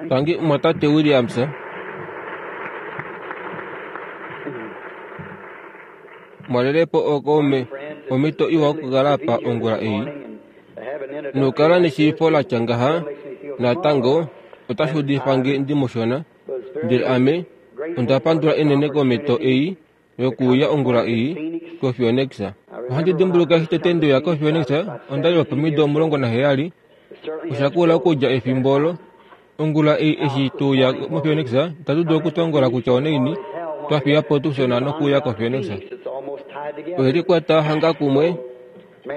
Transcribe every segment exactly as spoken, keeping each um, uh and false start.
Tangi mumwatate Williams. Mwalelepo ookaume, omhito iwa okukala apa ongula ei. Nokukala neshiifo latya ngaha natango otashi udifa nge ndimushona, ndele ame onda pandula unene komhito ei yokuuya ongula ei koPhoenix. Ohandi dimbuluka eshi tete ndeuya koPhoenix onda li wopomido omulongo naheyali. Osha kula okudja efimbo olo. Ongula ei eshi tweuya moPhoenix, itatu dulu okutongola kutya onaini twa fiya po Tucson nokuuya koPhoenix. Oye likwata hanga kumwe,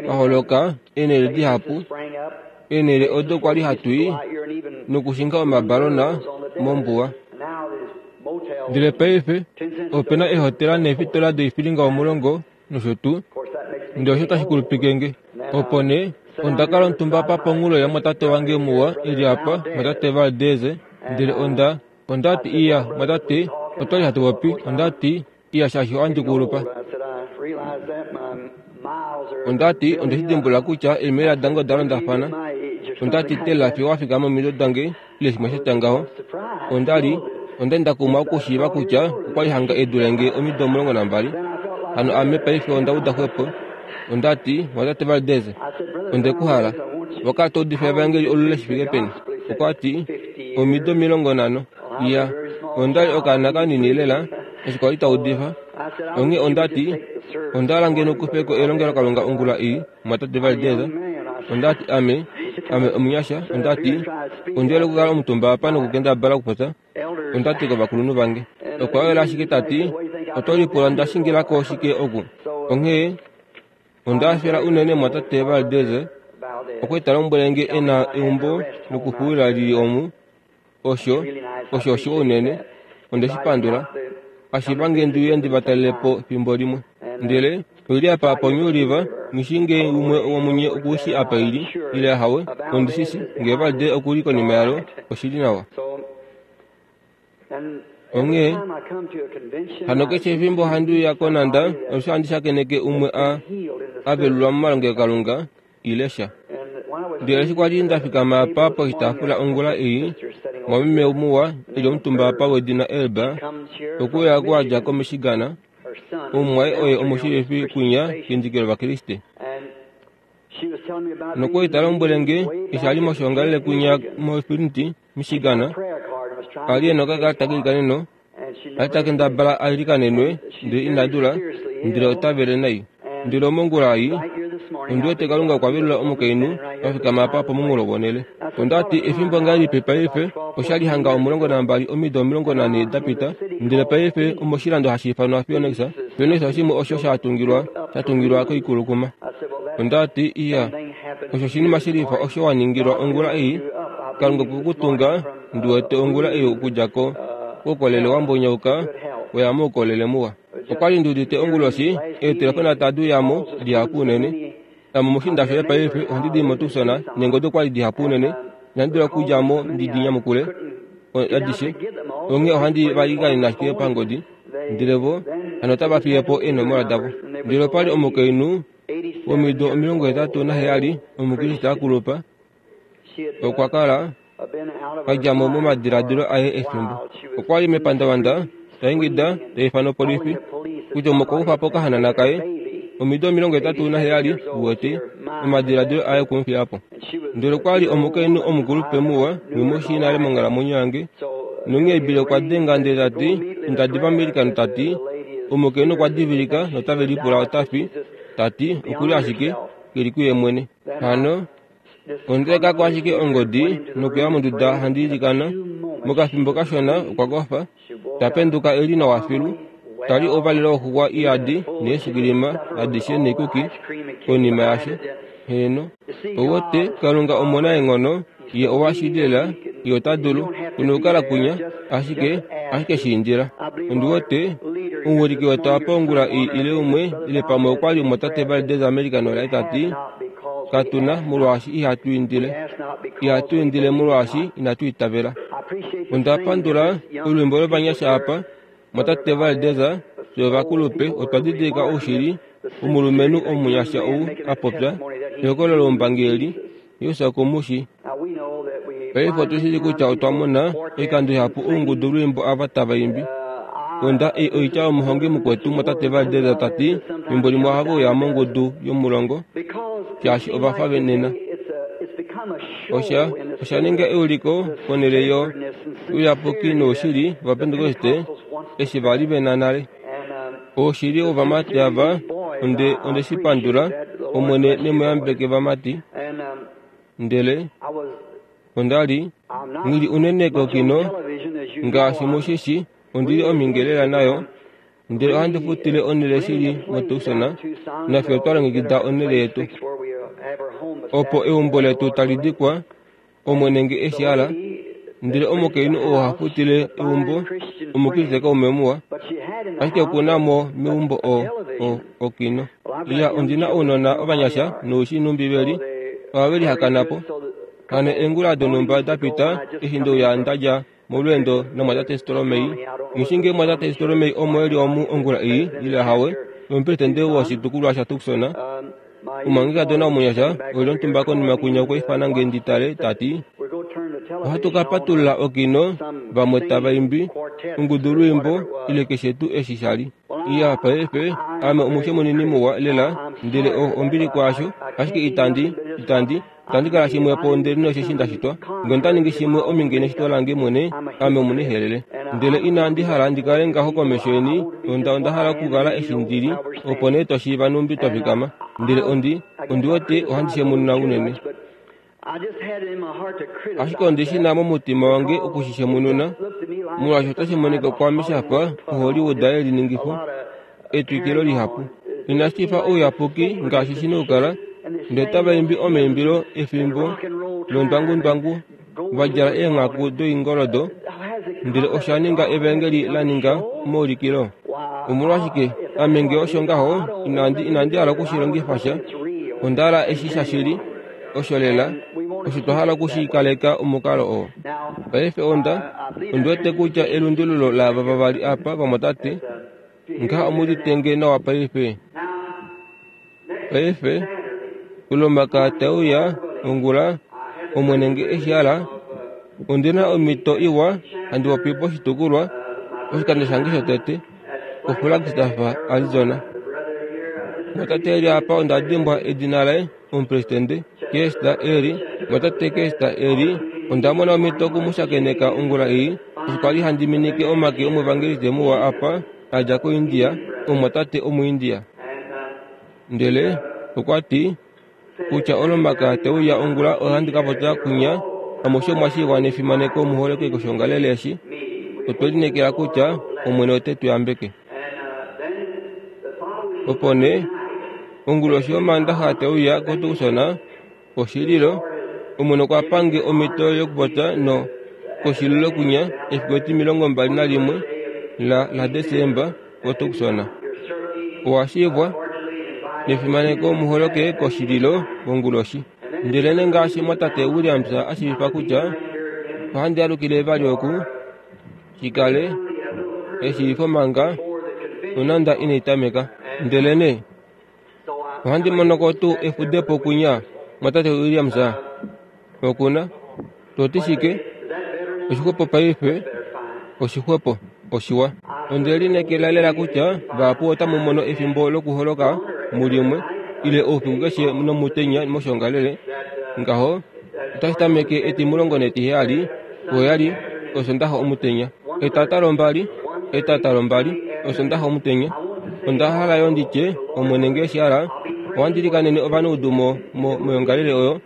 pa holoka eenhele dihapu, eenhele odo kwali hatu i nokushinga omabalona mombuwa. Ndele paife ope na eehotela neefitola doifilinga omulongo nosho tuu, ndele osho tashi kulupike nge. Opo nee onda kala omutumba apa ponghulo yamwatate wange muwa e li apa, mwatate Valdez, ndele onda onda ti iya, mwatate, otwali hatu popi, onda ti iya shaashi ohandi kulupa. Onda ti onde shi dimbulula kutya eemhila dange oda londafana. Onda ti tela fiyo wa fika momido dange ile shimwe sha tya ngaho. Onda li onda li nda kumwa okushiiva kutya okwa li hanga e dule nge omido omulongo nambali. Hano ame paife onda uda xwepo. Onda ti, mwatate Valdez, onde ku hala. Owa kala to udifa evangeli olule shi fike peni? Okwa ti, omido omilongo nhano. Iya, onda li okaana kanini lela eshi kwa li ta udifa. Onghee onda ti, onda hala ngeno kufe ko elongelokalunga ongula ei, mwatate Valdez. Onda ti ame, ame omunyasha, onda ti, ondi hole okukala omutumba apa nokukendabala okupopya. Onda ti kovakulunhu vange. Okwa wela ashike ta ti, oto lipula nda shingila ko shike oku? Onghee onda hafela unene mwatate Valdez okwe ta lombwele nge e na eumbo lokufuwila lili omu. Osho, osho oshiwa unene. Onde shi pandula. Ashiva nge ndi uye ndi va talele po fimbo limwe. Ndele oili apa poNew River, nghi nge umwe womunye oku shi apa ili, ile ahawe, ondi shi shi, nge Valdez oku li konima yalo, oshi li nawa. Onghee hano keshe efimbo handi uya konanda, alushe handi shakeneke umwe a a velulwa momalongelokalunga ile sha. Ndele eshi kwali nda fikama apa poshitaafula ongula ei, mwameme muwa e li omutumba apa wedina Elba, okuya ku dja koMichigan, omumwaye oye omushiivifi kwinya kendiki lOvakriste. Nokwali ta lombwele nge eshi a li moshoongalele kwinya moFlint, Michigan, a li e na okakalata keilikaneno, a li ta kendabala a ilikanenwe ndele ina dula, ndele ota vele nai. Ndele mongula ei, ondi wete Kalunga okwa velula omukainhu a fikama apa pomunghulo wonhele. Onda ti efimbo ngahelipi paife, osha li hanga omulongo nambali omido omilongo nhane da pita, ndele paife omoshilando hashi ifanwa Phoenix. Phoenix oshimwe osho sha tungilwa sha tungilwa koikulukuma. Onda ti iya, osho oshinima shilifa osho wa ningilwa ongula ei, Kalunga okwe ku tunga ndi wete ongula ei okudja ko koukolele wa mbonyauka weya moukolele muwa. Okwa li ndi udite onguloshi eetelefona tadi uya mo dihapu unene. Ame omushiinda shoye paife ohandi di moTucson neengodi okwa li dihapu unene, inandi dula okudja mo ndi di nyamukule adishe. Onghee ohandi va ilikanene ashike pangodi, ndele vo hano otava fiye po eenomola davo. Ndele opa li omukainhu womido omilongo hetatu naheyali, Omukriste a kulupa, okwa kala a dja mo momadiladilo aye efimbo. Okwa li mepandavanda ta ingida ta ifana opolifi kutya umwe okwa kufa po okahanana kaye, omido omilongo hetatu naheyali, uwete, omadiladilo aye okwe mu fiya po. Ndele okwa li omukainhu omukulupe muwa, nghi mu shii nale monghalamwenyo yange. Nonghee Bill okwa denga ndele ta ti, inda diva meilikano ta ti, omukainhu okwa divilika notave lipula ota fi, ta ti, oku li ashike, ke li kuye mwene. Hano onda eka ko ashike ongodi nokuya monduda handi ilikana. Mokafimbo kashona okwa kofa, ta penduka e li nawa filu, ta li ouvalelo woxuxwa iyadi neesukilima adishe neekuki konima yasho. Heeno, ouwete Kalunga omunaenghono, ye owa shili lela, ye ota dulu kunokukala kwinya, ashike ashike shi indila. Ondi wete omuwiliki wetu apa ongula ei ile umwe ile pamwe okwa li omwatate Valdez America nolaye ta ti, katu na molwaashi ihatu indile. Ihatu indile molwaashi inatu itavela. Onda pandula olwiimbo lovanyasha apa, mwatate Valdez, fye ovakulupe otwa didilika oushili womulumenhu omunyasha ou a popya ehokololo loumbangi eli, Jesus oku mu shii. Paife otushili kutya otwa mona oikando ihapu oungudu lwiimbo ava tava imbi. Onda ei oitya yomuhongi mukwetu mwatate Valdez tati fimbo limwe ohave uya mongudu yomulongo shaashi ova fa nena. Osha osha ninga euliko ponhele yo ouyapuki noushili vaPentekoste eshi vali vena nale. Oushili wovamati ava onde onde shi pandula Omwene nemuyambeke vamati. Ndele onda li ngili unene kokino ngaashi mushishi ondili omingelela nayo ndele ohandi futile onhele shili moTucson nafye otwa longekida onhele yetu opo eumbo letu tali dikwa Omwene nge eshi hala. Ndele omukainhu oo ha futile eumbo omukriste kaume muwa, ashike okuna mo meumbo o o okino. Iya, ondina ounona ovanyasha noushi nombibeli ohave lihakana po. Hano eengula donhumba da pita eshi ndeuya ndadja molweendo namwatate Storomei. Nghishinge mwatate Storomei omo eli omu ongula ei ile hawe, omupresidente woshitukulwa shaTucson. Omumwangekadona omunyasha oli omutumba konima kwinya okwa ifana nge ndi tale tati ohatu ka patulula okino vamwe tava imbi ongudu lwiimbo ile keshe tuu eshi shali. Iya, paife ame omushe munini muwa lela ndele ombili kwaasho, ashike itandi itandi itandi kala shimwe po ndele nosheshi ndashitwa. Nge onda ningi shimwe ominge neshito lange mwene, ame omunihelele. Ndele inandi hala ndi kale ngaho komesho yeni, onda onda hala okukala eshi ndili, opo nee twashiiva numbi twa fikama. Ndele ondi ondi wete ohandi shemununa unene. Ashike ondi shi na momutima wange okushishemununa, molwaashi otashi monika kwaame shafa oHollywood yeliningifo etwikilo lihapu. Inashi fa ouyapuki ngaashi shina okukala, ndele tava imbi omaimbilo efimbo londwangundwangu va djala eenghaku doingoldo, ndele osha ninga evangeli la ninga omaulikilo. Omolwashike ame nge osho ngaho inandi inandi hala okushilongifa sha. Onda hala eshi shashili osho lela osho twa hala okushikaleka omukalo oo. Paife onda ondi wete kutya elundululo laava vavali apa vamwatate ngaha omuditenge nawa paife. Paife ulomaka tauya ongula Omwene nge eshi hala, ondina omhito iwa handi popi poshitukulwa oshikando shange shotete koFlagstaff, Arizona. Mwatate eli apa onda dimbwa edina laye, omupresidente Kester eli. Mwatate Kester eli onda mona omhito okumushakeneka ongula ei eshi kwali handi minike omake omuevangeliste muwa apa a dja koIndia, omumwatate omuIndia. Ndele okwa ti kutya olomaka teuya ongula ohandi ka popya kwinya amushe mwa shiivwa nefimaneko muholeke koshongalele eshi. Otwe lineekela kutya Omwene ote tu yambeke. Opo nee onguloshi yomandaxa teuya koTucson oshililo, Omwene okwa pange omhito yokupopya no koshililo kwinya efiku etimilongo mbali nalimwe la laDesemba koTucson. Owa shiivwa nefimaneko muholoke koshililo konguloshi. Ndele ngaashi mwatate Williams a shiivifa kutya ohandi alukile vali oku shikale eshiivifo manga nonanda inai tameka. Ndele nee ohandi monoko tuu efudepo kwinya mwatate Williams okuna toti shike oshixwepo paife oshixwepo oshiwa. Onde lineekela lela kutya vahapu otamu mono efimbo lokuholoka mulimwe ile oufiku keshe nomutenya moshongalele. Ngaho otashi tameke etimulongo netiheyali oheyali osondaxa omutenya, etata lombali etata lombali osondaxa omutenya. Onda hala yo nditye Omwene nge eshi hala ohandi likanene ovanaudu mo moyongalele oyo,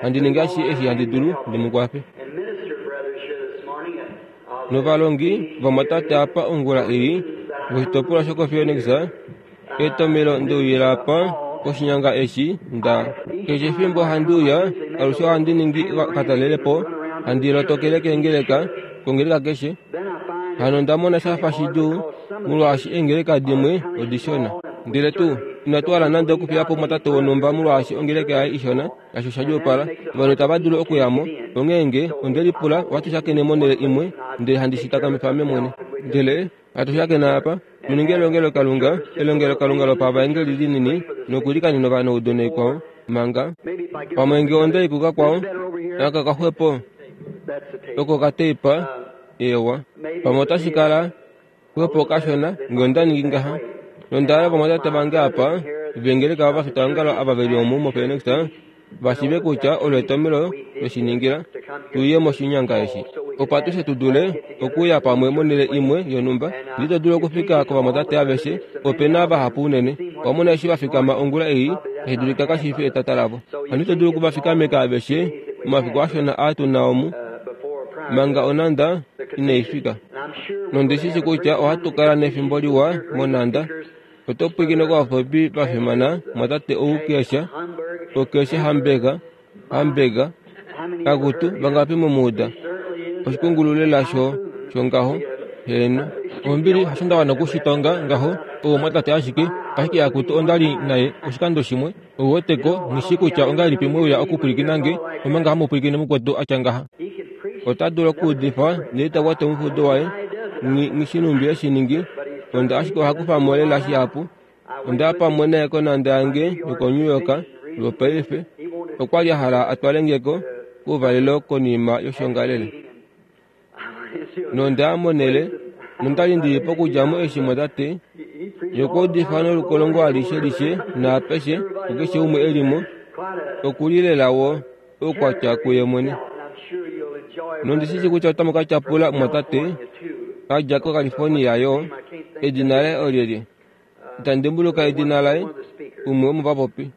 handi ningi ashishe eshi handi dulu ndi mu kwafe. Novalongi vamwatate apa ongula ei voshitopolwa shokoPhoenix, etomelo ndeuyila apa koshinyanga eshi nda keshe efimbo handi uya alushe ohandi ningi katalelepo, handi lotokele keengeleka kongeleka keshe. Hano onda mona shafa shidjuu molwaashi eengeleka dimwe odishona. Ndele tuu inatu hala nande okufiya po mwatate wonhumba molwaashi ongeleka yaye ishona, kasho sha djuupala ovanhu itava dulu okuyamo. Onghee nge onde lipula ohatu shakene monhele imwe ndele handi shi takamifa ame mwene. Ndele hatu shakena apa muninge elongelokalunga elongelokalunga lopavaengeli linini nokulikanena ovanaudu naikwao manga pamwe nge onda ikuka kwao aka kaxwepo Oko kateipa ewa. Pamwe otashi kala xwepo kashona ngee onda ningi ngaha. Nonda hala ovamwatate vange apa vengeleka ovafitaongalo ava veli omu moPhoenix vashiive kutya olo etomhelo tweshiningila tuye moshinyanga eshi. Opo atushe tu dule okuuya pamwe monhele imwe yonhumba. Ndele ito dulu okufika kovamwatate aveshe, ope na vahapu unene. Owamona eshi vafikama ongula ei, tashi dulika kashi fi etata lavo. Hano ito dulu okuvafikameka aveshe momafiku ashona aa tuna omu, manga onhanda inai fika. Nondi shi shii kutya ohatu kala nefimbo liwa monhanda. Oto pwilikine kovapopi va fimana mwatate ou Kesha, okeshe Hamburger, Hamburger, akutu vangapi mumuuda. Oshikungulu lela sho shongaho, heeno. Ombili hasho nda wana okushitonga ngaho, ou omwatate ashike, ashike akutu onda li naye oshikando shimwe. Ouweteko, nghi shii kutya ongahelipi mweuya okupwilikina nge, omanga hamu pwilikine mukwetu atya ngaha. Ota dulu okuudifa ndele ta kwata omufudo waye, nghi shi nhumbi eshi ningi, onda ashike oha kufa mo lela shihapu. Onda ya pamwe naye konhanda yange yokoNew York lwopaife, okwa li a hala a twale nge ko kouvalelo konima yoshongalele. Nonda ya monhele, nonda li ndili pokudja mo eshi mwatate yokuudifa nolukolongo alishe lishe naapeshe kukeshe umwe e li mo, okuli lela wo oukwatya kuye mwene. Nondi shi shii kutya otamu ka tyapula mwatate a dja koCalifornia yo, edina laye olyelye? Itandi dimbuluka edina laye, umwe womovapopi.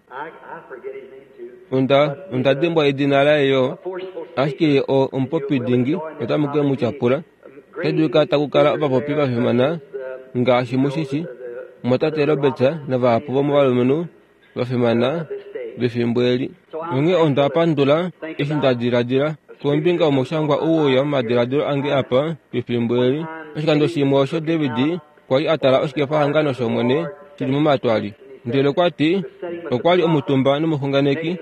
Onda onda dimbwa edina laye yo, ashike ye o omupopi dingi otamu ke mu tyapula. Otashi dulika taku kala ovapopi va fimana ngaashi mushi shi, mwatate Roberts navahapu vomovalumenhu va fimana vefimbo eli. Onghee onda pandula eshi nda diladila kombinga yomushangwa ou weuya momadiladilo ange apa pefimbo eli. Oshikando shimwe osho David kwa li a tala oshikefahangano shOmwene shili momatwali. Ndele okwa ti okwa li omutumba nomuxunganeki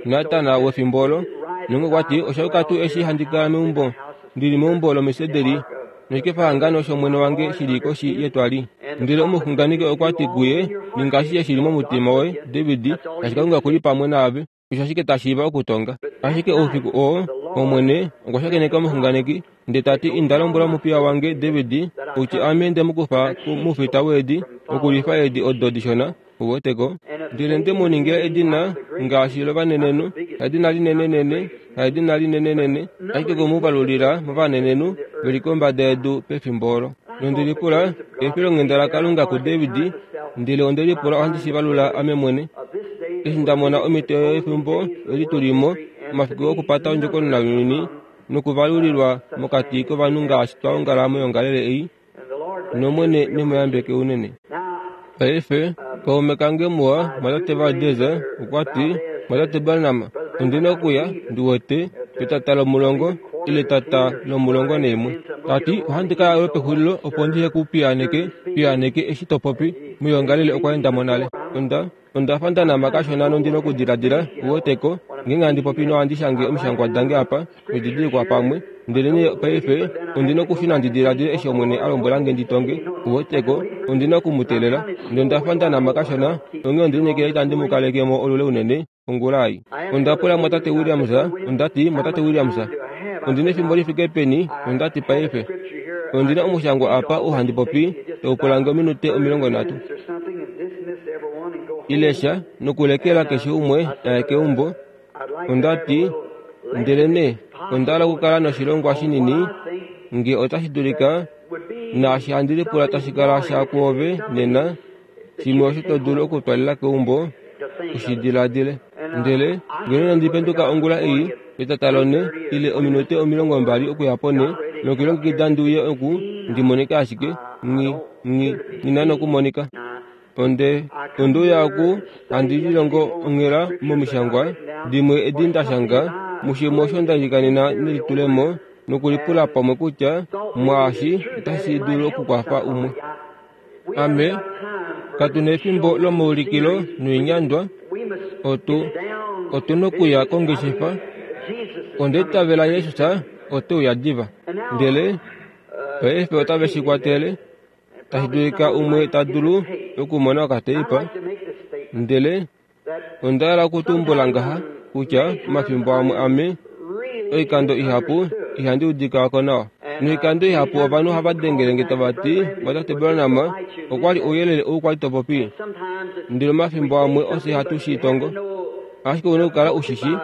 Natan wefimbo olo, nonge okwa ti osha yuka tuu eshi handi kala meumbo ndili meumbo lomisederi noshikefahangano shOmwene wange shili koshi yetwali. Ndele omuxunganeki okwa ti kuye, ninga ashishe shili momutima woye, David, shaashi Kalunga okuli pamwe naave. Osho ashike ta shiiva okutonga. Ashike oufiku oo, Omwene okwa shakeneka omuxunganeki, ndele ta ti, inda lombwela omupiya wange David, kutya ame nde mu kufa moufita weedi okulifa eedi odo dishona, uweteko. Ndele nde mu ningila edina ngaashi lovanenenhu, haedina linenenene, haedina linenenene, ashike oku mu valulila movanenenhu ve li kombada yedu pefimbo olo. Nonde lipula efilonghenda laKalunga kuDavid, ndele onde lipula ohandi shi valula ame mwene. Eshi nda mona omhito yefimbo eli tu li mo, omafiku okupata ondjokonona younyuni nokuvalulilwa mokati kovanhu ngaashi twa ongala moyongalele ei, nOmwene ne mu yambeke unene. Paife, kaume kange muwa mwatate Valdez okwa ti, mwatate Branham, ondi na okuya, ndi wete, petata lomulongo ile tata lomulongo naimwe. Ta ti, ohandi ka ya lwopexulilo opo ndihe ku piyaaneke, piyaaneke eshi to popi. Moyongalele okwa enda mo nale. Onda onda fa nda nama kashona nondi nokudiladila, uweteko, ngeenge handi popi nohandi shange omishangwa dange apa, noididilikwa pamwe. Ndelenee paife ondi nokushuna ndi diladile eshi Omwene a lombwela nge ndi tonge, uweteko, ondi na oku mu teelela. Ndele onda fa nda nama kashona, onghee onde lineekela itandi mu kaleke mo olule unene ongula ei. Onda pula mwatate Williams, onda ti, mwatate Williams, ondi nefimbo li fike peni? Onda ti, paife ondi na omushangwa apa ou handi popi, tau pula nge ominute omilongo nhatu. Ile sha, nokulekela keshe umwe aye keumbo. Onda ti, ndelenee onda hala okukala noshilongwa shinini, nge otashi dulika, naashi handi lipula tashi kala sha kwoove nena, shimwe osho to dulu okutwalela keumbo, ushi diladile. Ndele ngeno inandi penduka ongula ei, etata lonhe, ile ominute omilongo mbali okuya ponhe, nokulilongekida ndi uye oku, ndi monike ashike, nghi, nghi, nghi na nokumonika. Onde onde uya oku handi lilongo onghela momishangwa dimwe edi nda shanga, mushimwe osho nda ilikanena nelitulemo nokulipula pamwe kutya mwaashi otashi dulu okukwafa umwe. Ame, katu nefimbo lomaulikilo noinyandwa, otu otu nokuya kongeshefa. Onda itavela Jesus ote uya diva. Ndele paife otave shi kwatele, tashi dulika umwe ta dulu okumona okateipa. Ndele onda hala okutumbula ngaha kutya omafimbo amwe ame Oikando ihapu ihandi udika ko nawa. Noikando ihapu ovanhu ohava dengele nge tava ti, Mwatate Branham, okwa li ouyelele ou kwali to popi. Ndele omafimbo amwe ofye hatu shi tongo. Ashike ouna okukala ushishi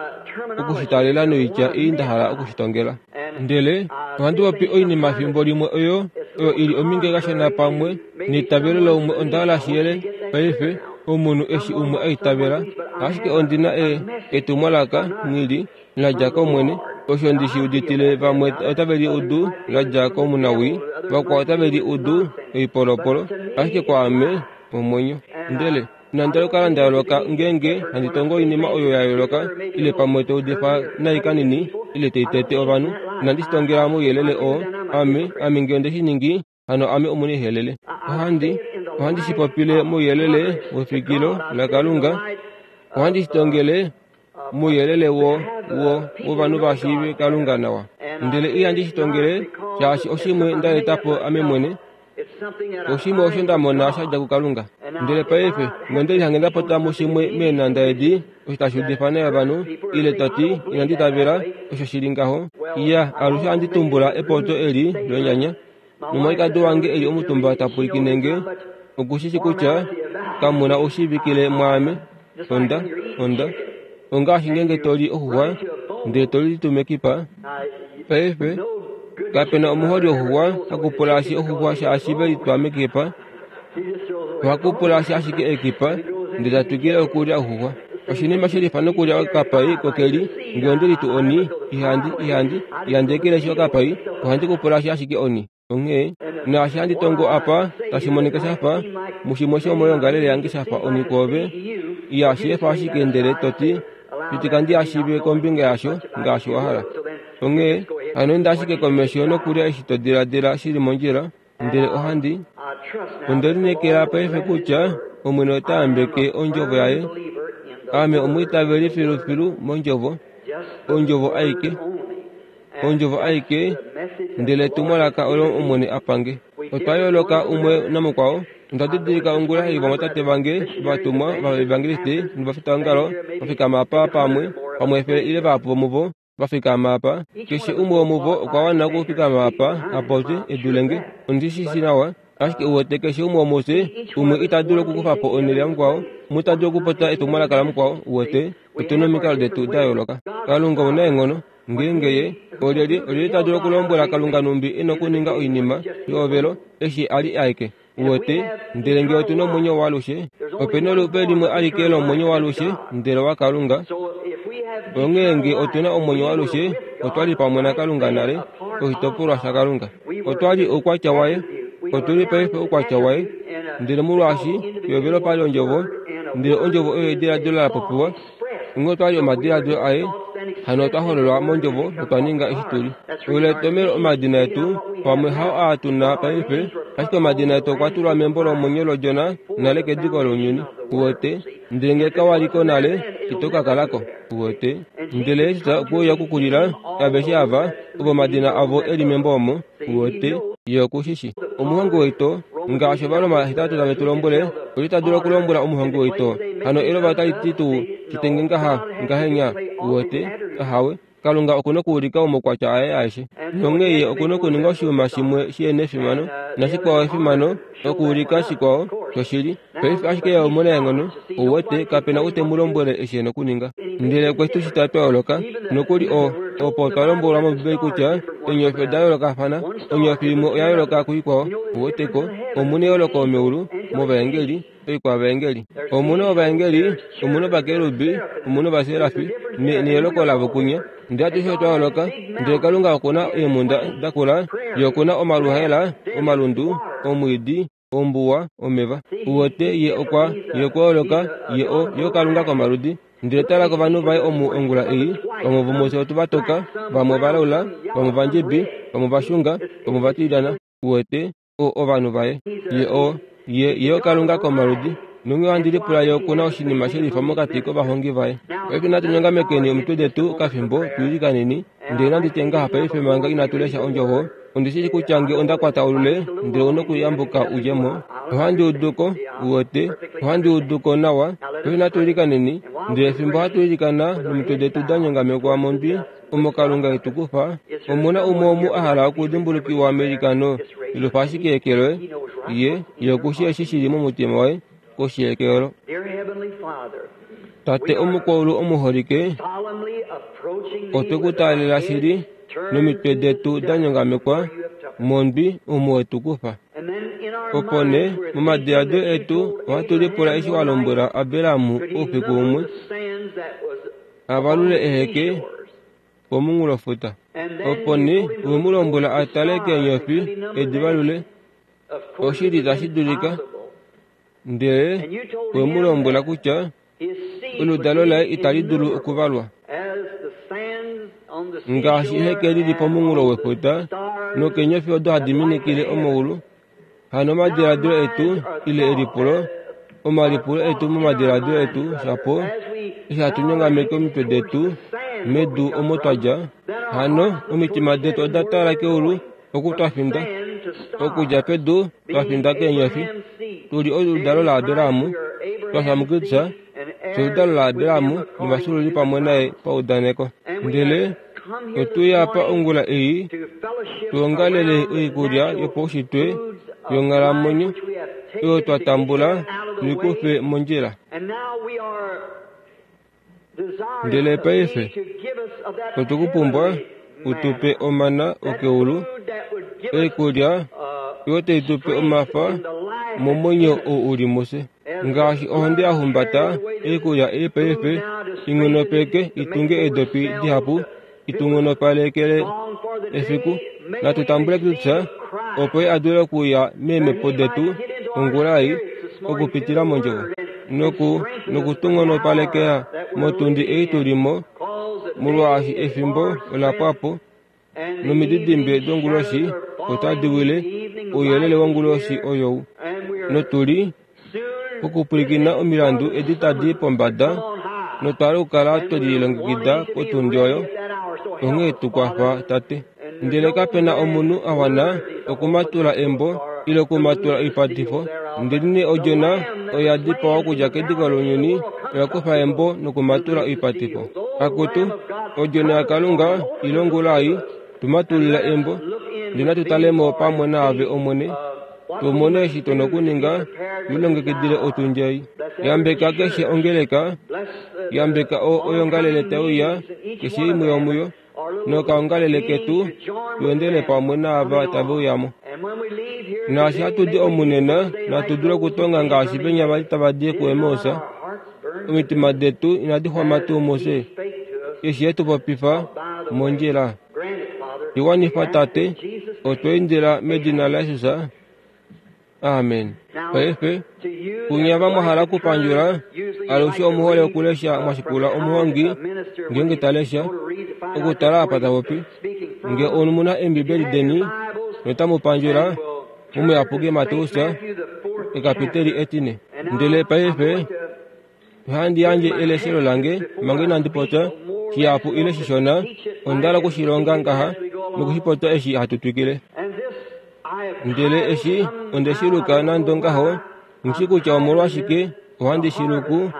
okushitalela noitya ei nda hala okushitongela. Ndele ohandi popi oinima fimbo limwe oyo oyo ili ominge kashona pamwe neitavelo laumwe onda hala shiyele paife omunhu eshi umwe aitavela. Ashike ondi na e, etumwalaka nghi la dja kOmwene. Osho ndi shi uditile vamwe otave li udu la dja komunawii, vakwao otave li udu oipolopolo, ashike kwaame omwenyo. Ndele inandi kala nda yooloka ngeenge handi tongo oinima oyo ya yooloka ile pamwe to udifa nai kanini ile toitete ovanhu. Inandi shi tongela mouyelele oo. Ame, ame ngee onde shi ningi, hano ame omunaihelele. Ohandi, ohandi shi popile mouyelele wefikilo laKalunga. Ohandi shi tongele mouyelele wo, wo, wovanhu va shiive Kalunga nawa. Ndele ihandi shi tongele shaashi oshimwe nda eta po ame mwene. Oshimwe osho nda mona sha dja kuKalunga. Ndele paife ngonde lihange nda pota mushimwe meenanda edi osho tashi udifa naye ovanhu ile toti inandi tavela osho shili ngaho. Iya, alushe ohandi tumbula epoto eli lonyanya. Nomwalikadi wange eli omutumba ta pwilikine nge okushishi kutya kamuna oushiivikile mwaame. Onda, onda. Ongaashi ngeenge to li oxuxwa ndele to li mekipa. Paife kapena omuholi woxuxwa hakupulashi oxuxwa shaashi ve litwa mekipa. Ohakupulashi ashike ekipa ndele ta twikile okulya oxuxwa. Oshinima shelifa nokulya okapai kokeli ngee onde litu oni ihandi ihandi ihandi ekeleshi okapai ohandi kupulashi ashike oni. Onghee naashi handi tongo apa tashi monika shafa mushimwe shomoyoongalele yange shafa oni kwoove iyashi efa ashike ndele toti pitika ndi ashiive kombinga yasho ngaashi wa hala. Onghee hano enda ashike komesho nokulya eshi to diladila shili mondjila. Ndele ohandi onde lineekela paife kutya Omwene ota yambeke ondjovo yaye. Ame omwiitaveli filufilu mondjovo, ondjovo aike, ondjovo aike, ndele etumwalaka olo Omwene a pange. Otwa yooloka umwe namukwao. Onda didilika ongula ei vamwatate vange vatumwa vaevangeliste novafitaongalo vafikama apa pamwe, pamwe efele ile vahapu vomuvo vafikama apa. Keshe umwe womuvo okwa wana okufikama apa a popye edulenge. Ondi shi shi nawa, ashike uwete keshe umwe womufye umwe ita dulu okukufa po onhele yamukwao, umwe ita dulu okupopya etumwalaka lamukwao. Uwete otuna omikalo detu da yooloka. Kalunga omunaenghono. Ngeenge ye olyelye olyelye ta dulu okulombwela Kalunga numbi e na okuninga oinima yehovelo eshi a li aeke. Uwete, ndele ngee otuna omwenyo waalushe, opena olupe limwe alike lomwenyo waalushe ndele waKalunga. Onghee ngee otuna omwenyo waalushe, otwa li pamwe naKalunga nale, oshitopolwa shaKalunga. Otwa li oukwatya waye, otuli paife oukwatya waye. Ndele molwaashi pehovelo pali ondjovo, ndele ondjovo oyo ediladilo la popiwa, onghee otwa li omadiladilo aye, hano otwa hololwa mondjovo notwa ninga eshi tuli. Olo etomhelo omadina etu pamwe hao aa tuna paife, ashike omadina etu okwa tulwa membo lomwenyo lOdjona nale kediko lounyuni. Uwete, ndele ngee kawaliko nale, ito ka kalako. Uwete, ndele Jesus okwe uya okukulila aveshe ava ovo omadina avo eli membo omo. Uwete, ye okushishi. Omuhongi woito, ngaashi Ovaroma hetatu tave tu lombwele, oli ta dulu okulombwela omuhongi woito, hano elova otali ti tuu shitenge ngaha ngahenya. Uwete, ahawe. Kalunga okuna okuulika omaukwatya aye aeshe. Nonghee ye okuna okuninga oshinima shimwe shihena efimano nashikwao efimano okuulika shikwao shoshili. Paife ashike ye omunaenghono. Uwete, kapena ou te mu lombwele eshi e na okuninga. Ndele okwe tu shita twa yooloka. Nokuli o, opo twa lombwelwa mOmbibeli kutya eenyofi oda yoolokafana. Onyofi imwe oya yooloka kuikwao. Uwete ko, omuna eyooloko meulu movaengeli, oikwavaengeli. Omuna ovaengeli, omuna ovakerubi, omuna ovaserafi, neyooloko lavo kunya. Ndele atushe otwa yooloka. Ndele Kalunga okuna eemhunda dakula, ye okuna omaluhaela, omalundu, omwiidi, ombuwa, omeva. Uwete, ye okwa, ye okwa yooloka, ye o, ye oKalunga komaludi. Ndele tala kovanhu vaye omu ongula ei, vamwe vomufye otu va toka, vamwe ovalaula, vamwe ovandjibi, vamwe ovashunga, vamwe ovatilyana. Uwete, o ovanhu vaye. Ye o, ye, ye oKalunga komaludi. Nonghee ohandi lipula ye okuna oshinima shelifa mokati kovahongi vaye. Paife natu nyongamekeni omitwe detu kafimbo tuilikaneni. Ndele nandi tye ngaha paife manga inatu lesha ondjovo, ondi shi shi kutya ngee onda kwata olule ndele ouna okuyambuka udje mo. Ohandi udu ko, uwete, ohandi udu ko nawa. Paife natu ilikaneni. Ndele fimbo hatu ilikana nomitwe detu da nyongamekwa mondwi, Omo Kalunga e tu kufa, omuna umwe omu a hala okudimbulukiwa meilikano lilufa ashike eke loye, ye ye okushi eshi shili momutima waye koshi yeke olo. Tate omukwaulu omuholike, otwe ku taalela shili nomitwe detu da nyongamekwa mondwi omo we tu kufa. Opo nee momadiladilo etu ohatu lipula eshi wa lombwela Abraham oufiku umwe a valule eheke pomunghulofuta. Opo nee owe mu lombwela a tale keenyofi edi valule, oshili tashi dulika, ndele owe mu lombwela kutya oludalo laye itali dulu okuvalwa ngaashi eheke lili pomunghulo wefuta nokeenyofi odo hadi minikile omaulu. Hano omadiladilo etu ile elipulo, omalipulo etu momadiladilo etu shapo eshi hatu nyongameke omitwe detu medu omo twa dja, hano omitima detu oda tala keulu oku twa finda, okudja pedu twa finda keenyofi, tuli oludalo laAbraham, twa fya muKristus, oludalo laAbraham novafyuululi pamwe naye paudaneko. Ndele otuya apa ongula ei tuongalele oikulya yopaushitwe yonghalamwenyo oyo twa tambula tuikufe mondjila. Ndele paife otukupumbwa utupe omana okeulu, oikulya oyo tai tupe omafa momwenyo ou uli mufye. Ngaashi ohonde ya humbata oikulya ei paife ing'onopeke itunge eedopi dihapu itungonopalekele efiku. Natu tambule Kristus opo ye a dule okuya meemhepo detu ongula ei okupitila mondjovo noku nokutung'onopalekela motundi ei tulimo, molwaashi efimbo ola pwa po nomididimbe donguloshi otadi wile ouyelele wonguloshi oyou, notuli pokupwilikina omilandu edi tadi pombada notwali okukala twelilongekida potundi oyo. Onghee tukwafa Tate. Ndele kapena omunhu a wana okumatula embo ile okumatula oipatifo, ndelenee Odjona oya dipawa okudja kediko lounyuni oya kufa embo nokumatula oipatifo. Akutu Odjona yaKalunga ile ongula ei tumatulila embo, ndele natu talemo pamwe naave Omwene, tumone eshi tuna okuninga tulilongekidile otundi ei. Yambeka keshe ongeleka, yambeka oyongalele tauya keshe imwe yomuyo, nokaongalele ketu tuendele pamwe naava tave uyamo. Naashi hatu di omunena, natu dule okutonga ngaashi venya vali tava di kuEmaus, omitima detu inadi xwama tuu mufye eshi ye tu popifa mondjila. Iwanifa Tate, otwa indila medina laJesus. Amen. Paife kunya vamwe hala okupandjula, alushe omuhole okulesha mwashikula omuhongi ngeenge talesha okutala apa tapopi. Nge omuna Eembibeli deni notamu pandjula mOmuyapuki Mateus ekapiteli etine. Ndele paife ohandi yandje eleshelo lange manga inandi popya shihapu ile shishona, onda hala okushilonga ngaha nokushipopya eshi hatu twikile. Ndele eshi onde shiluka nande ngaho, nghishi kutya omolwashike ohandi shiluku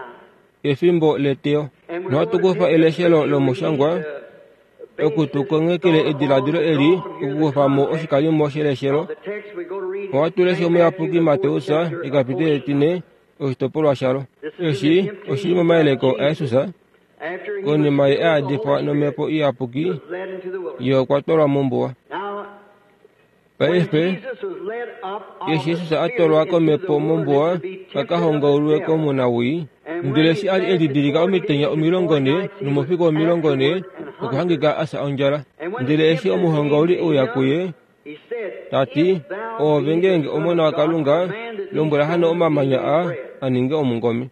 efimbo leteyo. Nohatu kufa eleshelo lomushangwa okutukonghekele ediladilo eli okukufamo oshikalimo sheleshelo. Ohatu lesha Omuyapuki Mateus ekapiteli etine oshitopolwa shalo. Eshi oshili momayeleko aJesus konima ye a yadifwa nomhepo iyapuki, ye okwa twalwa mombuwa. Paife eshi Jesus a twalwa komhepo mombuwa a ka hongaulwe komunawii, ndele eshi a li elidilika omitenya omilongo ne nomaufiku omilongo ne, okwa hangika a fya ondjala. Ndele eshi omuhongauli e uya kuye ta ti, Oove ngeenge Omona waKalunga, lombwela hano omamanya aa a ninge omungome.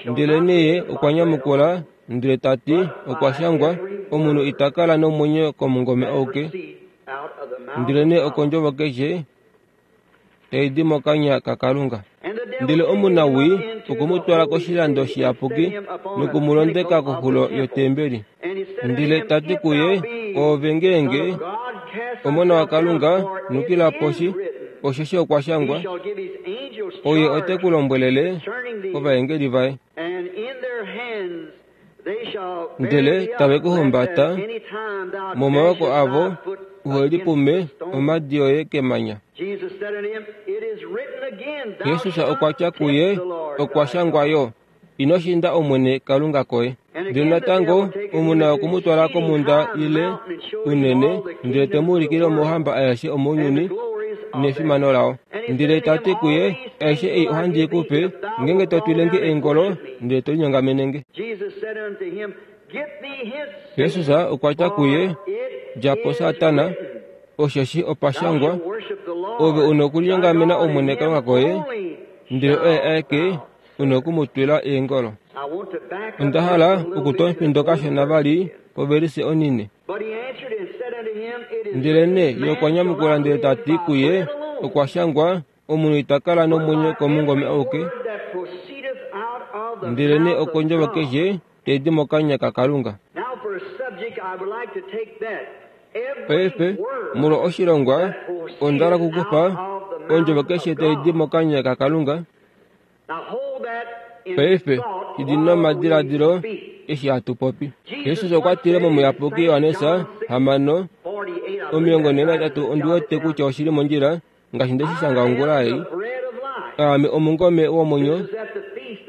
Ndelenee ye okwa nyamukula ndele ta ti, Okwa shangwa, omunhu ita kala nomwenyo komungome auke, ndelenee okondjovo keshe tai di mokanya kaKalunga. Ndele omunawii okwe mu twala koshilando shiyapuki noku mu londeka koxulo yotembeli. Ndele ta ti kuye, Oove ngeenge Omona waKalunga, nukila poshi, osheshi okwa shangwa, Oye ote ku lombwelele ovaengeli vaye. Ndele tave ku humbata momaoko avo uhe lipume omhadi yoye kemanya. Jesus okwa tya kuye, okwa shangwa yo, ino shinda Omwene Kalunga koye. Ndele natango omu na oku mu twala komhunda ile unene, ndele te mu ulikile omauhamba aeshe omounyuni nefimano lao. Ndele ta ti kuye, aishe ei ohandi i ku pe, ngeenge to twile nge eengolo ndele to linyongamene nge. Jesus okwa tya kuye, dja po Satana, osheshi opa shangwa, ove u na okulinyongamena Omwene Kalunga koye, ndele oye aeke u na oku mu twila eengolo. Onda hala okutwa omufindo kashona vali povelise onine. Ndelenee ye okwa nyamukula ndele ta ti kuye, okwa shangwa, omunhu ita kala nomwenyo komungome auke, ndelenee okondjovo keshe tai di mokanya kaKalunga. Paife molwa oshilongwa onda hala okukufa ondjovo keshe tai di mokanya kaKalunga. Paife shidi nomadiladilo eshi hatu popi. Jesus okwa tile momuyapuki Johannes hamano omilongo nhee nahetatu, ondi wete kutya oshili mondjila ngaashi nde shi shanga ongula ei. Aame omungome womwenyo.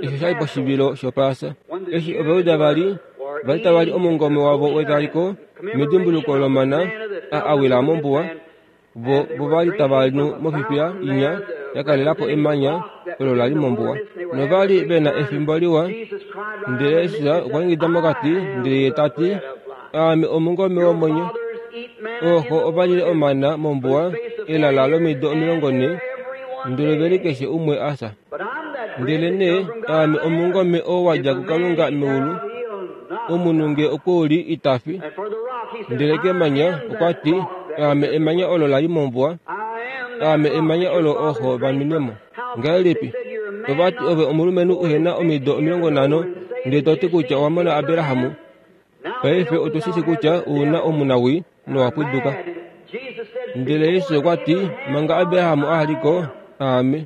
Eshi osha li poshivilo shOpaasa, eshi Ovajuda vali vali tava li omungome wavo wetaliko medimbuluko lomana a awila mombuwa, vo vo vali tava nu mofifiya inya ya kalela po emanya olo la li mombuwa. Novali ve na efimbo liwa. Ndele Jesus okwa ingida mokati ndele ye ta ti, aame omungome womwenyo. Ooxo ova lile omana mombuwa elala lomido omilongo nhee, ndele ve li keshe umwe a fya. Ndelenee aame omungome oo wa dja kuKalunga meulu, omunhu nge okwe u li ita fi. Ndele kemanya okwa ti, aame emanya olo la li mombuwa, aame emanya olo ooxo va nwine mo. Ngahelipi? Ova ti ove omulumenhu uhe na omido omilongo nhano, ndele to ti kutya owa mona Abraham. Paife otu shi shii kutya u na omunawii nowa pwiduka. Ndele Jesus okwa ti, manga Abraham a li ko, aame.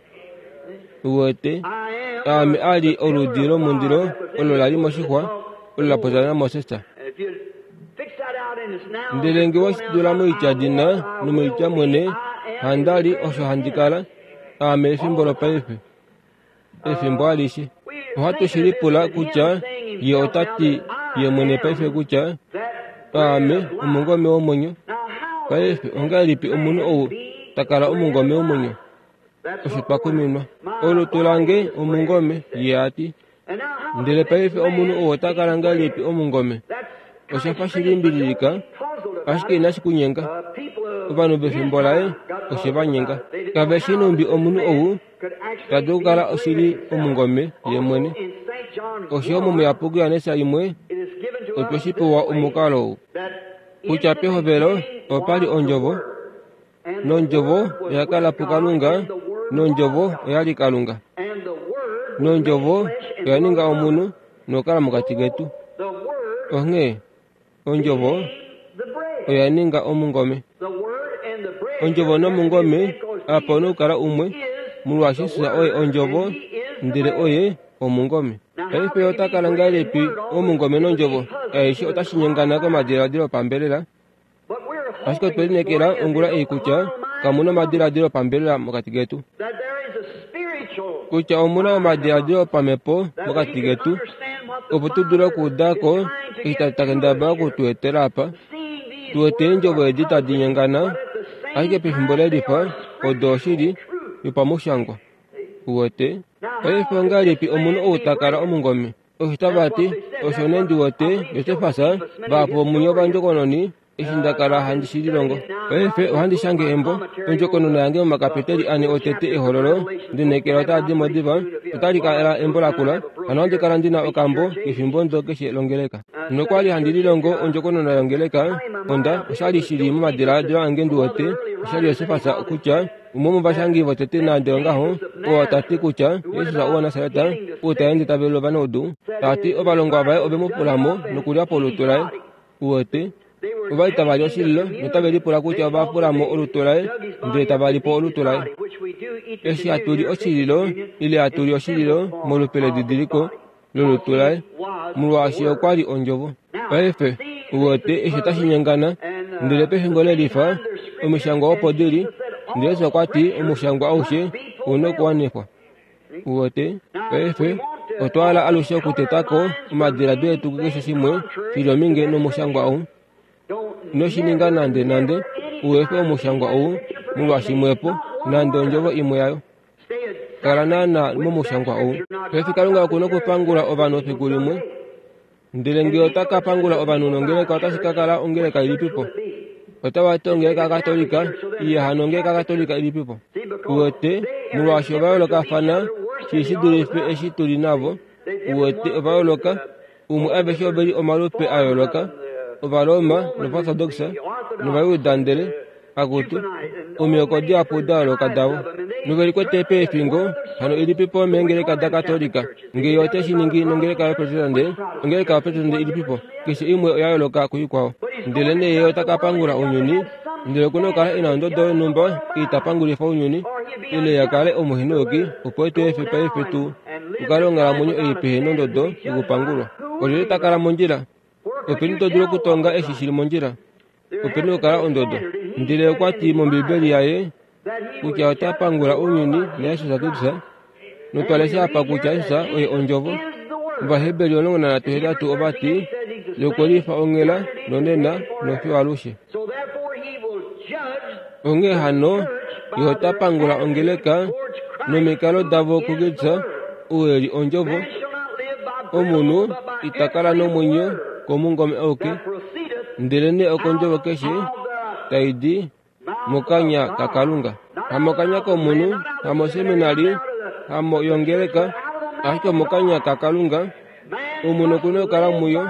Uwete, aame a li oludi lomundilo olo la li moshixwa olo la popya naMoses. Ndele nge we shi tula moitya dina nomoitya mwene, handa li osho handi kala, aame efimbo lopaife, efimbo alishe. Ohatu shi lipula kutya ye ota ti ye mwene paife kutya aame omungome womwenyo. Paife ongahelipi omunhu ou ta kala omungome womwenyo? Osho twa kuminwa. Olutu lange omungome, ye a ti. Ndele paife omunhu ou ota kala ngahelipi omungome? Osha fa shi limbililika, ashike inashi kunyenga. Ovanhu vefimbo laye oshe va nyenga. Kave shi numbi omunhu ou ta dulu okukala oshili omungome ye mwene. Osho momuyapuki Johannes imwe otwe shi pewa omukalo ou, kutya pehovelo opa li ondjovo, nondjovo oya kala puKalunga, nondjovo oya li Kalunga, nondjovo oya ninga omunhu nokukala mokati ketu. Onghee ondjovo oya ninga omungome. Ondjovo nomungome apa una okukala umwe, molwaashi Jesus oye ondjovo ndele oye omungome. Paife ota kala ngahelipi omungome nondjovo? Aishe otashi nyengana komadiladilo opambelela. Ashike otwe lineekela ongula ei kutya kamu na omadiladilo opambelela mokati ketu, kutya omu na omadiladilo opamhepo mokati ketu, opo tu dule okuuda ko eshi ta kendabala oku tu etela apa. Tu wete eendjovo edi tadi nyengana, ashike pefimbo lelifa odo oshili yopamushangwa. Uwete? Paife ongahelipi omunhu ou ta kala omungome? Osho tava ti, osho nee ndi wete Josefas vahapu vomunye ovandjokononi eshi nda kala handi shi lilongo. Paife ohandi shange embo ondjokonona yange momakapiteli ane otete ehololo, ndinekela otaa di mo diva, otali kala embo lakula, hano ohandi kala ndi na okambo kefimbo ndo keshe longeleka. Nokwa li handi lilongo ondjokonona yongeleka, onda oshali shili momadiladilo ange ndi wete, oshali Josefas kutya umwe womovashangi votete nande ongaho, oo ta ti kutya Jesus woNasaret ou ta ende ta velula ovanaudu, ta ti ovalongwa vaye ove mu pula mo nokulya po olutu laye. Uwete, ova li tava li oshililo notave lipula kutya ova pula mo olutu laye ndele tava li po olutu laye. Eshi hatu li oshililo ile hatu li oshililo molupe ledidiliko lolutu laye, Molwaashi okwa li ondjovo. Paife, uwete eshi tashi nyengana, ndele pefimbo lelifa, omishangwa opo dili, ndele Jesus okwa ti omushangwa aushe ouna okuwanifwa. Uwete, paife, otwa hala alushe okutetako omadiladilo etu kukeshe shimwe shili ominge nomushangwa ou. Ino shi ninga nande nande, uefe omushangwa ou molwaashi imwepo, nande ondjovo imwe yayo. Kala naana momushangwa ou. Paife Kalunga okuna okupangula ovanhu efiku limwe. Ndele ngee ota ka pangula ovanhu nongeleka otashi ka kala ongeleka ilipipo. Otava ti ongeleka yaKatolika, iye hano ongeleka yaKatolika ilipipo. Uwete, molwaashi ova yoolokafana shi shi dulife eshi tuli navo. Uwete ova yooloka, umwe aveshe oveli omalupe a yooloka, Ovaroma nOvaortodoxa nOvayuda ndele akutu omihoko dihapu da yooloka davo. Novelikwete peefingo hano ilipipo meengeleka daKatolika. Ngee ote shi ningi nongeleka yoProtestante, ongeleka yoProtestante ilipipo. Keshe imwe oya yooloka kuikwao. Ndele nee ye ota ka pangula ounyuni, ndele okuna okukala e na ondodo yonhumba ei ta pangulifa ounyuni, ile ya kale omuhenoki opo tu efe paife tu kale onghalamwenyo ei pehe nondodo yokupangulwa. Olyelye ta kala mondjila? Openi to dulu okutonga eshi shili mondjila? Openi okukala ondodo. Ndele okwa ti mOmbibeli yaye kutya ota pangula ounyuni naJesus Kristus, notwa lesha apa kutya Jesus oye ondjovo. Ovaheberi omulongo nanhatu hetatu ova ti yokwelifa onghela nonena nofiyo alushe. Onghee hano ye ota pangula ongeleka nomikalo davo kuKristus ou e li ondjovo. Omunhu ita kala nomwenyo komungome auke, ndele nee okondjovo keshe tai di mokanya kaKalunga. Hamokanya komunhu, hamoseminari, hamo yongeleka, ashike omokanya kaKalunga. Omunhu okuna okukala muyo,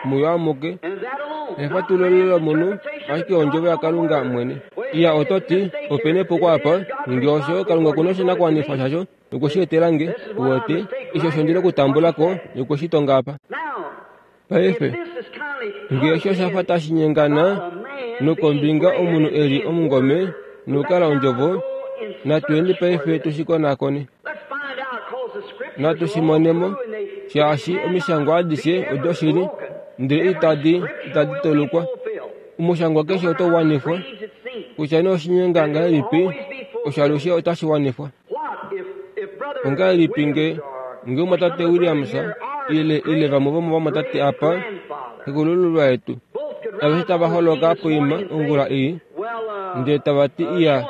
muyo amuke. Efatululo lomunhu, ashike ondjovo yaKalunga mwene. Iya oto ti, opena epuko apa, ngee osho Kalunga okuna oshinakuwanifwa shasho nokwe shi etela nge, uwete, eshi osho ndina okutambula ko nokwe shi tonga apa. Paife, ngee osho osha fa tashi nyengana nokombinga omunhu e li omungome nokukala ondjovo, natuyeni paife tu shi konakone. Natu shi monemo, shaashi omishangwa adishe odoshili, ndele itadi itadi tolukwa. Omushangwa keshe otau wanifwa, kutya nee oshinyenga ngahelipi, osho alushe otashi wanifwa. Ongahelipi nge nge omwatate Williams ile ile vamwe vomovamwatate apa, xekulululwa yetu, aveshe tava holoka poima ongula ei, ndele tava ti iya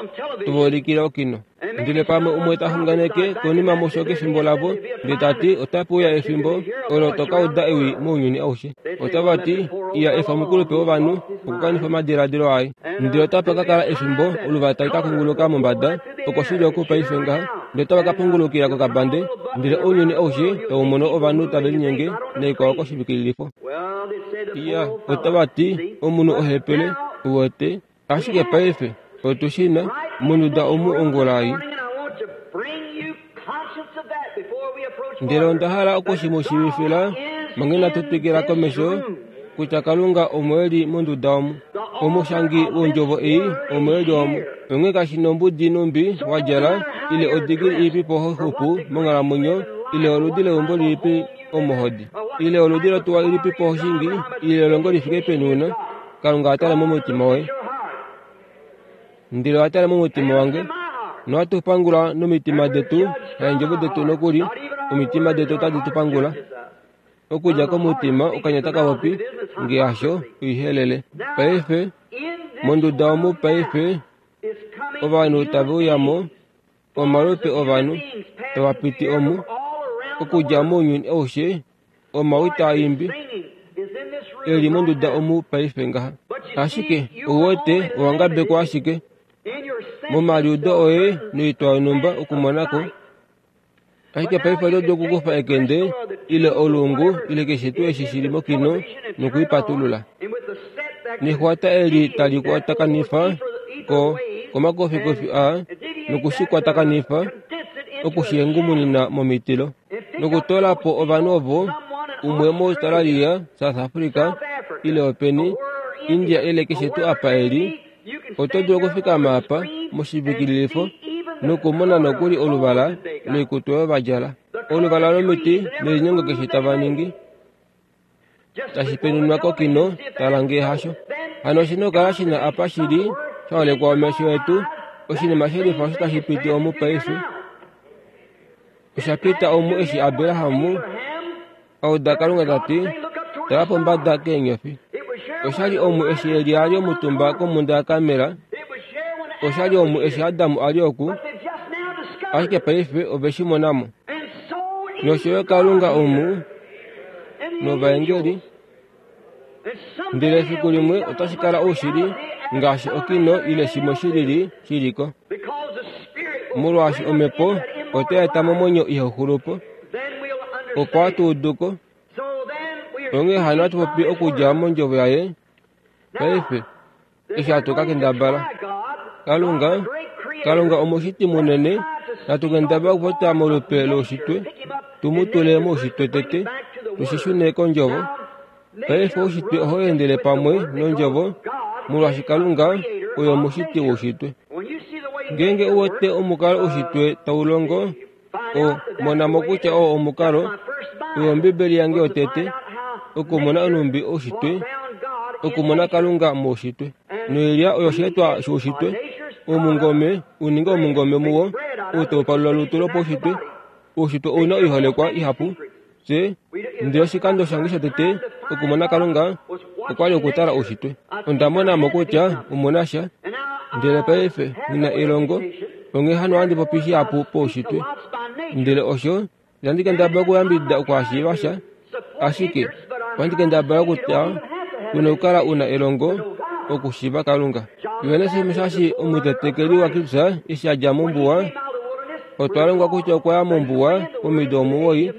tova ulikile okino. Ndele pamwe umwe ta xunganeke konima musho kefimbo lavo, ndele ta ti otape uya efimbo olo to ka uda ewi mounyuni aushe. Otava ti iya efa omukulupe wovanhu okukanifa omadiladilo aye. Ndele otapa ka kala efimbo oluvala tali ka kunguluka mombada, oko shili oku paife ngaha, ndele otava ka pungulukila kokabande, ndele ounyuni aushe tau mono ovanhu tave linyenge naikwao koshivikililifo. Iya, otava ti omunhu ohepele, uwete, ashike paife otu shi na monduda omu ongula ei. Ndele onda hala oku shi mu shiivifila manga inatu twikila komesho kutya Kalunga omo e li monduda omu. Omushangi wondjovo ei omo e li omu. Onghee kashi nombudi numbi wa djala ile odigili ilipipo ho xupu monghalamwenyo ile oludi leumbo lilipi omo hodi ile oludi lotuwa ilipipo ho shingi ile elongo li fike peni una, Kalunga atale momutima woye. Ndele owa tala momutima wange, nohatu pangula nomitima detu, haendjovo detu nokuli, omitima detu otadi tu pangula. Okudja komutima okanya taka popi, ngee hasho, oihelele. Paife, monduda omu paife, ovanhu tave uyamo, omalupe ovanhu, tava piti omu, okudja mounyuni aushe, omawi taa imbi, e li monduda omu paife ngaha. Ashike, ouwete, owa ngabekwa ashike momaliudo oye noitwa yonhumba okumonako. Ashike paife oto dulu okukufa ekende ile olungu ile keshe tuu eshi shili mokino nokuipatulula. Nexwata eli tali kwatakanifa ko komakofikofi aa nokushikwatakanifa okushihengumunina momitilo nokutoola po ovanhu ovo umwe moAustralia, South Africa ile openi, India ile keshe tuu apa eli, oto dulu okufikama apa moshivikililifo nokumona nokuli oluvala loikutu oyo va djala, oluvala lomiti nelinyengo keshe tava ningi. Tashi penunwa kokino, tala ngee hasho. Hano oshina okukala shina apa shili, shaholekwa omesho etu, oshinima shelifa osho tashi piti omu paife. Osha pita omu eshi Abrahamu a uda Kalunga tati, tala pombada keenyofi. Oshali omu eshi Elia ali omutumba komhunda yaKarmel. Oshali omu eshi Adamu ali oku, ashike paife ove shi mona mo. Nosho yo Kalunga omu novaengeli. Ndele efiku limwe otashi kala oushili ngaashi okino ile shimwe shilili shiliko. Molwaashi omhepo otai eta momwenyo ihauxulupo, opo hatu uduko. Onghee hano hatu popi okudja mondjovo yaye paife eshi hatu ka kendabala. Kalunga, Kalunga omushiti munene, natu kendabala okupopya molupe loushitwe, tu mu tule moushitwe tete, tushishune kondjovo. Paife oushitwe ohau endele pamwe nondjovo, molwaashi Kalunga oye omushiti woushitwe. Ngeenge u wete omukalo oushitwe tau longo, o mona mo kutya oo omukalo, oyo Ombibeli yange yotete, okumona onhumbi oushitwe, okumona Kalunga moushitwe. Noilya oyo osheetwa shoushitwe, omungome uninge omungome muwo, ou tau palula olutu lopaushitwe. Oushitwe ouna oiholekwa ihapu. Fye, ndele oshikando shange shotete okumona Kalunga okwali okutala oushitwe. Onda mona mo kutya omuna sha, ndele paife nghi na elongo, onghee hano ohandi popi shihapu poushitwe. Ndele osho, itandi kendabala okuyambidida okuhashiiva sha, ashike ohandi kendabala kutya ku na okukala u na elongo okushiiva Kalunga. Johannes Musashi omutetekeli waKristus eshi a dja mombuwa, otwa longwa kutya okwa ya mombuwa pomido omuwoi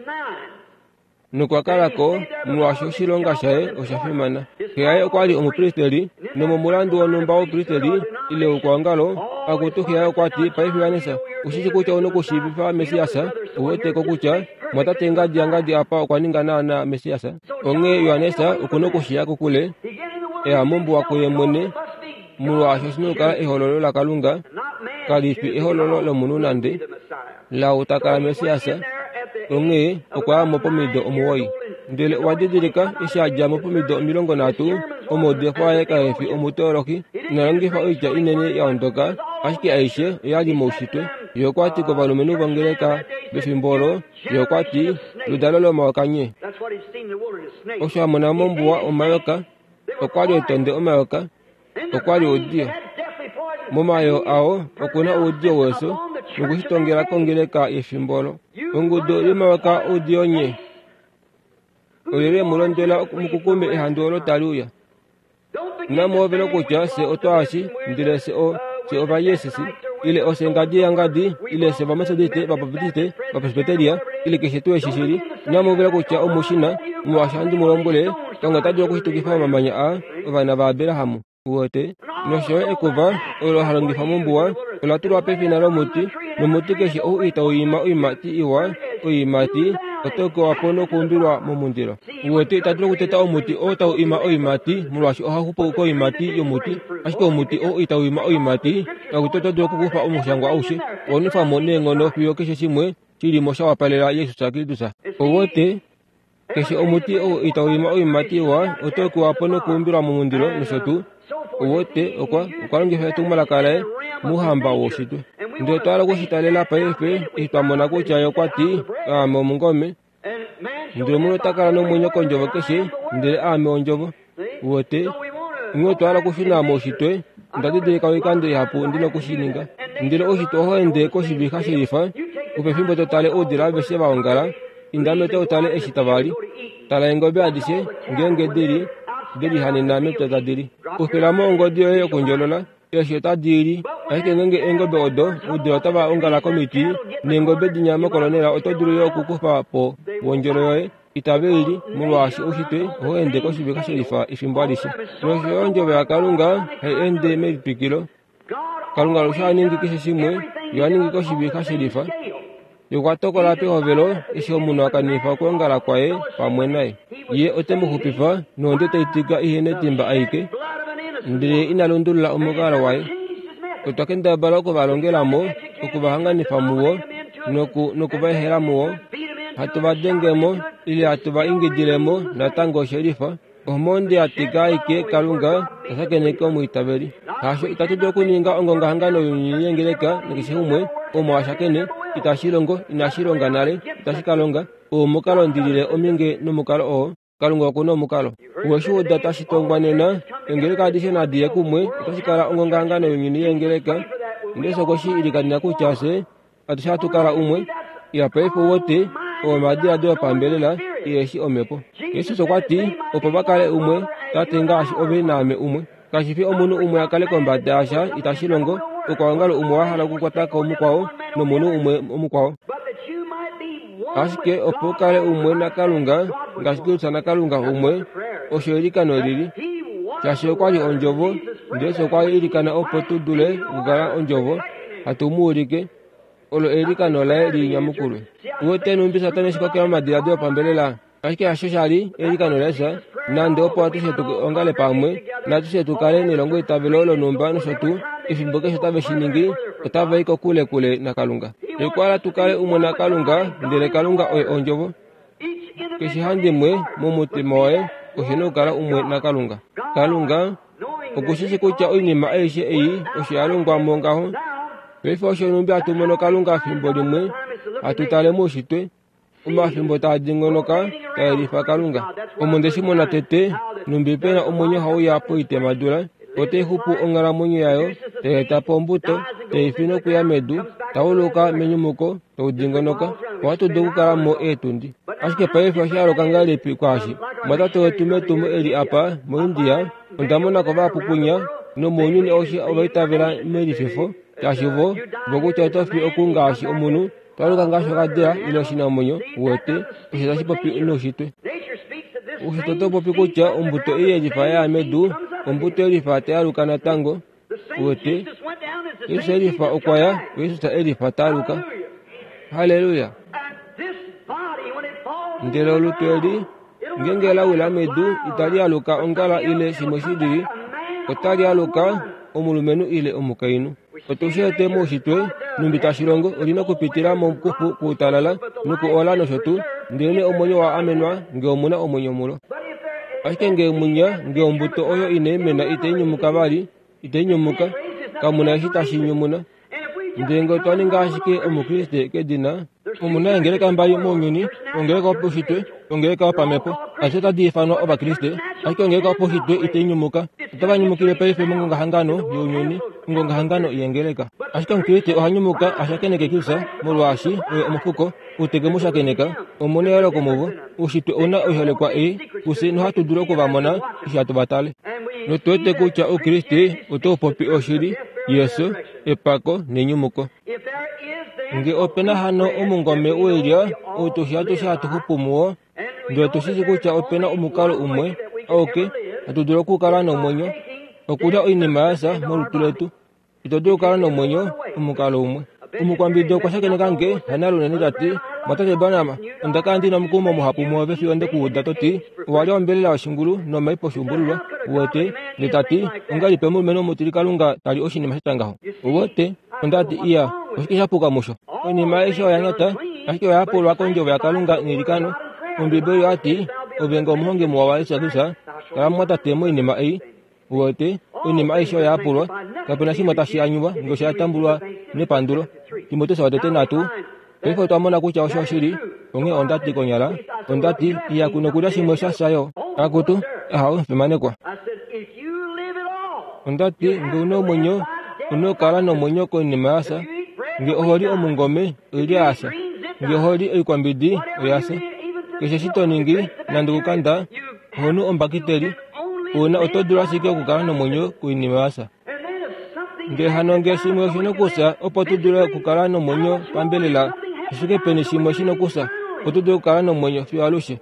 nokwa kala ko molwaashi oshilonga shaye osha fimana. Xe yaye okwa li omupristeli, nomomulandu wonhumba woupristeli ile woukwaongalo, akutu xe yaye okwa ti, paife Johannes, ushishi kutya ouna okushiivifa Messias, ou wete ko kutya mwatate ngadi yangadi apa okwa ninga naana Messias. Onghee Johannes okuna okushiya kokule, eya mombuwa kuye mwene, molwaashi oshina okukala ehololo laKalunga, kali fi ehololo lomunhu nande, laau ta kala Messias. Onghee okwa ya mo pomido omuwoi. Ndele owa didilika eshi a dja mo pomido omilongo nhatu, omaudifo aye kae fi omuteolohi, ina longifa oitya inene ya ondoka, ashike aishe oya li moushitwe. Ye okwa ti kovalumenhu vongeleka pefimbo olo, ye okwa ti, ludalo lomayoka nye. Osho a mona mombuwa omayoka, okwa li etonde omayoka, okwa li oudiyo. Momayoo ao okuna oudiyo wefyo nokushitongela kongeleka yefimbo olo. Ongudu yomayoka oudiyo nye. Olyelye mu londwela mukukume ehandu olo tali uya. Inamu hovela kutya fye otwaashi, ndele fye o fye ovayeesisi, ile ofye ngadi yangadi, ile fye vametodiste, vabaptiste, vapresbyteria, ile keshe tuu eshi shili. Inamu hovela kutya omushina, molwaashi handi mu lombwele, Kalunga ota dulu okushitukifa omamanya aa ovana vaAbraham. Uwete, nosho yo ekuva olo ha longifwa mombuwa ola tulwa pefina lomuti, nomuti keshe ou itau ima oiimati iwa, oiimati otau kewa po nokuumbilwa momundilo. Uwete, ita dulu okuteta omuti oo tau ima oiimati, molwaashi ohau xupu koiimati yomuti, ashike omuti oo itau ima oiimati, akutu oto dulu okukufa omushangwa aushe, owa nwefwa mo neenghono fiyo keshe shimwe shili mo sha wapalela Jesus Kristus. Uwete, keshe omuti ou itau ima oiimati iwa otau kewa po nokuumbilwa momundilo nosho tuu. Uwete, okwa okwa longifa etumwalaka laye mouhamba woushitwe. Ndele otwa hala okushitalela paife eshi twa mona kutya ye okwa ti, aame omungome, ndele omunhu ota kala nomwenyo kondjovo keshe, ndele aame ondjovo. Uwete, onghee otwa hala okushuna moushitwe. Onda didilika oikando ihapu ndi nokushininga. Ndele oushitwe ohau ende koshivixa shelifa, opefimbo to tale oudila aveshe va ongala, inda mepya utale eshi tava li. Tala eengobe adishe ngeenge dili delihanena mepya tadi li. Kufila mo ongodi yoye yokundjolola, eeshi otadi li. Ashike ngeenge eengobe odo, oudila otava ongala komiti, neengobe dinya mokolonela oto dulu yo okukufa po wondjolo yoye. Itave i li, molwaashi oushitwe ohau ende koshivixa shelifa efimbo alishe. Nosho yo ondjovo yaKalunga hai ende melitwikilo. Kalunga alushe oha ningi keshe shimwe, ye oha ningi koshivixa shelifa. Ye okwa tokola pehovelo eshi omunhu a kanifa okwoongala kwaye pamwe naye. Ye ote mu xupifa nohonde tai tika ihe netimba aike, ndele ina lundulula omukalo waye. Otwa kendabala okuvalongela mo, okuvahanganifa muwo, noku nokuva ehela muwo, hatu va denge mo Ile hatu va ingidilemo natango shelifa. Omonde yatika aike Kalunga tashakeneke omwiitaveli. Hasho itatu dulu okuninga ongongahangano younyuni yengeleka nakeshe umwe omo ashakene itashi longo inashi longa nale itashi ka longa. Omukalo ndilile ominge nomukalo oo Kalunga okuna omukalo. Weshuuda tashi tongwa nena engeleka adishe nadiye kumwe otashi kala ongongahangano younyuni yengeleka. Ndele sokoshi ilikanena kutya se atushe hatu kala umwe. Ya paife wote omadiladilo opambelela iyeshi omhepo. Jesus okwa ti opo va kale umwe tate ngaashi ove naame umwe. Kashi fi omunhu umwe a kale kombada yasha itashi longo okwaongalo umwe wa hala okukwata ko mukwao nomunhu umwe omukwao. Ashike opo kale umwe naKalunga ngaashi Kristus naKalunga umwe osho eilikano lili. Shaashi okwa li ondjovo, ndele okwa ilikana opo tu dule okukala ondjovo hatu mu ulike olo eilikano laye linyamukulwe. Uwete numbi Satana shikokela omadiladilo opambelela. Ashike hasho shali eilikano laye nande opo atushe tuongale pamwe natushe tukale nelongo itavelo lonumba nosho tuu efimbo keshe otave shi ningi otava i kokule kule naKalunga. Ekwala tukale umwe naKalunga ndele Kalunga oye ondjovo. Keshe handimwe momutima waye oshina okukala umwe naKalunga. Kalunga okushishi kutya oinima aishe ei osho ya longwa mo ngaho. Paife osho numbi hatu mono Kalunga fimbo limwe hatu tale muushitwe omafimbo taa dingonoka taelifa Kalunga. Omo ndeshi mona tete numbi pena omwenyo hauya poitemadula otai xupu onghalamwenyo yayo taeta po ombuto taifi nokuya medu tauluka menyumuko taudingonoka ohatu dulu okukala mo eetundi. Ashike paife osha aluka ngahelipi kwaashi mwatate wetu metumo eli apa moIndia onda monako vapupunya nomounyuni aushe ovaitavela melififo shaashi vo vokutya oto fi oku ngaashi omunhu twaluka ngaashi okadila ile oshinamwenyo uwete osho tashi popi noushitwe. Oushitwe oto popi kutya ombuto ei yelifa yaya medu ombuto yelifa tayaluka natango uwete Jesus elifa okwa ya Jesus elifa taaluka. Haleluya. Ndele olutu eli ngenge lawila medu itali aluka ongala ile shimwe shilili otali aluka omulumenhu ile omukainhu. Otushete muushitwe numbi tashi longo olina okupitila momukufu kuutalala nokuola nosho tuu ndele omwenyo wa amenwa nge omuna omwenyo mulo. Ashike nge munya nge ombuto oyo inai mena itai nyumuka vali itai nyumuka kamuna eshi tashi nyumuna. Ndele nge otwa ninga ashike omukriste kedina omuna engeleka mbali mounyuni ongeleka yopaushitwe ongeleka yopamhepo ashe otadi ifanwa ovakriste ashike ongeleka yopaushitwe itai nyumuka. Otava nyumukile paife mongongahangano younyuni ongongahangano yengeleka. Ashike omukriste oha nyumuka ashakeneke Kristus molwaashi oye omufuko uteke mushakeneka omuna eyooloko muvo. Oushitwe ouna oiholekwa ei kufye nohatu dulu okuvamona eshi hatu vatale. Notuwete kutya oukriste otau popi oshili yeso epako nenyumuko. Nge opena hano omungome woilya ou tushi atushe hatu xupu muwo ndele tushishi kutya opena omukalo umwe auke hatu dulu okukala nomwenyo okulya oinima yasa molutu letu. Ito dulu okukala nomwenyo omukalo umwe. Omukwambidi okwa shakeneka nge hanalunene tati mwatate Branham onda kala ndina omukumo muhapu muove fiyo ndekuuda toti owalya ombelela yoshingulu nomai poshuumbululwa uwete ndele tati ongahelipi omulumenhu omutili Kalunga tali oshinima shatya ngaho uwete. Ondati iya oshike sha puka musho oinima aishe oya nyata ashike oya yapulwa kondjovo yaKalunga neilikano. Ombibeli oyati ove nge omuhongi muwa waYesu Kristus kala mwatate moinima ei uwete oinima aishe oya yapulwa kapena shimwe tashi anyuwa nge osha tambulwa nepandulo. Timoteus watete nhatu. Paife otwa mona kutya osho oshili onghee ondati konyala ondati iya kuno okulya shimwe sha shayo akutu ahau fimanekwa. Ondati nge una omwenyo una okukala nomwenyo koinima yasa nge oholi omungome oilya yasa nge oholi oikwambidi oyasa keshe eshi to ningi nande okukanda ohonu ombakiteli una oto dulu ashike okukala nomwenyo koinima yasa. Ndele hano nge shimwe oshina okusa opo tu dule okukala nomwenyo pambelela ashike peni shimwe shina okusa opo tu dule okukala nomwenyo fiyo alushe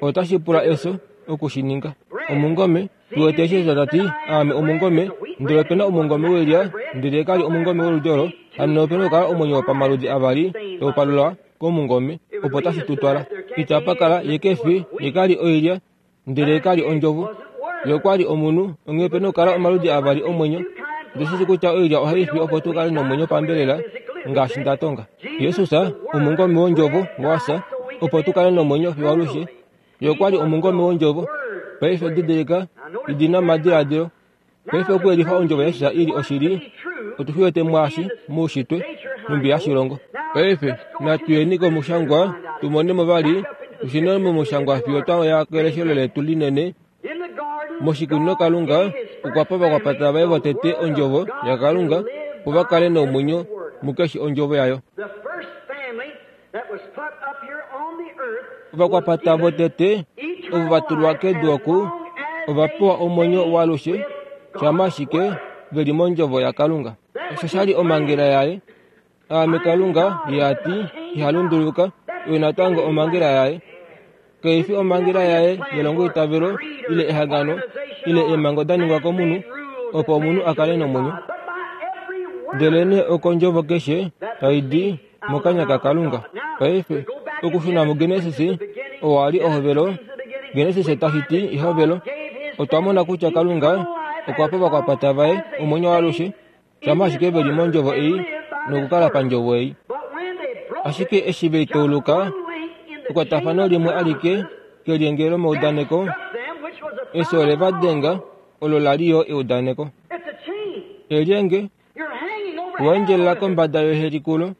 otashi pula efyo okushininga. Omungome tuwete eshi tati aame omungome ndele opena omungome woilya ndele kali omungome woludi olo hano opena okukala omwenyo wopamaludi avali taupalulwa komungome opo tashi tutwala. Itapa kala ye kefi ye kali oilya ndele kali ondjovo ye okwali omunhu onghee opena okukala omaludi avali omwenyo. Ndoshishi kutya oilya ohai fi opo tu kale nomwenyo pambelela ngaashi ndatonga. Jesus omungome wondjovo wasa opo tu kale nomwenyo fiyo alushe. Ye okwa li omungome wondjovo. Paife didilika, idi na omadiladilo. Paife okuyelifa ondjovo yaJesus i li oshili, otu shi wete mwaashi moushitwe nhumbi hashi longo. Paife natu yeni komushangwa tu mone mo vali, tu shune momushangwa fiyo twa ya keleshelo letu linene. Moshikunino Kalunga okwa pa ovakwapata vaye votete ondjovo yaKalunga opo va kale nomwenyo mukeshe ondjovo yayo. Ovakwapata votete ovo va tulwa kedu oku ova pewa omwenyo waalushe shama ashike ve li mondjovo yaKalunga. Osho sha li omhangela yaye. Aame Kalunga, ye a ti, iha lunduluka, oyo natango omhangela yaye. Kai fi omhangela yaye yelongoitavelo ile ehangano ile eemhango da ningwa komunhu opo omunhu a kale nomwenyo. Ndelenee okondjovo keshe tai di mokanya kaKalunga. Paife okushuna muGenesis, oo a li ehovelo, Genesis tashi ti ehovelo, otwa mona kutya Kalunga okwa pa ovakwapata vaye omwenyo waalushe shama ashike ve li mondjovo ei nokukala pandjovo ei. Ashike eshi ve i tauluka, ekwatafano limwe alike kelyenge lomaudaneko, efyo ole va denga, olo la li yo eudaneko. Elyenge owa endjelela kombada yehelikulo,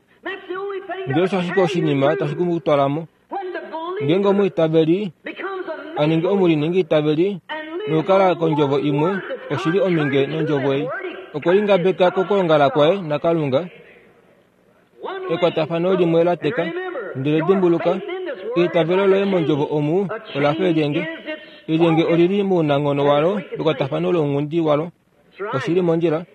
ndele osho ashike oshinima tashi ku twala mo. Ngeenge omwiitaveli a ningi omuliningi-itaveli nokukala kondjovo imwe, oshi li ominge nondjovo ei. Okwe lingabeka kokwoongala kwaye naKalunga, ekwatafano limwe la teka. Ndele dimbuluka, eitavelo loye mondjovo omu ola fa elyenge. Elyenge olili mounanghono walo ekwatafano lounghundi walo. Oshi li mondjila,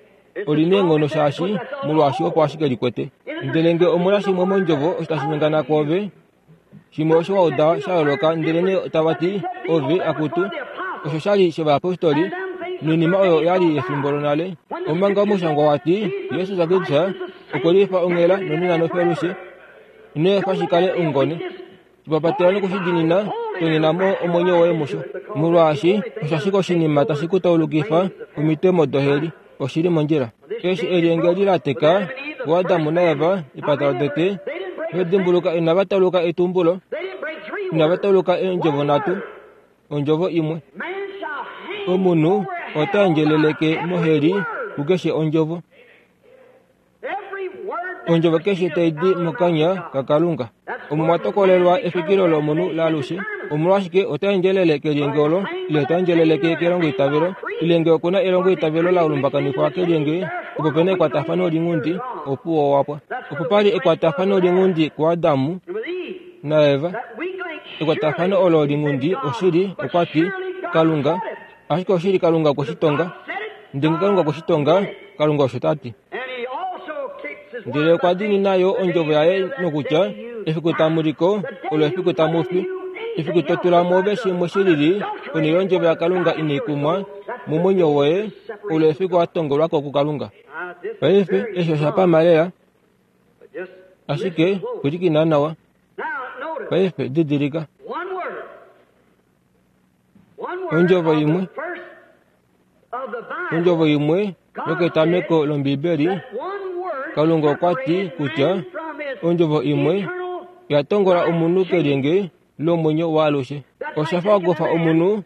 oli na eenghono shaashi molwaashi opo ashike likwete. Ndele ngee omuna shimwe mondjovo osho tashi nyengana kwoove, shimwe osho wa uda sha yooloka, ndelenee tava ti ove akutu, osho sha li shovayapostoli noinima oyo ya li yefimbo lonale. Omanga omushangwa wa ti Jesus Kristus okwe lifa onghela nonena nofiyo ino efa shi kale ongone. Shipapatela nokushidinina, tonyena mo omwenyo woye musho, molwaashi osho ashike oshinima tashi ku taulukifa omitemo doheli. Oshi li mondjila. Eshi elyenge li la teka kuAdamu naEva epata lotete, vedimbuluka inava tauluka etumbulo, inava tauluka eendjovo nhatu, ondjovo imwe. Omunhu ota endjeleleke moheli kukeshe ondjovo. Ondjovo keshe tai di mokanya kaKalunga. Omo mwa tokolelwa efikilo lomunhu laalushe. Omolwashike ota endjelele kelyenge olo, ile ota endjeleleke kelongoitavelo, ile ngee okuna elongoitavelo la lumbakanifwa kelyenge, opo pena ekwatafano linghundi, opuwo wapwa. Opo pali ekwatafano linghundi kuAdamu naEva. Ekwatafano olo linghundi oshili, okwa ti Kalunga, ashike oshili Kalunga okwe shi tonga. Ndele Kalunga okwe shi tonga, Kalunga osho ta ti. Ndele okwa diinina yo ondjovo yaye nokutya, efiku tamu liko, olo efiku tamu fi. Efiku to tula mwoove shimwe shi lili ponhele yondjovo yaKalunga inai kumwa momwenyo woye, olo efiku wa tongolwa ko kuKalunga. Paife eshi osha pama lela, ashike pwilikina nawa. Paife didilika, ondjovo imwe, ondjovo imwe yoketameko lOmbibeli, Kalunga okwa ti kutya ondjovo imwe ya tongola omunhu kelyenge lomwenyo waalushe. Osha fa okufa omunhu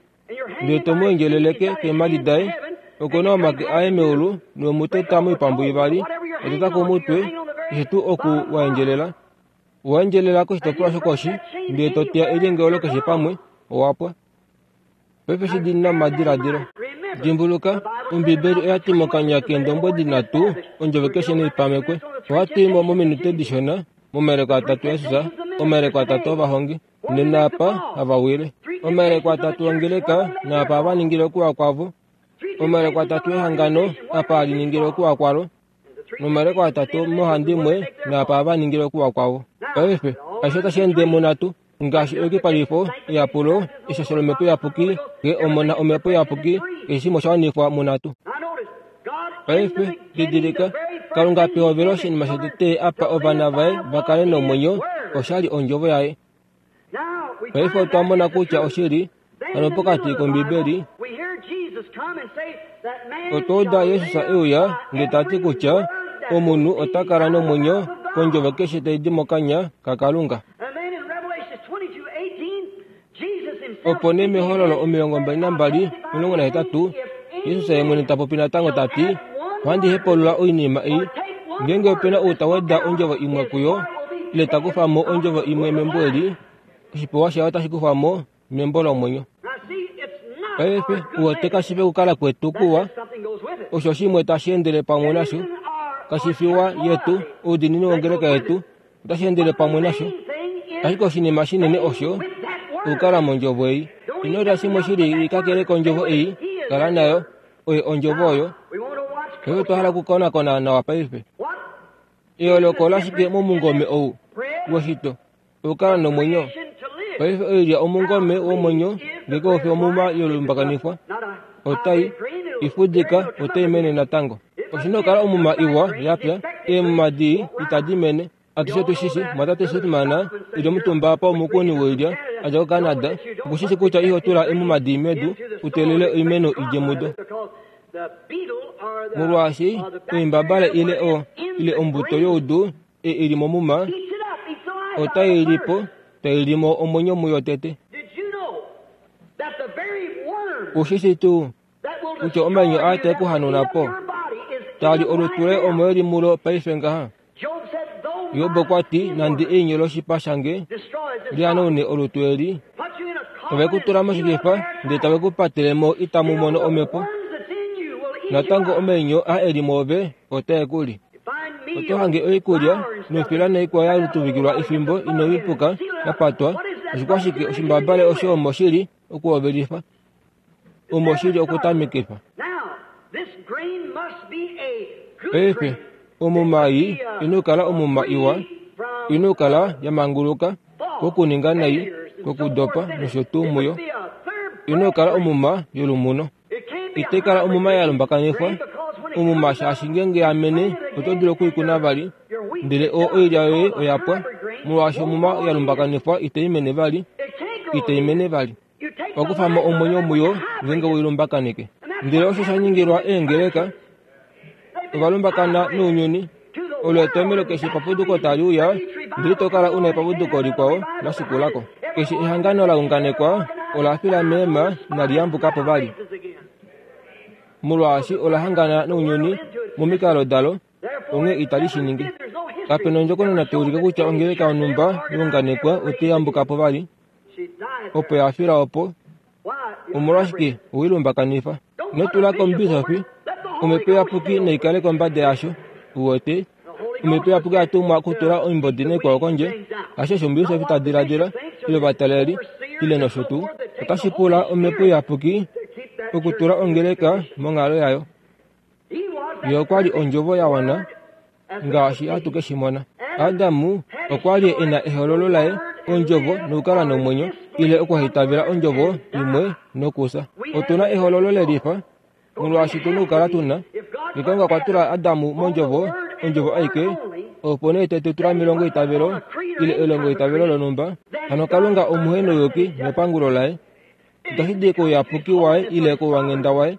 ndele to mu endjeleleke keemhadi daye, okuna omake aye meulu nomuteta moipambu ivali, oteta komutwe, keshe tuu oku wa endjelela. Owa endjelela koshitopolwa shokoshi, ndele to teya elyenge olo keshe pamwe, owapwa. Paife shi dina omadiladilo. Dimbuluka, Ombibeli oya ti mokanya keendombwedi nhatu, ondjovo keshe neipamekwe. Ohatu i mo mominute dishona, momayeleko atatu aJesus, omayeleko atatu ovahongi, nenaapa hava wile. Omayeleko atatu ongeleka, naapa hava ningile okuwa kwavo. Omayeleko atatu ehangano, apa hali ningile okuwa kwalo. Nomayeleko atatu mohandimwe, naapa hava ningile okuwa kwavo. Paife, aishe otashi ende munhatu, ngaashi eyukipalifo, eyapulo, eshasho lomhepo iyapuki, ngee omona omhepo iyapuki, keshe shimwe osha wanifwa munhatu. Paife, didilika, Kalunga pehovelo oshinima shotete apa ovana vaye va kale nomwenyo, osha li ondjovo yaye. Paife otwa mona kutya oshili, hano pokati kOmbibeli, otwa uda Jesus e uya ndele ta ti kutya omunhu ota kala nomwenyo kondjovo keshe tai di mokanya kaKalunga. Opo nee mehololo omilongo mbali nambali omulongo nahetatu Jesus ye mwene ta popi natango ta ti, ohandi hepaulula oinima ei, ngeenge opena ou ta weda ondjovo imwe kuyo ile ta kufa mo ondjovo imwe membo eli, oshipewa shaye otashi kufwa mo membo lomwenyo. Paife uwete kashi fi okukala kwetu kuwa, osho shimwe tashi endele pamwe nasho, kashi fiwa yetu oudiinini wongeleka yetu otashi endele pamwe nasho. Ashike oshinima shinene osho okukala mondjovo ei. Ino lya shimwe shili kakele kondjovo ei, kala nayo, oye ondjovo oyo. Paife otwa hala okukonakona nawa paife. Eyooloko lashike momungome ou woshito okukala nomwenyo. Paife oilya omungome womwenyo ngenge ofi omuma yolumbakanifwa otai ifudika otai mene natango. Oshina okukala omuma iwa yapya, eemuma dii itadi mene. Atushe tushishi mwatate Shipman ili omutumba apa omukuni woilya adja koCanada okushishi kutya iho tula emuma dii medu uteelele oimeno idje mudo. Molwaashi oimbabale ile o ile ombuto youdu e ili momuma otai lipo tai limo omwenyo muyo tete. Ushishi tuu kutya omanyo aa tae kuhanuna po tali olutu loye omo eli mulo paife ngaha. Job okwa ti nande einyo loshipa shange lihanaune olutu eli, ove ku tula moshikifa ndele tave ku patele mo itamu mono omhepo. Natango omainyo aa eli mwoove otae ku li. Oto hange oikulya nofila naikwao ya tuvikilwa efimbo ino ipuka ya patwa. Oshikwashike oshimbabale osho omo shili okuhovelifa, omo shili okutamikifa. Paife omuma ei ina okukala omuma iwa, ina okukala ya manguluka kokuninga nai, kokudopa nosho tuu muyo. Ina okukala omuma yolumuno. Itai kala omuma ya lumbakanifwa omuma shaashi ngeenge ya mene oto dulu okuikuna vali, ndele o oilya yoye oya pwa, molwaashi omuma ya lumbakanifwa itai mene vali, itai mene vali. Wakufa mo omwenyo muyo ngeenge weilumbakaneke. Ndele osho sha ningilwa eengeleka, ovalumbakana nounyuni. Olo etomelo keshe epapuduko tali uya, ndele ito kala una epapuduko likwao la shikulako. Keshe ehangano la unganekwa ola fila meema inali yambuka po vali, molwaashi ola hangana nounyuni momikalo dalo, onghee itali shi ningi. Kapena ondjokonona tai ulike kutya ongeleka yonhumba yaunganekwa otai yambuka po vali, opo ya fila opo. Omolwashike owilumbakanifa? Ino tula kombisofi, omhepo iyapuki naikale kombada yasho. Uwete, omhepo iyapuki ya tumwa okutula oimbodi naikwao kondje, hasho osho ombisofi ta diladila, ile ovataleli, ile nosho tuu. Otashi pula omhepo iyapuki okutula ongeleka monghalo yayo. Ye okwa li ondjovo ya wana, ngaashi hatu ke shi mona. Adamu okwa li e na ehololo laye, ondjovo nokukala nomwenyo, ile okuhaitavela ondjovo imwe nokufya. Otu na ehololo lelifa, molwaashi tu na okukala tu na. Kalunga okwa tula Adamu mondjovo, ondjovo aike, opo nee te tu tula melongoitavelo ile elongoitavelo lonhumba. Hano Kalunga omuhenouyuki nepangulo laye. Itashi di kouyapuki waye ile kouwanghenda waye,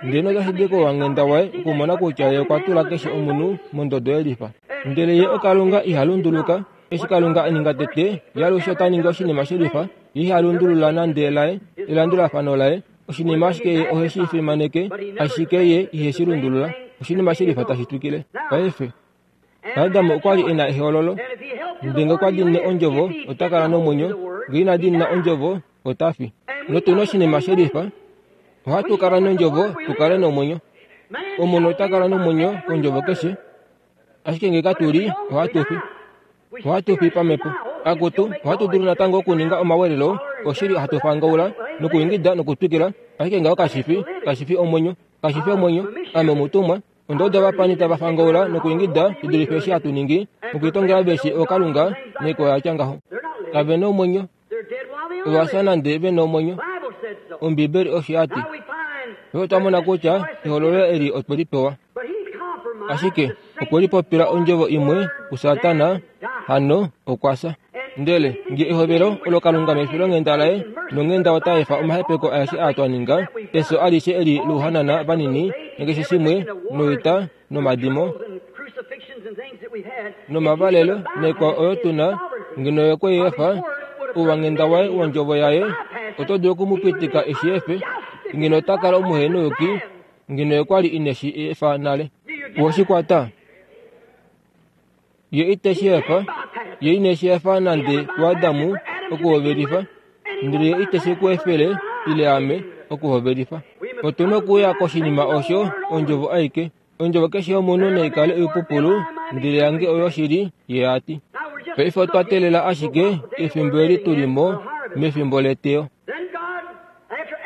ndele otashi di kouwanghenda waye okumona kutya ye okwa tula keshe omunhu mondodo yelifa. Ndele ye oKalunga iha lunduluka. Eshi Kalunga a ninga tete, ye alushe ota ningi oshinima shelifa. Ye iha lundulula nande laye elandulafano laye. Oshinima ashike ye ohe shi fimaneke, ashike ye ihe shi lundulula. Oshinima shelifa tashi twikile. Paife Adamu okwa li e na ehololo, ndele okwa diinine ondjovo ota kala nomwenyo, ngee ina diinina ondjovo ota fi. Notu na oshinima shelifa, ohatu kala nondjovo tu kale nomwenyo. Omunhu ota kala nomwenyo kondjovo keshe, ashike ngee katu li ohatu fi. Ohatu fi pamhepo. Akutu, ohatu dulu natango okuninga omawelelo, oshili hatu fangaula nokuingida nokutwikila, ashike ngaho kashi fi, kashi fi omwenyo, kashi fi omwenyo. Ame omutumwa, ondodo vapani tava fangaula nokuingida shi dulife eshi hatu ningi, nokuitongela veshi ookalunga naikwao yatya ngaho. Kave na omwenyo, ova fya nande ve na omwenyo. Ombibeli osho ya ti. Paife otwa mona kutya ehololo eli otwe li pewa. Ashike okwe lipopila ondjovo imwe kuSatana, hano okwa fya. Ndele nge ehovelo olo Kalunga mefilonghenda laye nonghenda ota efa omahepeko aeshe aa twa ninga, efyo alishe eli louhanana vanini nakeshe shimwe, noita nomadimo nomavalelo naikwao oyo tu na, ngeno ye okwe i efa, ouwanghenda waye wondjovo yaye Oto dulu okumupitika eshi efe, ngeno ota kala omuhenouyuki, ngeno okwa li ine shi efa nale. Woshikwata. Ye ite shi efa, ye ine shi efa nande kuAdamu okuhovelifa, ndele ye ite shi ku efele ile ame okuhovelifa. Otu na okuya koshinima osho ondjovo aike. Ondjovo keshe yomunhu naikale oipupulu, ndele yange oyo shili, ye ati. Paife otwa teelela ashike efimbo eli tuli mo mefimbo leteyo.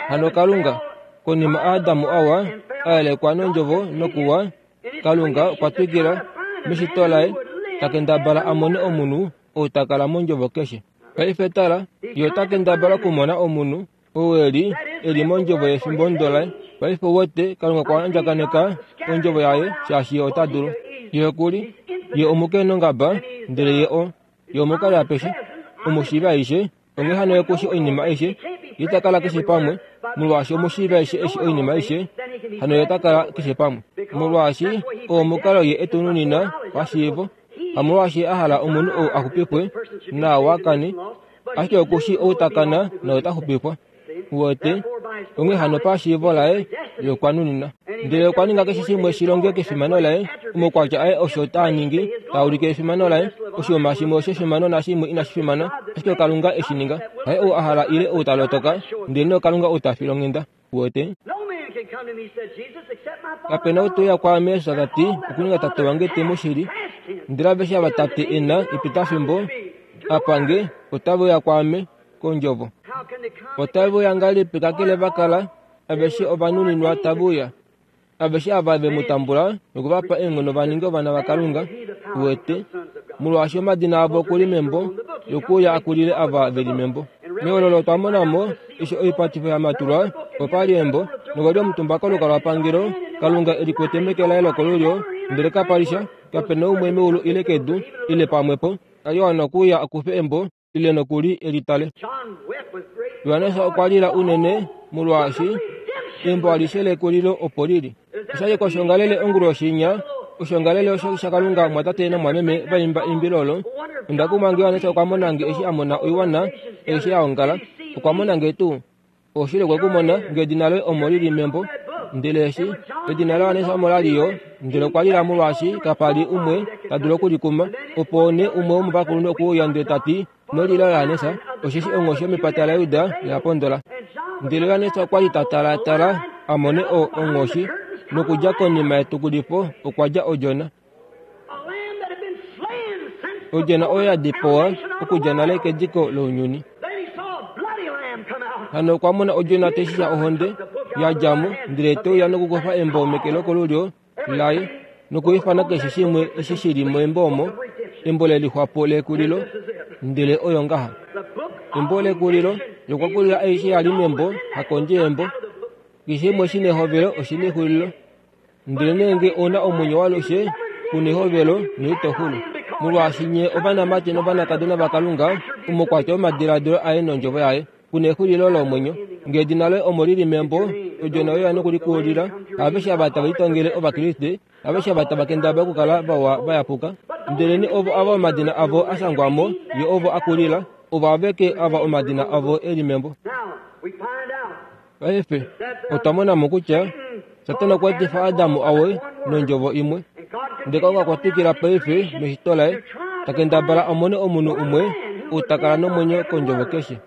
Hano Kalunga, konima Adamu awa, a yelekwa nondjovo nokuwa, Kalunga okwa twikila meshito laye, ta kendabala a mone omunhu ou ta kala mondjovo keshe. Paife tala, ye ota kendabala okumona omunhu ou eli eli mondjovo yefimbo ndo laye. Paife wote Kalunga okwa andjakaneka ondjovo yaye shaashi ye ota dulu. Ye okuli, ye omukenongaba, ndele ye o, ye omukali apeshe, omushiivi aishe, onghee hano ye kushi oinima aishe, ye ita kala keshe pamwe, molwaashi omushiivi aishe eshi oinima aishe, hano ye ota kala keshe pamwe. Molwaashi oo omukalo ye etununina pashiivo, hamolwaashi a hala omunhu ou a xupifwe naawa kane, ashike okushi ou ta kana nota xupifwa. Wote, onghee hano pashiivo laye ye okwa nunina. Ndele okwa ninga keshe shimwe shi longe kefimano laye, omaukwatya aye osho taa ningi, taa ulike efimano laye, oshinima shimwe oshefimano nashimwe inashi fimana, ashike Kalunga eshi ninga. Haye ou a hala ile ou ta lotoka, ndele nee Kalunga ou ta file onghenda. Wote. Kapena ou te uya kwaame, Jesus ta ti, okuninga Tate wange te mu shili. Ndele aveshe ava Tate e na epitafimbo apa nge, otave uya kwaame kondjovo. Otave uya ngahelipi kakele va kala aveshe ovanuninwa tave uya. Aveshe ava ve mu tambula nokuvapa eenghono va ninge ovana vaKalunga, wete, molwaashi omadina avo okuli membo, yokuuya akulile ava ve li membo. Mehololo otwa mona mo eshi oipatifo ya matulwa, opa li embo, nokwa li omutumba kolukalwapangelo, Kalunga e likwete meke laye lokolulyo, ndele kapa li sha, kape na umwe meulu ile kedu, ile pamwepo, a li wana okuuya akufe embo, ile nokuli e li tale. Johannes okwa lila unene molwaashi embo alishe lekulilo opo lili. Oshali koshongalele onguloshinya, oshongalele osho shaKalunga mwatate namwameme vaimba eimbilo olo. Onda kumwa nge Johannes okwa mona nge eshi a mona oiwana aishe ya ongala, okwa mona nge tuu. Oshili okwe ku mona nge edina loye omo lili membo, ndele eshi edina laJohannes omo la li yo, ndele okwa lila molwaashi kapa li umwe ta dulu okulikuma. Opo nee umwe womovakulunhu okwe uya ndele ta ti, ino lila Johannes, osheshi onghoshi yomepata laJuda oya pondola. Ndele Johannes okwa li ta talatala a mone o onghoshi, nokudja konima yetukulifo okwa dja odjona. Odjona oyo ya dipawa okudja nale kediko lounyuni. Hano okwa mona odjona tai shisha ohonde ya dja mo, ndele te uya nokukufa embo meke lokolulyo laye nokuifana keshe shimwe eshi shi li membo omo, embo lelixwapo lekulilo, ndele oyo ngaha. Embo lekulilo, okwa kulila aishe ya li membo, hakondje yembo. Keshe shimwe shi nehovelo oshi nexulilo. Ndele nee nge ou na omwenyo walushe, ku nehovelo noito xulu. Molwaashi nye ovanamati novanakadona vaKalunga, omukwatya womadiladilo aye nondjovo yaye, ku nexulilo lomwenyo. Nge edina loye omo lili membo, odjona oyo ya nokulikulila. Aveshe ava tava litongele Ovakriste, aveshe ava tava kendabala okukala vawa vayapuka, ndele nee ovo ava omadina avo a shangwa mo, ye ovo a kulila, ovo aveke ava omadina avo e li membo. Paife otwa mona mo kutya Satana okwa etifa Adamu awe nondjovo imwe. Ndele Kalunga okwa twikila paife meshito laye, ta kendabala a mone omunhu umwe ou ta kala nomwenyo kondjovo keshe.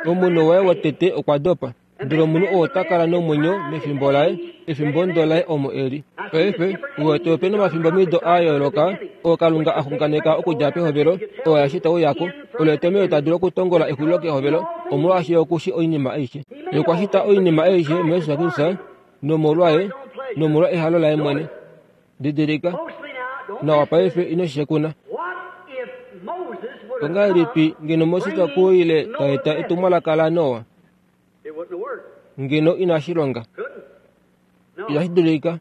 Omunhu waye wotete okwa dopa, ndele omunhu oo ota kala nomwenyo mefimbo laye, efimbo ndo laye omo e li. Paife, uwete ope nomafimbo mido a yooloka oo Kalunga a xunganeka okudja pehovelo, oo aeshe tau yako. Olo etomhelo ta dulu okutongola exulilo kehovelo, omolwaashi ye okushi oinima aishe. Ye okwa shita oinima aishe muJesus Kristus nomolwaye nomolwa ehalo laye mwene. Didilika nawa paife, ino shi shekuna. Ongahelipi ngeno Moses okuile ta eta etumwalaka laNoa? Ngeno inashi longa. Inashi dulika.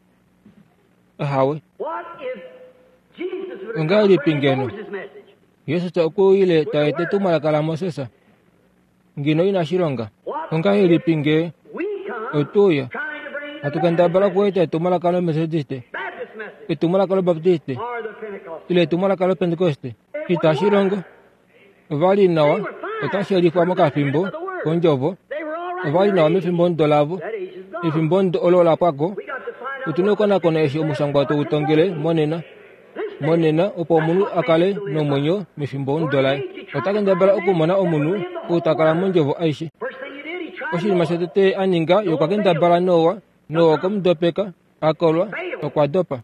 Ahawe. Ongahelipi ngeno Jesus okuile ta eta etumwalaka laMoses? Ngeno inashi longa. Ongahelipi nge otuuya hatu kendabala okueta etumwalaka loMethodiste, etumwalaka loBaptiste, ile etumwalaka loPentekoste? Itashi longo. Ova li nawa, otashi yelifwa mokafimbo kondjovo, Ova li nawa mefimbo lavo. Efimbo olo la pwako. Otuna okukonakona eshi omushangwa toutongele monena. Monena opo omunhu a kale nomwenyo mefimbo laye. Ota kendabala okumona omunhu ou ta kala mondjovo aishe. Oshinima shotete a ninga ye okwa kendabala Noa. Noa okwe mu dopeka, a kolwa, okwa dopa.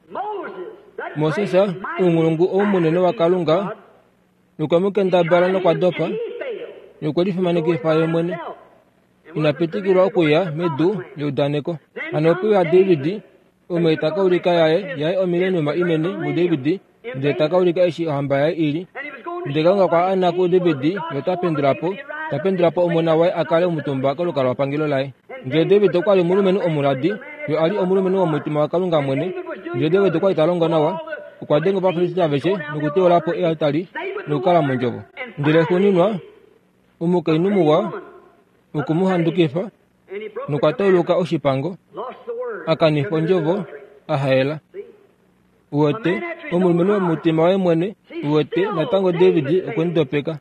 Moses, ounghulungu ou munene waKalunga, okwe mu kendabala nokwa dopa. Ye okwe lifimanekifa ye mwene. Ina pitikilwa okuya medu leudaneko. Hano ope uya David, omwe ta ka ulika yaye yaye omileniuma inene muDavid, ndele ta ka ulika eshi ohamba yaye ili. Ndele Kalunga okwa ana kuDavid, ye ota pendula po, ta pendula po omona waye a kale omutumba kolukalwapangelo laye. Ndele David okwa li omulumenhu omuladi, ye a li omulumenhu womutima waKalunga mwene. Ndele David okwa li ta longo nawa, okwa denga Ovafilisti aveshe nokuteula po ealtari nokukala mondjovo. Ndele xuuninwa, omukainhu muwa okwe mu handukifa nokwa tauluka oshipango, a kanifa ondjovo, a haela. Uwete, omulumenhu womutima waye mwene, uwete, natango David okwe mu dopeka.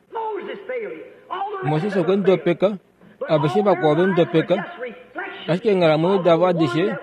Moses okwe mu dopeka, aveshe vakwao ve mu dopeka, ashike eenghalamwenyo davo adishe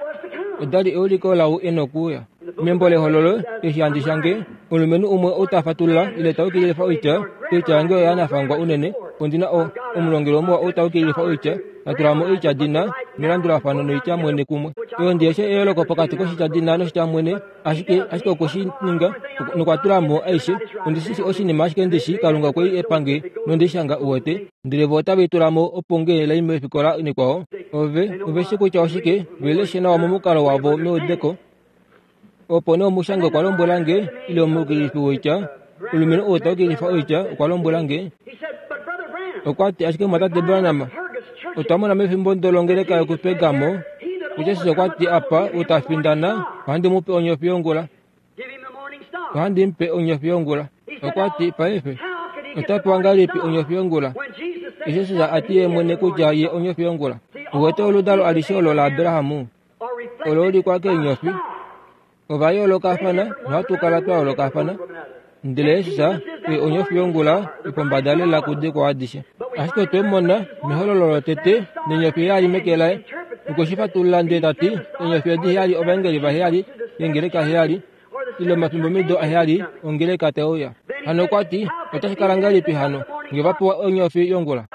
oda li euliko lau e nokuuya. Membo lehololo, eshi handi shange, omulumenhu umwe ou ta fatulula ile ta ukililifa oitya, oitya yange oya nafangwa unene, ondi na omulongelo muwa ou ta ukililifa oitya, ta tula mo oitya dina melandulafano noitya mwene kumwe. Oyo ndi yeshe eyooloko pokati koshitya dina noshitya mwene, ashike ashike okwe shi ninga nokwa tula mo aishe. Ondi shi oshinima ashike ndishi Kalunga okwe i epange nondi shanga uwete, ndele vo otave i tula mo opo nge lai mefikola nekwao. Ove ove shi kutya oshike, ve leshe nawa momukalo wavo meudeko. Opo nee omushangi okwa lombwela nge, ile omukililifi woitya, omulumenhu ou ta ukililifa oitya okwa lombwela nge. Okwa ti ashike mwatate Branham, otwa mona mefimbo ndolongeleka yokuPergamo, Jesus okwa ti apa ou ta findana, ohandi mu pe onyofi yongula. Ohandi mu pe onyofi yongula. Okwa ti paife, ota pewa ngahelipi onyofi yongula? Jesus a ti ye mwene kutya ye onyofi yongula. Uwete oludalo alishe olo laAbraham, olo ulikwa keenyofi. Ova yoolokafana nohatu kala twa yoolokafana. Ndele Jesus oye onyofi yongula yopombada lela kudikwao adishe. Ashike otwe mona mehololo lotete nenyofi heyali meke laye. Okwe shi fatulula ndele ta ti enyofi edi heyali ovaengeli vaheyali yengeleka heyali, ile omafimbomido aheyali ongeleka te uya. Hano okwa ti otashi kala ngahelipi hano nge va pewa onyofi yongula?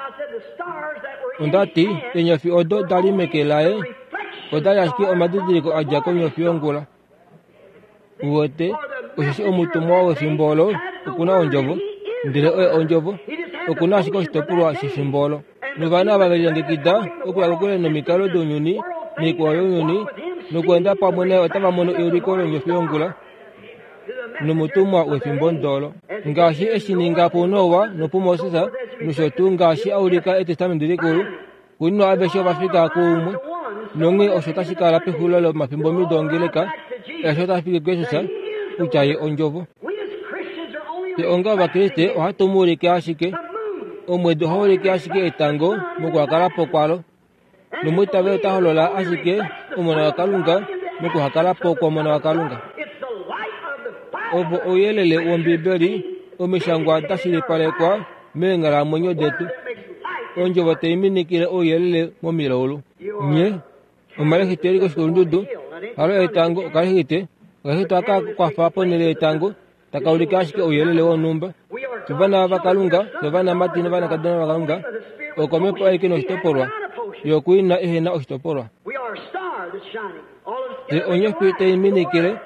Onda ti eenyofi odo da li meke laye oda li ashike omadidiliko a dja konyofi yongula. Uwete, osheshi omutumwa wefimbo olo okuna ondjovo, ndele oye ondjovo, okuna ashike oshitopolwa shefimbo olo. Novana ava ve lilongekida okuya kokule nomikalo dounyuni noikwao younyuni nokweenda pamwe naye otava mono euliko lonyofi yongula nomutumwa wefimbo ndolo. Ngaashi eshi ninga puNoa nopuMoses, nosho tuu ngaashi a ulika Etestamenti Likulu, xuuninwa aveshe ova fika kuumwe. Nonghee osho tashi kala pexulilo lomafimbomido ongeleka, eshi tashi fiki kuJesus kutya ye ondjovo. Fye onga Ovakriste ohatu mu ulike ashike. Omwedi ohau ulike ashike etango mokuhakala po kwalo. Nomwiitaveli ota holola ashike Omona waKalunga mokuhakala po kwOmona waKalunga. Ovo ouyelele wOmbibeli, omishangwa da shilipalekwa meenghalamwenyo detu. Ondjovo tai minikile ouyelele momilaulu. Nye omalexite eli koshikulundudu, halo etango okalexite, okalexite aka kwafa ponhele yetango, taka ulike ashike ouyelele wonhumba. Ovana vaKalunga, ovanamati novanakadona vaKalunga, okomhepo aike noshitopolwa, yokuina ehena oshitopolwa. Fye onyofi tai minikile,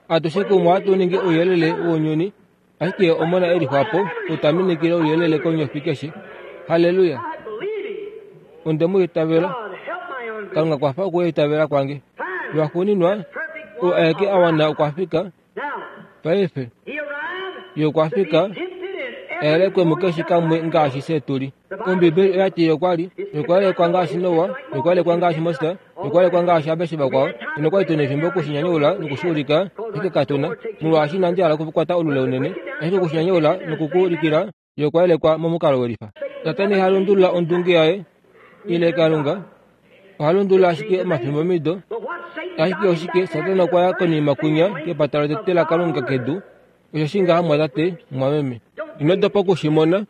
atushe kumwe ohatu ningi ouyelele wounyuni, ashike Omona e lixwapo ou ta minikile ouyelele konyofi keshe. Halleluya! Onde mu itavela. Kalunga kwafa okuitavela kwange. Lwaxuuninwa, ou aeke a wana okwa fika. Paife, ye okwa fika, ayelekwe mukeshe kamwe ngaashi fye tu li. Ombibeli oya ti ye okwa li, ye okwa yelekwa ngaashi Noa, ye okwa yelekwa ngaashi Moses, ye okwa yelekwa ngaashi aveshe vakwao. Nokwa li tu na efimbo okushinyanyaula nokushiulika, ashike katu na, molwaashi inandi hala okukwata olule unene, ashike okushinyanyaula nokukuulikila, ye okwa yelekwa momukalo welifa. Satana iha lundulula ondunge yaye ile Kalunga, oha lundulula ashike omafimbomido. Ashike oshike Satana okwa ya konima kunya kepata lotete laKalunga kedu. Osho shi ngaha mwatate, mwameme. Ino dopa okushimona.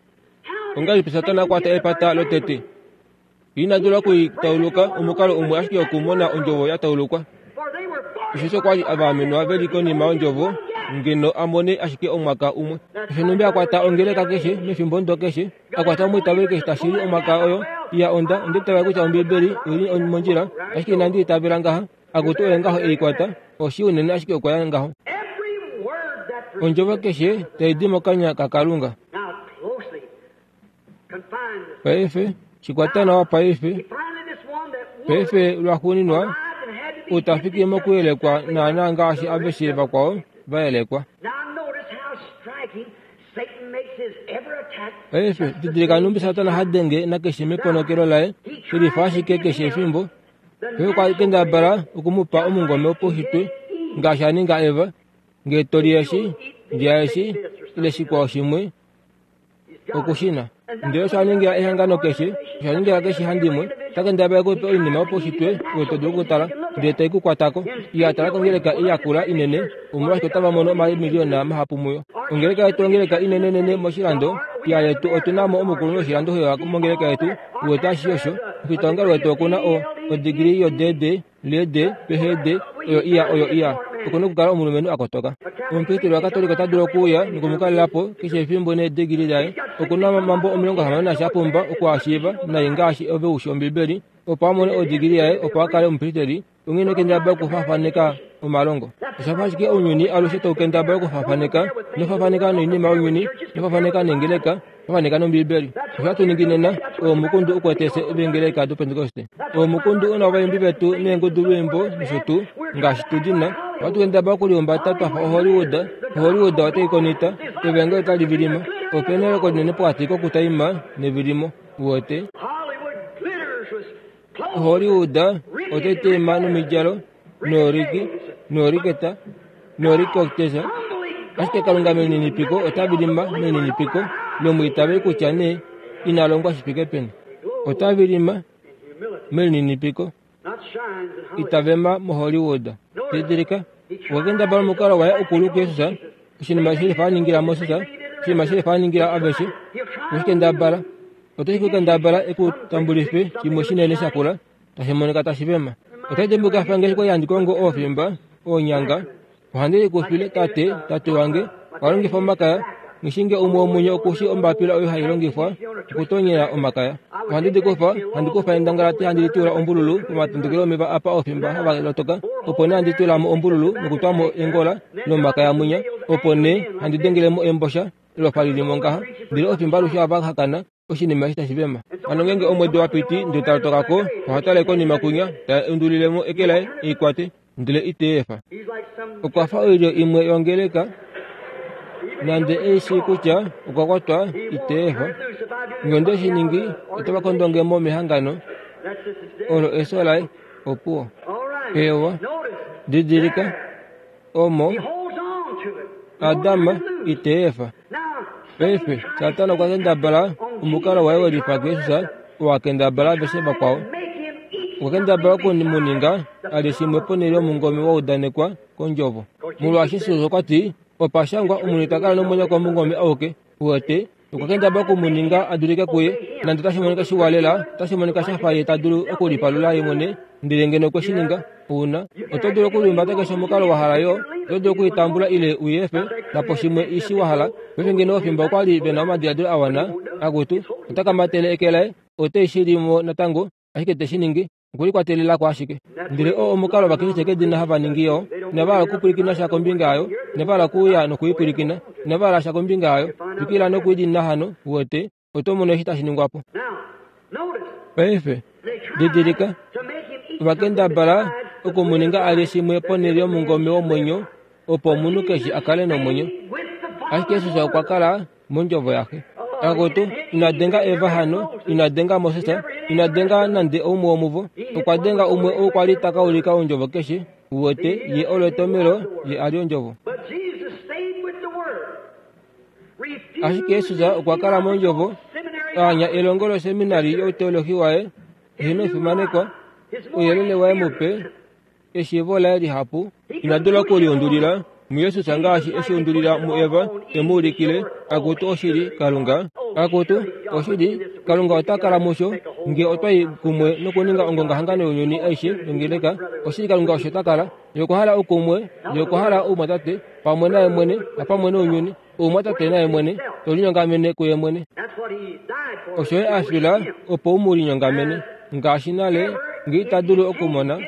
Ongahelipi Satana a kwata epata lotete? Ina dula okuitauluka omukalo umwe ashike okumona ondjovo ya taulukwa. Osheshi okwa li avaamenwa veli konima yondjovo ngeno a mone ashike omwaka umwe. Osho numbi a kwata ongeleka keshe mefimbo ndo keshe, a kwata omwiitaveli keshe tashili omwaka oyo iya onda onda itavela kutya Ombibeli oili mondjila, ashike inandi itavela ngaha. Akutu oye ngaho ei kwata, oshi unene ashike okwa ya ngaho. Ondjovo keshe tai di mokanya kaKalunga. Paife shikwata nawa paife. Paife lwaxuuninwa utafiki mokuyelekwa naana ngaashi aveshe vakwao vayelekwa. Paife didilika numbi Satana ha denge nakeshe meponokelo laye, shilifa ashike keshe efimbo. Paife okwa kendabala okumupa omungome wopaushitwe ngaashi a ninga Eva, ngee to li eshi, lya eshi, ile shikwao shimwe, okushina. Ndele osho a ningila ehangano keshe, osho a ningila keshe handimwe, ta kendabala ekupe oinima yopaushitwe oyo to dulu okutala, ndele tai ku kwatako. Iya tala kongeleka iyakula inene, omolwashike otava mono omamiliyona mahapu muyo. Ongeleka yetu ongeleka inenenene moshilando, iya yetu otu na mo omukulunhu woshilando hewa mongeleka yetu, uwete ashishe osho. Omufitaongalo wetu oku na o odigili yo-D D, L D, P H D, oyo iya oyo iya. Oku na okukala omulumenhu a kotoka. Omupristeli waKatolika ota dulu okuuya nokumukalela po keshe efimbo needigili daye. Oku na omambo omilongo hamano nasha a pumba okuashiiva nai ngaashi ove ushi Ombibeli, opo a mone odigili yaye opo a kale omupristeli. Onghee ino kendabala okufaafaneka omalongo. Osha fa ashike ounyuni alushe tau kendabala okufaafaneka, ino faafaneka noinima younyuni, ino faafaneka neengeleka, faafaneka nOmbibeli. Osho hatu ningi nena, oo omukundu ukwete fye veengeleka doPentekoste. Oo omukundu una ovaimbi vetu neengudulwiimbo nosho tuu, ngaashi tu di na. Ohatu kendabala okulihumbata twa fa oHollywood. Hollywood otai konita, evangeli otali vilima. Ope na eyooloko linene pokati kokutaima nevilimo. Uwete? Hollywood otai taima nomidjalo, nooriki, nooriketa, noorikokitesa. Ashike Kalunga melininipiko ota vilima melininipiko lomwiitaveli kutya nee ina longwa shi fike peni. Ota vilima melininipiko. Ita vema moHollywood. Didilika, okwa kendabala omukalo waye ukulu kuJesus, oshinima shilifa a ningila Moses, oshinima shilifa a ningila aveshe. Okwe shi kendabala. Otashi ku kendabala ekutambulife shimwe shinene shakula, tashi monika tashi vema. Otai dimbuka fa ngaashi kwali handi kongo oofimba, oonyanga. Ohandi likufile tate, tate wange, okwa longifa omakaya. Ngishinge umwe womunye okushi ombapila oyo hai longifwa okutonyela omakaya. Ohandi di kufa, handi kufa endangalati handi litula ombululu pomatondokelo omeva apa oofimba hava lotoka, opo nee handi tula mo ombululu nokutwa mo engola lomakaya mwinya, opo nee handi dengele mo embosha elofa lili mo ngaha, ndele oofimba alushe ohava hakana oshinima eshi tashi vema. Hano ngeenge omwedi wa piti ndele ta lotoka ko, oha tale konima kunya, ta undulile mo eke laye ei kwate, ndele ite efa. Okwa fa oilyo imwe yongeleka, nande ei shii kutya okwa kwatwa ite efa. Ngee onde shi ningi, otava kondonge mo mehangano olo efyo laye opuwo. Ewa, didilika, omo Adam ite efa. Paife Satana okwa kendabala omukalo waye welifa kuJesus, oo a kendabala aveshe vakwao. Okwa kendabala okumuninga a lye shimwe ponhele yomungome wa udanekwa kondjovo. Molwaashi Jesus okwa ti, opa shangwa omunhu ita kala nomwenyo komungome auke. Uwete, okwa kendabala okumuninga a dulike kuye, nande otashi monika shiwa lela, otashi monika sha fa ye ta dulu okulipalula ye mwene, ndele ngeno okwe shi ninga, ouna. Oto dulu okulihumbata keshe omukalo wa hala yo, oto dulu okuitambula ile u i efe, napo shimwe ishi wa hala. Paife ngeno ofimbo okwa li ve na omadiladilo a wana, akutu, ota kamatele eke laye, ote shi li mo natango, ashike te shi ningi, okulikwatelelako ashike. Ndele oo omukalo Ovakriste kedina hava ningi yo, inava hala okupwilikina sha kombinga yayo, inava hala okuuya nokuipwilikina, inava hala sha kombinga yayo. Twikila nokuidinina hano, uwete, oto mono eshi tashi ningwa po. Paife, didilika, ovakendabala okumuninga a lye shimwe ponhele yomungome womwenyo, opo omunhu keshe a kale nomwenyo. Ashike Jesus okwa kala mondjovo yaxe. Akutu, ina denga Eva hano, ina denga Moses, ina denga nande oumwe womuvo. Okwa denga umwe ou kwa li ta ka ulika ondjovo keshe. Uwete, ye olo etomelo, ye a li ondjovo. Ashike Jesus okwa kala mondjovo, a anya elongo loseminari youteolohi waye, eheno efimanekwa, ouyelele waye mupe, eshiivo laye lihapu. Ina dula okuliundulila muJesus ngaashi eshi undulila muEva, e mu ulikile, akutu oshili, Kalunga. Akutu, oshili, Kalunga ota kala musho, nge otwa i kumwe nokuninga ongongahangano younyuni aishe yongeleka, oshili Kalunga osho ta kala. Ye okwa hala oukumwe, ye okwa hala oumwatate, pamwe naye mwene, napamwe nounyuni, oumwatate naye mwene, to linyongamene kuye mwene. Osho ye a fila, opo u mu linyongamene. Ngaashi nale, nge ita dulu okumona.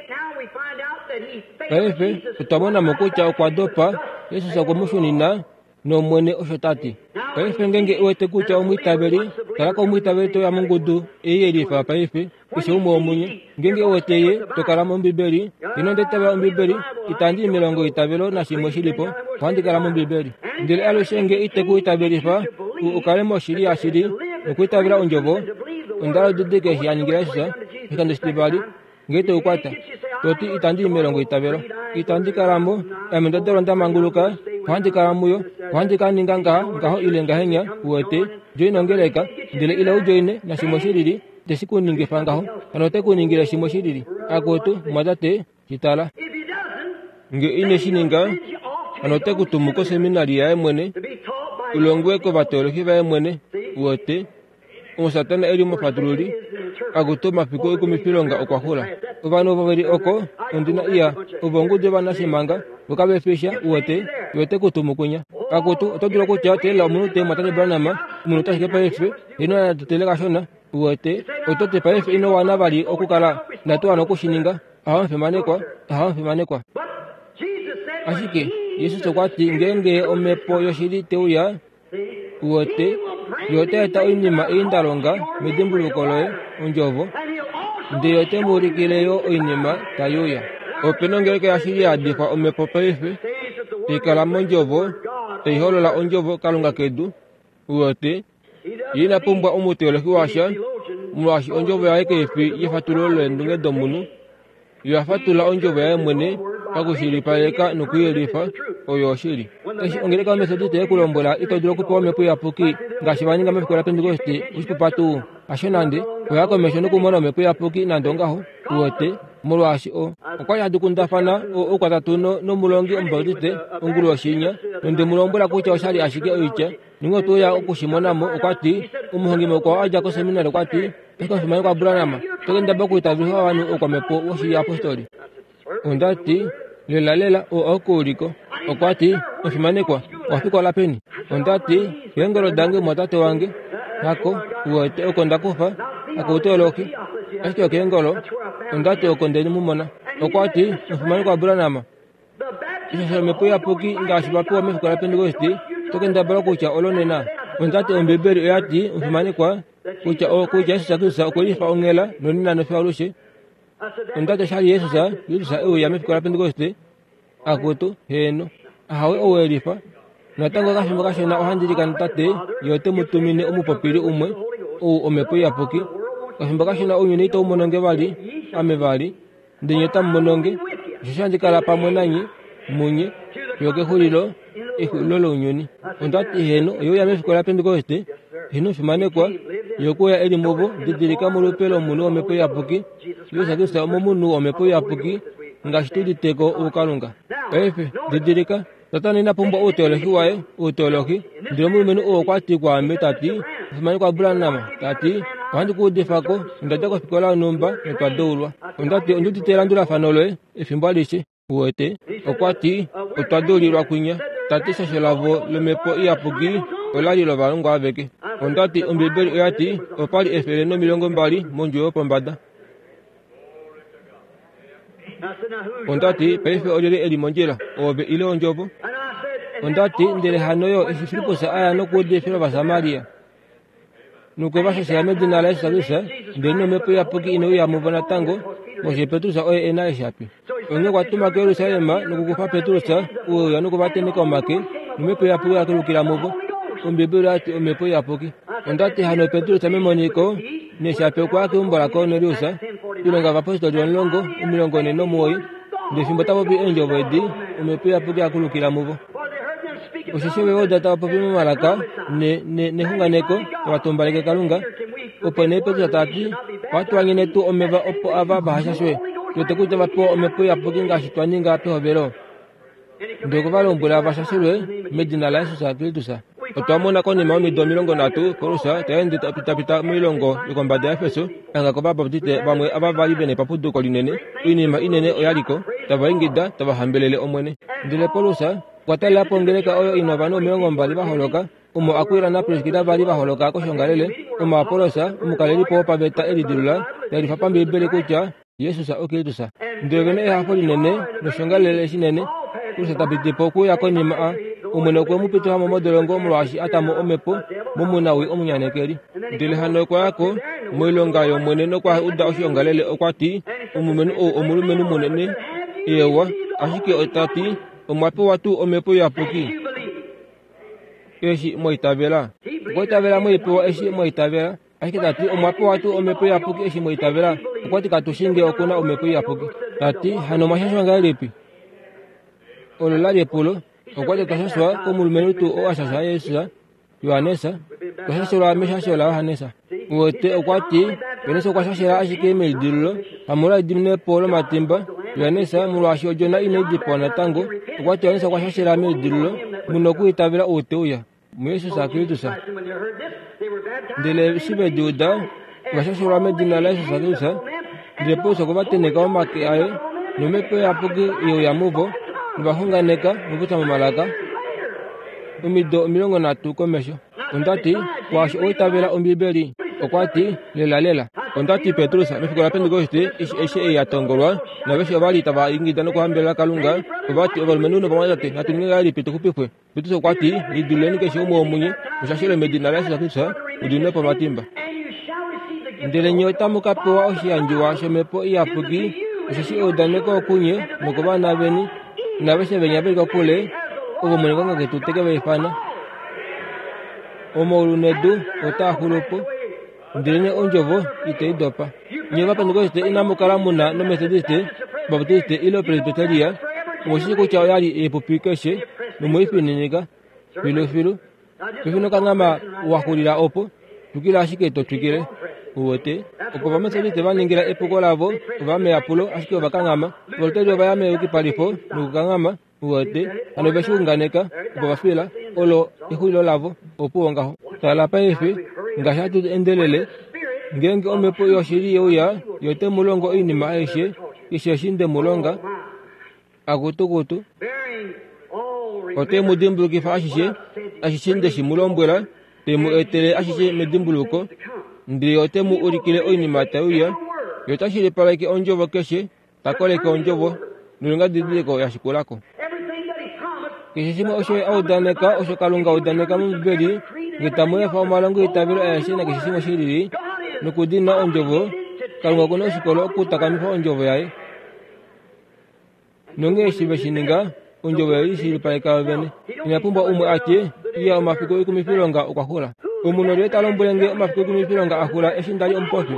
Paife, otwa mona mo kutya okwa dopa, Jesus okwe mu shunina, nOmwene osho ta ti. Paife ngeenge u wete kutya omwiitaveli, kala komwiitaveli to ya mongudu ei ye lifa paife, keshe umwe womunye. Ngeenge u wete ye, to kala mOmbibeli, ino ndetava Ombibeli, itandi i melongo itavelo nashimwe shilipo, ohandi kala mOmbibeli. Ndele alushe nge ite ku itavelifa, u kale moshili yashili, nokwiitavela ondjovo, onda lodidike eshi a ningila Jesus, oshikando shitivali, nge te u kwata. Toti itandi i melongo itavelo. Itandi kala mo, ame nda dalwa nda manguluka, ohandi kala muyo, ohandi ka ninga ngaha, ngaho ile ngahenya, uwete, join ongeleka, ndele ila u joine nashimwe shilili, teshi ku ningifa ngaho, hano ote ku ningile shimwe shilili. Akutu, mwatate, shitala. Nge ine shi ninga, hano ote ku tumu koseminari yaye mwene, ulongwe kovateolohi vaye mwene, uwete, omo Satana e li omufatululi, akutu omafiku oikumifilonga okwa xula. Ovanhu ovo veli oko, ondina iya, ovo ongudu yovanashimanga, voka vefisha, uwete, yo ote ku tumu kwinya. Akutu, oto dulu okutya teelela omunute mwatate Branham, omunute ashike paife, ino natutele kashona, uwete, oto ti paife ino wana vali okukala, inatu wana okushininga, ahamufimanekwa, ahamufimanekwa. Ashike, Jesus okwa ti ngeenge omhepo yoshili te uya, uwete, yo ota eta oinima ei nda longa medimbuluko loye, ondjovo, ndele ote mu ulikile yo oinima tai uya. Ope na ongeleka yashili ya yadifwa omhepo paife, tai kala mondjovo, tai holola ondjovo Kalunga kedu, uwete, ye ina pumbwa omuteolohi washa, molwaashi ondjovo yaye kai fi yefatululo leendunge domunhu, yo oya fatulula ondjovo yaye mwene pakushilipaleka nokuyelifa, oyo oshili. Eshi ongeleka yoMethodist ye ku lombwela ito dulu okupewa omhepo iyapuki ngaashi va ninga mefiku laPentekoste, oshipupa tuu, hasho nande, oya komesho nokumona omhepo iyapuki nande ongaho, uwete, molwaashi o okwa li hadi kundafana oukwatatu nomulongi Omubaptiste ongulu yoshinya, nonde mu lombwela kutya oshali ashike oitya, ninge otwe uya okushimonamo, okwa ti, omuhongi mukwao a dja koseminari okwa ti, ashike omufimanekwa Branham, oto kendabala okwiitavelifa ovanhu oukwamhepo woshiyapostoli. Onda ti, lela lela, oo okuuliko. Okwa ti, omufimanekwa, owa fikola peni? Onda ti, keengolo dange mwatate wange, hako, uwete oko nda kufa, hakouteolohi, ashike okeengolo, onda ti oko nde mu mona. Okwa ti, omufimanekwa Branham, ishasha omhepo iyapuki ngaashi va pewa mefiku laPentekoste, oto kendabala kutya olo nena. Onda ti Ombibeli oya ti, omufimanekwa, kutya o kutya Jesus Kristus okwe lifa onghela nonena nofiyo alushe. Onda ti oshali Jesus Kristus e uya mefiku laPentekoste, akutu, heeno, ahawe ou e lifa. Natango okafimbo kashona ohandi likana tate, ye ote mu tumine omupopili umwe, ou omhepo iyapuki. Okafimbo kashona ounyuni itau mononge vali, ame vali, ndele nye otamu mononge, osheshi handi kala pamwe nanye, munye, fiyo kexulilo, exulilo lounyuni. Onda ti heeno, oye uya mefiku laPentekoste, heeno omufimanekwa, ye okwe uya e li muvo, didilika molupe lomunhu womhepo iyapuki, Jesus Kristus omomunhu womhepo iyapuki, ngaashi tu liteko oukalunga. Paife, didilika, Satana ina pumbwa outeolohi waye, outeolohi, ndele omulumenhu oo okwa ti kwaame ta ti, omufimanekwa Branham, ta ti, ohandi ku udifa ko, onda dja kofikola yonhumba notwa deulwa. Onda ti, ondi udite elandulafano loye, efimbo alishe, uwete. Okwa ti, otwa deulilwa kwinya. Ta ti shasho lavo lomhepo iyapuki ola li lovalongwa aveke. Onda ti, Ombibeli oya ti, opa li efele nomilongo mbali mondjuwo yopombada. Onda ti, paife olyelye e li mondjila, oove ile ondjovo? Onda ti, ndele hano yo eshi Filippus a ya nokuudifila Ovasamaria, nokwe va shashela medina laJesus Kristus, ndele nomhepo iyapuki ine uya muvo natango, molwaashi Petrus oye e na eeshapi. Onghee okwa tuma kuJerusalem nokukufa Petrus, ou e uya nokuvatenheka omake, nomhepo iyapuki oya kulukila muvo. Ombibeli oya ti omhepo iyapuki. Onda ti hano Petrus memoniko, neeshapi okwa ya keumbo laKornelius, Oilonga yOvapostoli omulongo, omilongo nhee nomuwoi, ndele fimbo ta popi eendjovo edi, omhepo iyapuki ya kulukila muvo. Osheshi ove oda tava popi momalaka nexunganeko, tava tumbaleke Kalunga. Opo nee Petrus ta ti, ohatu wanyene tuu omeva opo ava vahashashwe, tu wete kutya va pewa omhepo iyapuki ngaashi twa ninga pehovelo. Ndele okwe va lombwela va shashelwe medina laJesus Kristus. Otwa mona konima yomido omilongo nhatu Paulus ta ende tapitapita moilongo yokombada yaEfeso, hanga kovabaptiste vamwe ava vali vena epapuduko linene. Oinima inene oya liko, tava ingida tava hambelele Omwene. Ndele Paulus okwa talela po ongeleka oyo ina ovanhu omilongo mbali va holoka, omo Akwila naPriskila vali va holoka koshoongalele, omo Apollos omukalelipo wopaveta e lidilula ta yelifa pambiibeli kutya Jesus oKristus. Ndele ove na ehafo linene noshoongalele shinene. Paulus ta piti po okuuya konima a Omwene okwe mu pitifa mo modolongo molwaashi a ta mo omhepo momunawi omunyanekeli. Ndele hano okwa ya ko moilonga yOmwene nokwa uda oshoongalele. Okwa ti, omulumenhu ou omulumenhu munene, eewa, ashike ota ti, omwa pewa tuu omhepo iyapuki eshi mwa itavela? Okwa itavela mwaipewa eshi mwa itavela. Ashike ta ti, omwa pewa tuu omhepo iyapuki eshi mwa itavela? Okwa ti, katu shi nge oku na omhepo iyapuki. Ta ti, hano omwa shashwa ngahelipi? Olo la li epulo. Okwa ti, otwa shashwa komulumenhu tuu oo a shasha Jesus, Johannes. Otwa shashelwa meshasho laJohannes. Uwete, okwa ti, Johannes okwa shashela ashike melidilululo, hamolwa ediminepo lomatimba. Johannes, molwaashi odjona inai dipawa natango, okwa ti Johannes okwa shashela melidilululo, mu nokwiitavela ou te uya, muJesus Kristus. Ndele eshi ve di uda, ova shashelwa medina laJesus Kristus. Ndele Paulus okwe va tenheka omake aye, nomhepo iyapuki ye uya muvo, novaxunganeka nokupopya momalaka omido omilongo nhatu komesho. Onda ti, kwaashi owa itavela Ombiibeli? Okwa ti, lela lela. Onda ti, Petrus, mefiku laPentekoste, eshi eshi ei ya tongolwa, naveshe ova li tava ingida nokuhambelela Kalunga, ova ti, ovalumenhu novamwatate, natu ninge ngahelipi tu xupifwe? Petrus okwa ti, lidiluleni keshe umwe womunye, mushashelwe medina laJesus Kristus, mu diminwe po omatimba. Ndele nye otamu ka pewa oshiyandjiwa shomhepo iyapuki, osheshi eudaneko okunye nokovana veni, naveshe venya ve li kokule, ovo Omwene Kalunga ketu te ke va ifana. Omaulu nedu otaa xulu po, ndelenee ondjovo itai dopa. Nye Ovapentekoste inamu kala mu na noMetodiste, Baptiste ile Presbyteria, omu shii kutya oya li epupi keshe nomweifininika filufilu. Paife nokanghama wa xulila opo, twikila ashike to twikile. Uwete, opo Ovametodiste va ningila epuko lavo, ova meyapulo, ashike ova kanghama. Ovaluteri ova ya meyukipalifo nokukanghama. Uwete, hano ve shi unganeka, opo va fila, olo exulilo lavo, opuwo ngaho. Tala paife, ngaashi hatu endelele, ngeenge omhepo yoshili ye uya, yo te mu longo oinima aishe, keshe eshi nde mu longa, akutukutu, ote mu dimbulukifa ashishe, ashishe nde shi mu lombwela, te mu etele ashishe medimbuluko, ndele ote mu ulikile oinima tai uya, yo ta shilipaleke ondjovo keshe, ta koleke ondjovo, noilonga didiliko ya shikulako. Keshe shimwe osho a udaneka, osho Kalunga a udaneka mOmbibeli, nge tamu efa omalongo eitavelo aeshe nakeshe shimwe shi lili, nokudina ondjovo, Kalunga okuna oshikolo okutakamifa ondjovo yaye. Nonghee eshi ve shi ninga, ondjovo oye lishilipaleka yo vene. Ina pumbwa umwe a tye, iya omafiku oikumifilonga okwa xula. Omunhu olyelye ta lombwele nge omafiku oikumifilonga a xula eshi nda li omupofi?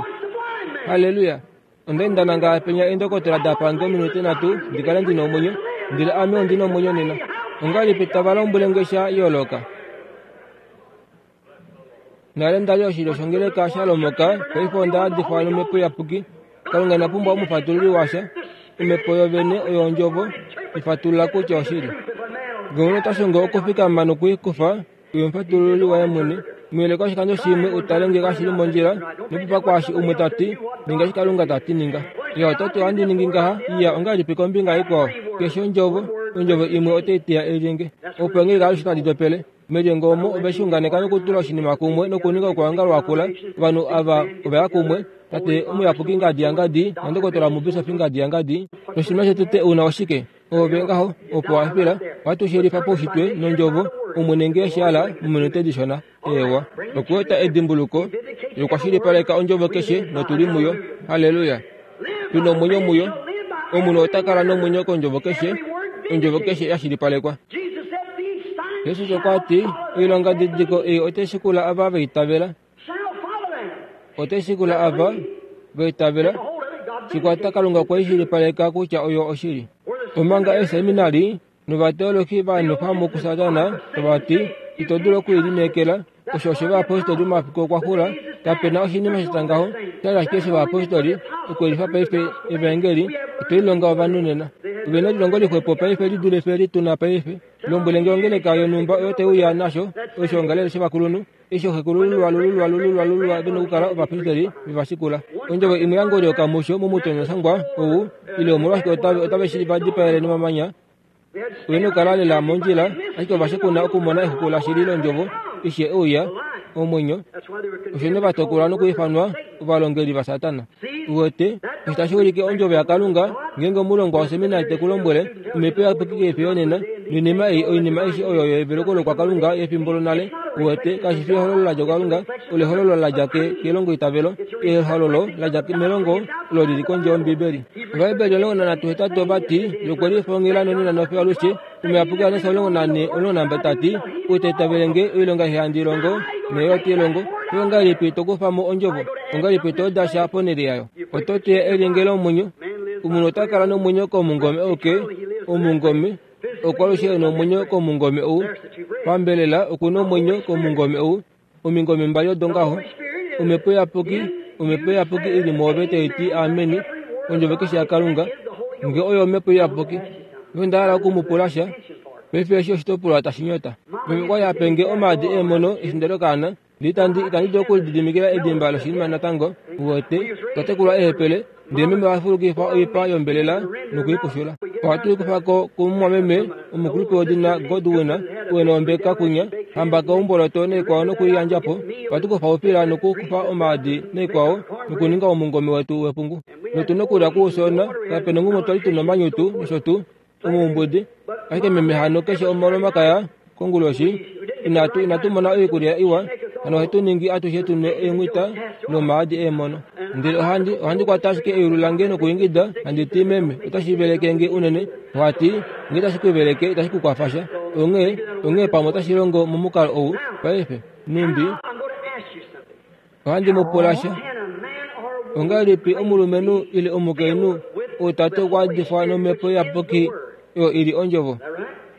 Halleluya! Onda enda nanga penya eendokotola da pa nge ominute nhatu ndi kale ndi na omwenyo, ndele ame ondi na omwenyo nena. Ongahelipi tava lombwele nge sha yooloka? Nale nda li oshilyo shongeleka sha lomoka, paife onda yadifwa nomhepo iyapuki. Kalunga ina pumbwa omufatululi washa. Omhepo yovene oyo ondjovo, ifatulula kutya oshili. Ngee omunhu ota shongo okufikama nokuikufa, oye omufatululi waye mwene. Muyeleka oshikando shimwe utale nge kashi li mondjila, nopupa kwaashi umwe ta ti, ninga eshi Kalunga ta ti ninga. Iya ota ti ohandi ningi ngaha, iya ongahelipi kombinga ikwao? Keshe ondjovo, ondjovo imwe otai teya elyenge. Opo eengeleka alushe tadi dopele. Melyenge omo ove shi unganeka nokutula oshinima kumwe nokuninga okwoongala wakula, ovanhu ava ova ya kumwe, tate omuyapuki ngadi yangadi nandokotola omubisofi ngadi yangadi. Noshinima shotete una oshike? Ove ngaho, opo wa fila, ohatu shi yelifa paushitwe nondjovo, Omwene nge eshi hala mominute dishona. Eewa. Okweeta edimbuluko, yokwashilipaleka ondjovo keshe notu li muyo. Halleluya! Tu nomwenyo muyo. Omunhu ota kala nomwenyo kondjovo keshe, ondjovo keshe ya shilipalekwa. Jesus okwa ti, oilonga didiko ei otai shikula ava va itavela. Otai shikula ava va itavela. Shikwata Kalunga okwe i shilipaleka kutya oyo oshili. Omanga eeseminari novateologi va nwefa mo kuSatana tava ti, ito dulu oku i lineekela, osho oshovayapostoli momafiku okwa xula, kape na oshinima sha ngaho, sha li ashike shovayapostoli, okuyelifa paife evaengeli, otwe lilonga ovanhu nena. Ovena lilongo lixwepo paife lidule fye lituna paife. Lombwele nge ongeleka yonhumba oyo teuya nasho oshongalele shovakulunhu eshi ooxekulululwa lululwa lululwa lululwa vena okukala ovapristeri vevashikula. Ondjovo imwe yangolyoka musho momutonyoshangwa ou ile omolwashike otave otave shi vadipaele nomamanya. Ovena okukala lela mondjila ashike ovashikuna okumona exuku lashili londjovo eshi euya omwenyo. Osho ne vatokolwa nokuifanwa ovalongeli vaSatana. Uwete osho tashi ulike ondjovo yaKalunga ngeenge omulongwa woseminari te ku lombwele omhepo iyapuki kei fi yonena noinima ei oinima aishe oyo yeveluko lokwakalunga yefimbo lonale. Uwete kashi fi ehololo ladja kuKalunga, olo ehololo ladja kelongoitavelo, ehololo ladja melongo olo lili kondje yOmbibeli. Ovaheberi omulongo nanhatu hetatu ovati yokwelifongela nonena nofiyo alushe. Omuyapuki Johannes omulongo nane omulongo nambali tati ou ta itavele nge oilonga ei handi longo neyo te longo. Ongahelipi to kufa mo ondjovo? Ongahelipi to dasha ponhele yayo? Oto teya elyenge lomwenyo. Omunhu ota kala nomwenyo komungome ouke omungome okwalushe nomwenyo komungome ou pambelela okuna omwenyo komungome ou omingome mbali odo ngaho. Omhepo iyapuki omhepo iyapuki ili mwoove tai ti ameni ondjovo keshe yaKalunga nge oyo omhepo iyapuki. Onda hala okumupula sha paife eshi oshitopolwa tashi nyota. Meme okwa li a pe nge omaadi eemono eshi nda li okaana. Itandi itandi dulu okulididimikila edimba loshinima natango. Uwete twa tekulwa eehepele ndele meme oha fulukifa oipa yombelela nokuipushula. Ohatu i kufa ko kumumwameme omukulupe wedina Godwin ou ena ombeka kunya hambaka oumboloto naikwao nokuiyandja po. Ohatu kufa oufila nokukufa omaadi naikwao nokuninga omungome wetu wepungu. Notuna okulya kuufyoona kapena ngumwe twali tuna omanyutu nosho tuu omuumbudi. Ashike meme hano keshe omolomakaya konguloshi inatu inatu mona oikulya iwa hano ohetu ningi atushe tunwe eenghwita nomaadi eemono. Ndele ohandi ohandi kwata ashike eyulu lange nokuingida handi ti meme otashi veleke nge unene. Ohati nge itashi ku veleke itashi ku kwafa sha. Onghee onghee pamwe otashi longo momukalo ou paife numbi ohandi mu pula sha. Ongahelipi omulumenhu ile omukainhu ou tate okwa difwa nomhepo iyapuki oyo ili ondjovo?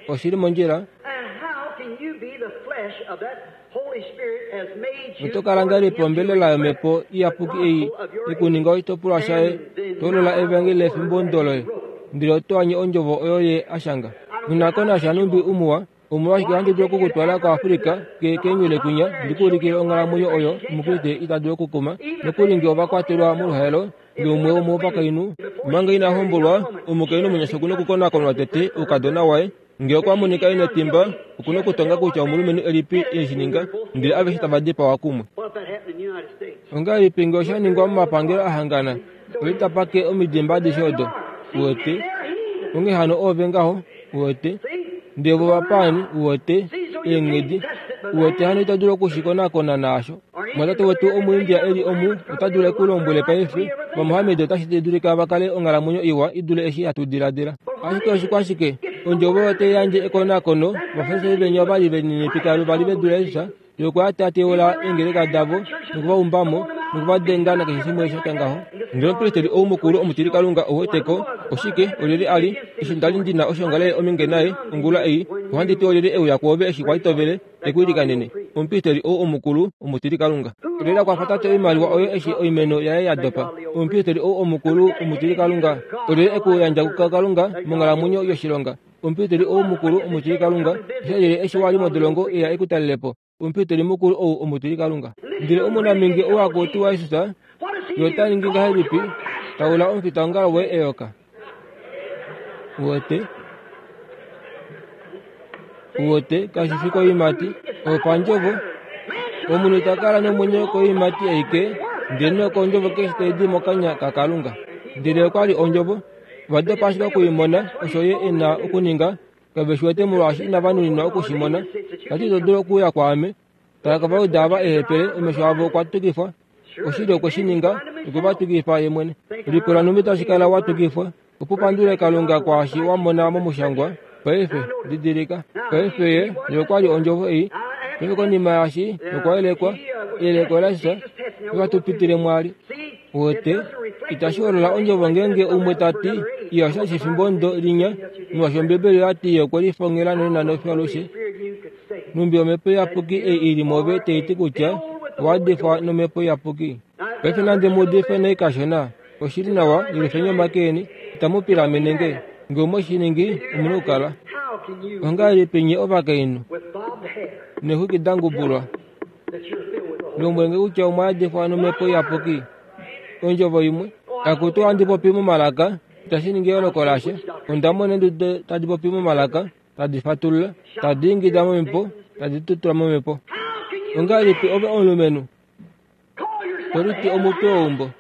Oshili mondjila. Oto kala ngahelipi ombelela yomhepo iyapuki ei ikuninga oshitopolwa shaye tolola evangeli lefimbo loye ndele oto anye ondjovo oyo ye ashanga. Nghi na numbi umuwa omolwashike ohandi dulu okukutwala koAfrika keenywele kwinya ndikuulikile onghalamwenyo oyo omukriste ita dulu okukuma nokuli nge ovakwatelwa moluhaelo ngeumwe womovakainhu manga ina hombolwa omukainhu omunyasha okuna okukonakonwa tete oukadona waye. Nge okwa monika ina etimba okuna okutonga kutya omulumenhu elipi eshi ninga ndele aveshe tava dipawa kumwe. Ongahelipi nge osha ningwa momapangelo ahangana oitapake omidimba adishe odo? Uwete onghee hano ove ngaho uwete ndele vo vapaani uwete eenghedi uwete hano ita dulu okushikonakona naasho. Mwatate wetu omuIndia eli omu ota dulu ekulombwele paife vaMohammed otashi dulika va kale onghalamwenyo iwa idule eshi hatu diladila. Ashike oshikwashike ondjovo oyo tai yandje ekonakono. Ovafarisai venya ovali velininipika vali ve dule Jesus yokwa tateula eengeleka davo nokuva umbamo nokuvadenga nakeshe shimwe shatya ngaho. Ndele omupristeli ou mukulu omutilikalunga ouweteko oshike olyelye ali eshi ndali ndina oshongalele ominge naye ongula ei ohandi ti olyelye euya kwoove eshi kwali tovele ekuilikanene. Omupristeli ou omukulu omutilikalunga olyelye akwafa tate oimaliwa oyo eshi oimeno yaye ya dopa. Omupristeli ou omukulu omutilikalunga olyelye ekuyandja kuKalunga monghalamwenyo yoshilonga. Omupristeli ou mukulu omutilikalunga osha eshi wali modolongo eya ekutalelepo. Omupristeli mukulu ou omutilikalunga. Ndele omunaminge ou akutiwa Jesus ye ota ningi ngahelipi taula omufitaongalo woye eyoka? Uwete uwete kashi fi koiimati opandjovo. Omunhu ita kala nomwenyo koiimati aike ndele nokondjovo keshe tai di mokanya kaKalunga. Ndele okwa li ondjovo vadopa ashike okuimona osho ye ena okuninga kave shi wete molwaashi inava nuninwa okushimona. Tati ito dulu okuuya kwaame. Tala kovauda ava eehepele omesho avo okwa tukifwa. Oshili okwe shi ninga okwe va tukifa ye mwene. Lipula numbi tashi kala wa tukifwa opo pandule Kalunga kwaashi wa mona momushangwa. Paife didilika paife ye ye okwa li ondjovo ei. Paife konima yaashi okwa yelekwa eyeleko laJesus ovatupitile mwali. Uwete itashi holola ondjovo ngeenge umwe tati iya osha shefimbo ndo linya molwaashi Ombibeli oyati ye okwe lifongela nonena nofiyo alushe. Numbi omhepo iyapuki ei ili mwoove tai ti kutya owa difwa nomhepo iyapuki. Paife nande mu udife nai kashona oshili nawa yelifeni omake eni itamu pilamene nge. Ngee omwe shi ningi, omu na okukala. Ongahelipi nye ovakainhu neexwiki da ngubulwa, lombwele nge kutya omwa yadifwa nOmhepo Iyapuki? Ondjovo imwe, akutu ohandi popi momalaka, itashi ningi eyooloko lasha. Onda mona eendudu tadi popi momalaka, tadi fatulula, tadi ingida momhepo, tadi tutula momhepo. Ongahelipi ove omulumenhu to liti omutwe weumbo,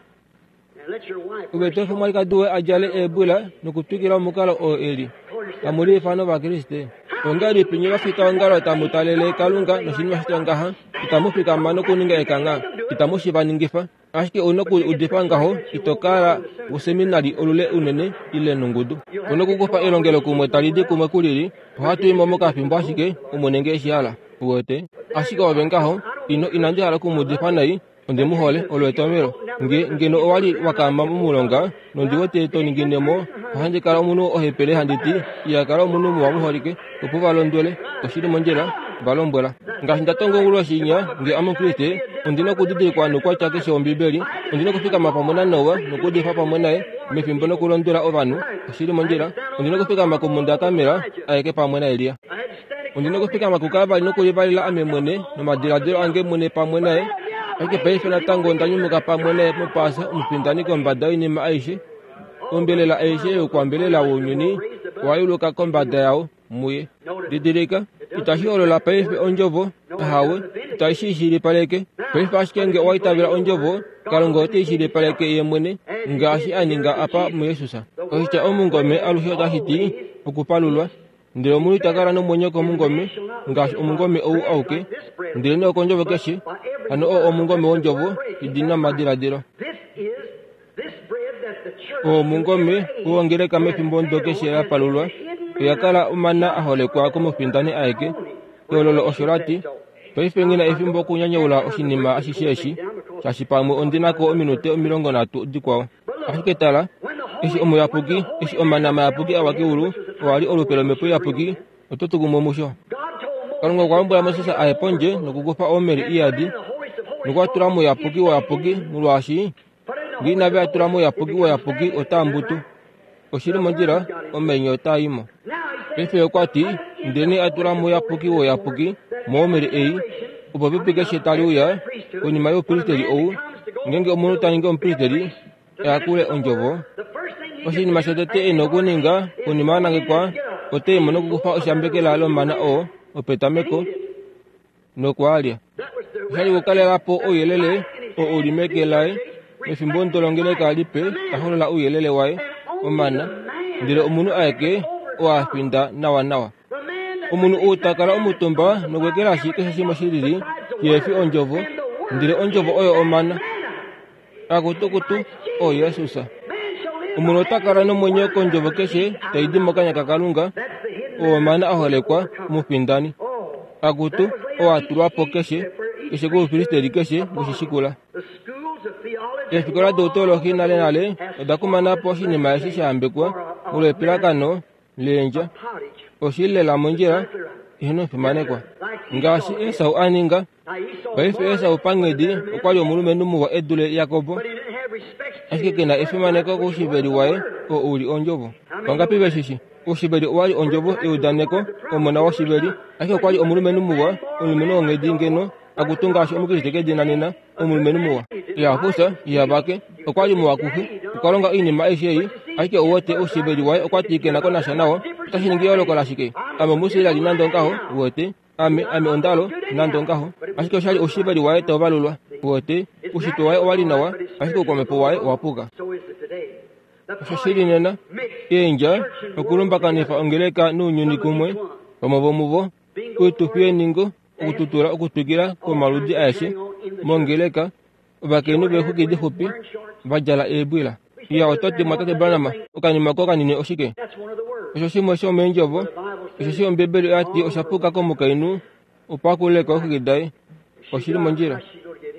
ove to efa omwalikadi woye a djale eebwila nokutwikila omukalo oo e li, tamu liifana Ovakriste? Ongahelipi nye ovafitaongalo tamu talele Kalunga noshinima shitya ngaha, itamu fikama nokuninga ekangha, itamu shi va ningifa? Ashike ou na okuudifa ngaho, ito kala woseminali olule unene ile nongudu. Ou na okukufa elongelokumwe tali di kumwe kulili. Ohatu i mo mokafimbo ashike, Omwene ngee eshi hala. Uwete? Ashike ove ngaho, ino inandi hala okumuudifa nai, onde mu hole, olo etomhelo. Nge ngeno owa li wa kaama momulonga, nondi wete to ningine mo, ohandi kala omunhu ohepele handi ti, iha kala omunhu muwa muholike, opo va londwele, oshili mondjila, va lombwela. Ngaashi nda tonga onguloshi inya, nge ame Omukriste, ondi na okudidilikwa noukwatya keshe wOmbibeli, ondi na okufikama pamwe naNoa nokuudifa pamwe naye mefimbo nokulondwela ovanhu, oshili mondjila, ondi na okufikama komhunda yaKarmel aeke pamwe naElia. Ondi na okufikama kuKalvari nokulivalila ame mwene nomadiladilo ange mwene pamwe naye. Ashike paife natango onda nyumuka pamwe naye mOpaasa omufindani kombada yoinima aishe. Ombelela aishe youkwambelela wounyuni owa yuluka kombada yao muye. Didilika, itashi holola paife ondjovo, ahawe, itashi shilipaleke. Paife ashike nge owa itavela ondjovo, Kalunga ote i shilipaleke ye mwene, ngaashi a ninga apa muJesus. Oshitya omungome alushe otashi ti okupalulwa. Ndele omunhu ita kala nomwenyo komungome, ngaashi omungome ou auke, ndelenee okondjovo keshe, hano oo omungome wondjovo idi na omadiladilo. Oo omungome wongeleka mefimbo omudo keshe la palulwa, oya kala omana a holekwa komufindani aeke. Ehololo osho la ti, paife nghi na efimbo okunyanyaula oshinima ashishe eshi, shaashi pamwe ondi na ko ominute omilongo nhatu dikwao. Ashike tala, eshi omuyapuki, eshi omana mayapuki awa keulu, owa li olupe lOmhepo Iyapuki, oto tu kumwe musho. Kalunga okwa lombwela Moses a ye pondje nokukufa omeri iyadi, nokwa tula mouyapuki woyapuki, molwaashi ngee inave a tula mouyapuki woyapuki otaa mbutu. Oshili mondjila, omainyo otaa i mo. Paife okwa ti, ndelenee a tula mouyapuki woyapuki, moomeri ei, opo epipi keshe tali uya, konima youpristeli ou, ngeenge omunhu ta ningi omupristeli, ayakule ondjovo. Oshinima shotete e na okuninga konima a nangekwa, ote i mo nokukufa oshambekela lomana oo opetameko nokwaalya. Oshali okukalela po ouyelele oo u li meke laye mefimbo ndolongeleka lipe ta holola ouyelele waye, omana, ndele omunhu aeke oo a finda nawanawa. Omunhu ou ta kala omutumba nokuekelashi keshe shimwe shi lili shihe fi ondjovo, ndele ondjovo oyo omana. Akutukutu, o Jesus. Omunhu ota kala nomwenyo kondjovo keshe tai di mokanya kaKalunga, oo omana a holekwa omufindani. Akutu, oo a tulwa po keshe, keshe koupristeli keshe weshi shikula. Eefikola doutolohi nalenale oda kumana po oshinima eshi sha yambekwa molwa epilakano leendja. Oshi li lela mondjila, eheno omufimanekwa. Ngaashi Esau a ninga. Paife Esau panghedi okwa li omulumenhu muwa e dule Jakob, ashike ke na efimaneko koushiveli waye oo u li ondjovo. Vangapi ve shi shi? Oushiveli owa li ondjovo yeudaneko, omona woshiveli, ashike okwa li omulumenhu muwa, omulumenhu wonghedi ngeno, akutu ngaashi Omukriste kedina nena, omulumenhu muwa. Iha fufya, iha vake, okwa li muwa kuxe, okwa longa oinima aishe ei, ashike ou wete oushiveli waye okwa ti ke na ko nasha nao. Otashi ningi eyooloko lashike? Ame Omuisraeli nande ongaho, uwete. Ame, ame ondalo, nande ongaho. Ashike oshali oushiveli waye tau valulwa, uwete. Oushitwe waye owa li nawa, ashike oukwamhepo waye owa puka. Osho shi li nena, eendja, okulumbakanifa ongeleka nounyuni kumwe, vamwe vomuvo, oitufi yeningo, okututula okutwikila kwomaludi aeshe, mongeleka, ovakainhu veexwiki dixupi, va djala eebwila. Iya, oto ti, Mwatate Branham, okanima oko kanini oshike? Osho shimwe shomeendjovo, osheshi Ombibeli oya ti osha puka komukainhu opo a kulule ko eexwiki daye. Oshi li mondjila.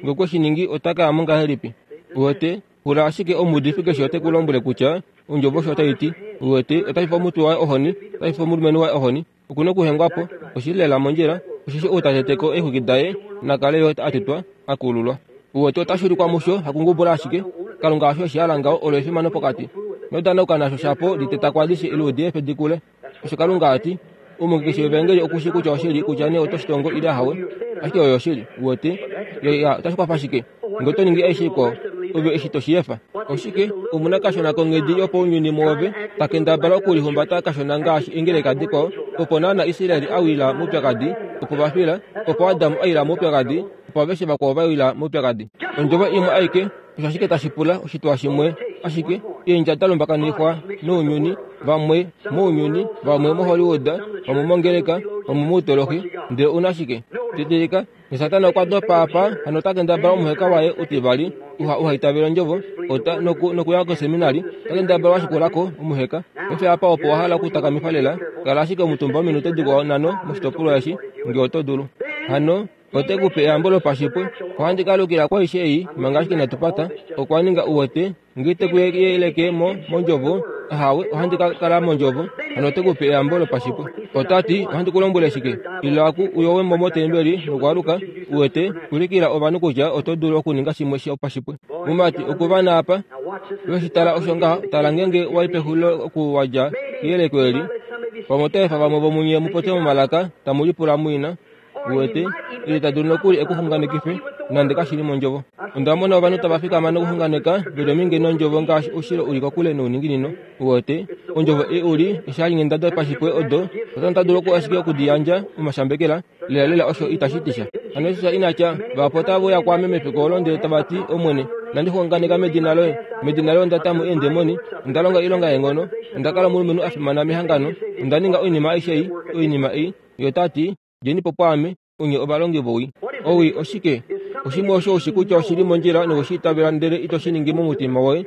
Nge okwe shi ningi, ota ka ya mo ngahelipi? Uwete, pula ashike omuudifi keshe ote ku lombwele kutya ondjovo osho otai ti. Uwete, otashi fe omutwe waye ohoni, otashi fe omulumenhu waye ohoni. Oku na okuhengwa po, oshi li lela mondjila, osheshi ou ta tete ko eexwiki daye na kale yo a tetwa, a kululwa. Uwete, otashi ulikwa musho, hakungubula ashike. Kalunga osho eshi hala ngaho, olo efimano pokati. Ino danauka nasho shapo liteta kwaadishe ile u di efe dikule. Osho Kalunga a ti. Omunhu keshe wevangeli oku shii kutya oshili, kutya nee oto shi tongo ile ahawe, ashike oyo oshili. Uwete? Ya, ya, otashi kwafa shike ngee oto ningi aishe ikwao, ove eshi to shi efa? Oshike? Omuna kashona konghedi yopaunyuni mwoove, ta kendabala okulihumbata kashona ngaashi eengeleka dikwao, opo naana Israel a wila moupyakadi, opo va fila, opo Adam a ila moupyakadi, opo aveshe vakwao va wila moupyakadi. Ondjovo imwe aike, osho ashike tashi pula, oshitwa shimwe ashike, eendja da lumbakanifwa nounyuni, vamwe mounyuni, vamwe moHollywood, vamwe mongeleka, vamwe moutolohi, ndele una shike? Didilika, Satana okwa dopa apa, hano ota kendabala omuheka waye utivali, uha uha itavela ondjovo, ota noku nokuya koseminari, ota kendabala washikulako omuheka. Paife apa opo wa hala okutakamifa lela, kala ashike omutumba ominute dikwao nhano moshitopolwa eshi, ngee oto dulu. Hano ote ku pe eyambo lopashipwe. Ohandi ka alukila kwaishe ei manga ashike inatu pata. Okwa ninga uwete, ngee te ku yeleke mo mondjovo, ahawe, ohandi ka kala mondjovo. Hano ote ku pe eyambo lopashipwe. Ota ti, ohandi ku lombwele shike? Ila ku uyowe mo motembeli nokwaaluka, uwete, ulikila ovanhu kutya oto dulu okuninga shimwe shopashipwe. Mumati, okuvana apa, weshi tala osho ngaha, tala ngeenge wai pexulilo okuwadja keyeleko eli. Pamwe ota efa vamwe vomunye mu popye momalaka, tamu lipula muina. Uwete, ile ta dulu nokuli ekuxunganekife, nande kashi li mondjovo. Onda mona ovanhu tava fikama nokuxunganeka, veli ominge nondjovo ngaashi oushilo uli kokule nouninginino. Uwete, ondjovo ei uli eshalinghenda dopashipwe odo, Satana ota dulu ashike okudiyandja momashambekela, lela lela osho itashi ti sha. Hano Jesus ina tya, vahapu otave uya kwaame mefiku olo ndele tava ti, Omwene, inandi xunganeka medina loye, medina loye onda ta mo eendemoni, onda longa oilonga yeenghono, onda kala omulumenhu a fimana mehangano, onda ninga oinima aishe ei, oinima ei. Ye ota ti, djeni po pwaame, onye ovalongi vowii. Owii oshike? Oshimwe osho ushi kutya oshili mondjila nowe shi itavela ndele ito shi ningi momutima woye,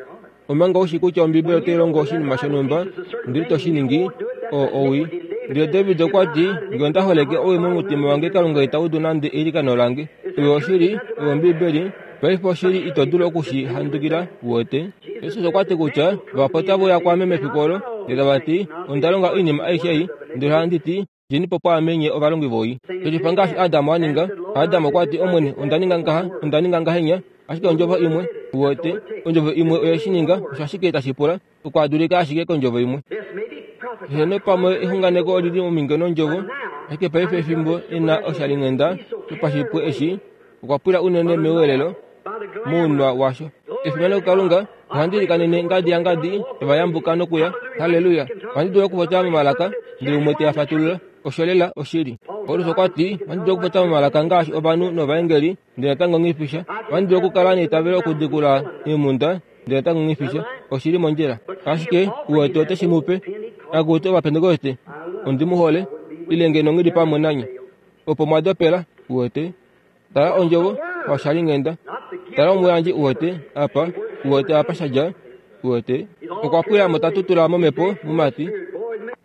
omanga ushi kutya Ombibeli otai longo oshinima shonhumba, ndele ito shi ningi, oo owii. Ndele David okwa ti, ngee onda holeke owii momutima wange, Kalunga ita udu nande eilikano lange. Oyo oshili, oyo Ombibeli. Paife oshili ito dulu oku shi handukila, uwete. Jesus okwa ti kutya vahapu otave uya kwaame mefiku olo, ndele tava ti, onda longa oinima aishe ei, ndele ohandi ti, djeni po pwaame nye ovalongi vowii. Shelifa ngaashi Adam a ninga. Adam okwa ti, Omwene, onda ninga ngaha, onda ninga ngahenya, ashike ondjovo imwe, uwete, ondjovo imwe oye shi ninga, osho ashike tashi pula, okwaadulika ashike kondjovo imwe. Heeno, pamwe exunganeko olili ominge nondjovo, ashike paife efimbo ena oshalinghenda shopashipwe eshi, okwa pwila unene mewelelo, mounwa washo. Efimano kuKalunga, ohandi likanene ngadi ya ngadi, tava yambuka nokuya. Halleluya! Ohandi dulu okupopya momalaka, ndele umwe te a fatulula. Osho lela oshili. Paulus okwa ti, ohandi dulu okupopya momalaka ngaashi ovanhu novaengeli, ndele natango nghifisha. Ohandi dulu okukala neitavelo okudikula eemhunda, ndele natango nghifisha. Oshili mondjila. Ashike uwete ote shi mu pe. Akutu Ovapentekoste, ondi mu hole, ile ngeno nghi li pamwe nanye. Opo mwa dopela, uwete. Tala ondjovo, washalinghenda. Tala omuyandji, uwete, apa, uwete apa shadja, uwete. Okwa pwila mo ta tutula momhepo, mumati.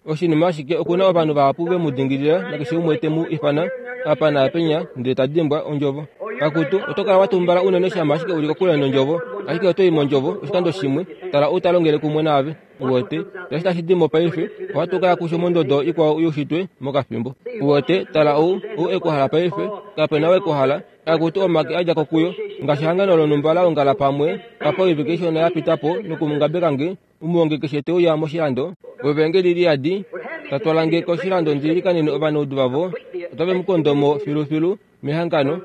Oshinima ashike okuna ovanhu vahapu ve mu dingilila nakeshe umwe te mu ifana apa naapenya, ndele ta dimbwa ondjovo. Akutu, oto kala wa tumbala unene shama ashike uli kokule nondjovo, ashike oto i mondjovo oshikando shimwe, tala ou ta longele kumwe naave, uwete. Tashi tashi di mo paife, ohatu ka ya kusho mondodo ikwao youshitwe mokafimbo. Uwete, tala ou, ou e ku hala paife, kape na we ku hala. Akutu omake a dja ko kuyo, ngaashi ehangano lonhumba la ongala pamwe, apa oivike ishona ya pita po nokumungabeka nge, omuhongi keshe te uya moshilando, wevangeli li yadi, ta twala nge koshilando ndi likanene ovanaudu vavo, otave mu kondo mo filufilu mehangano,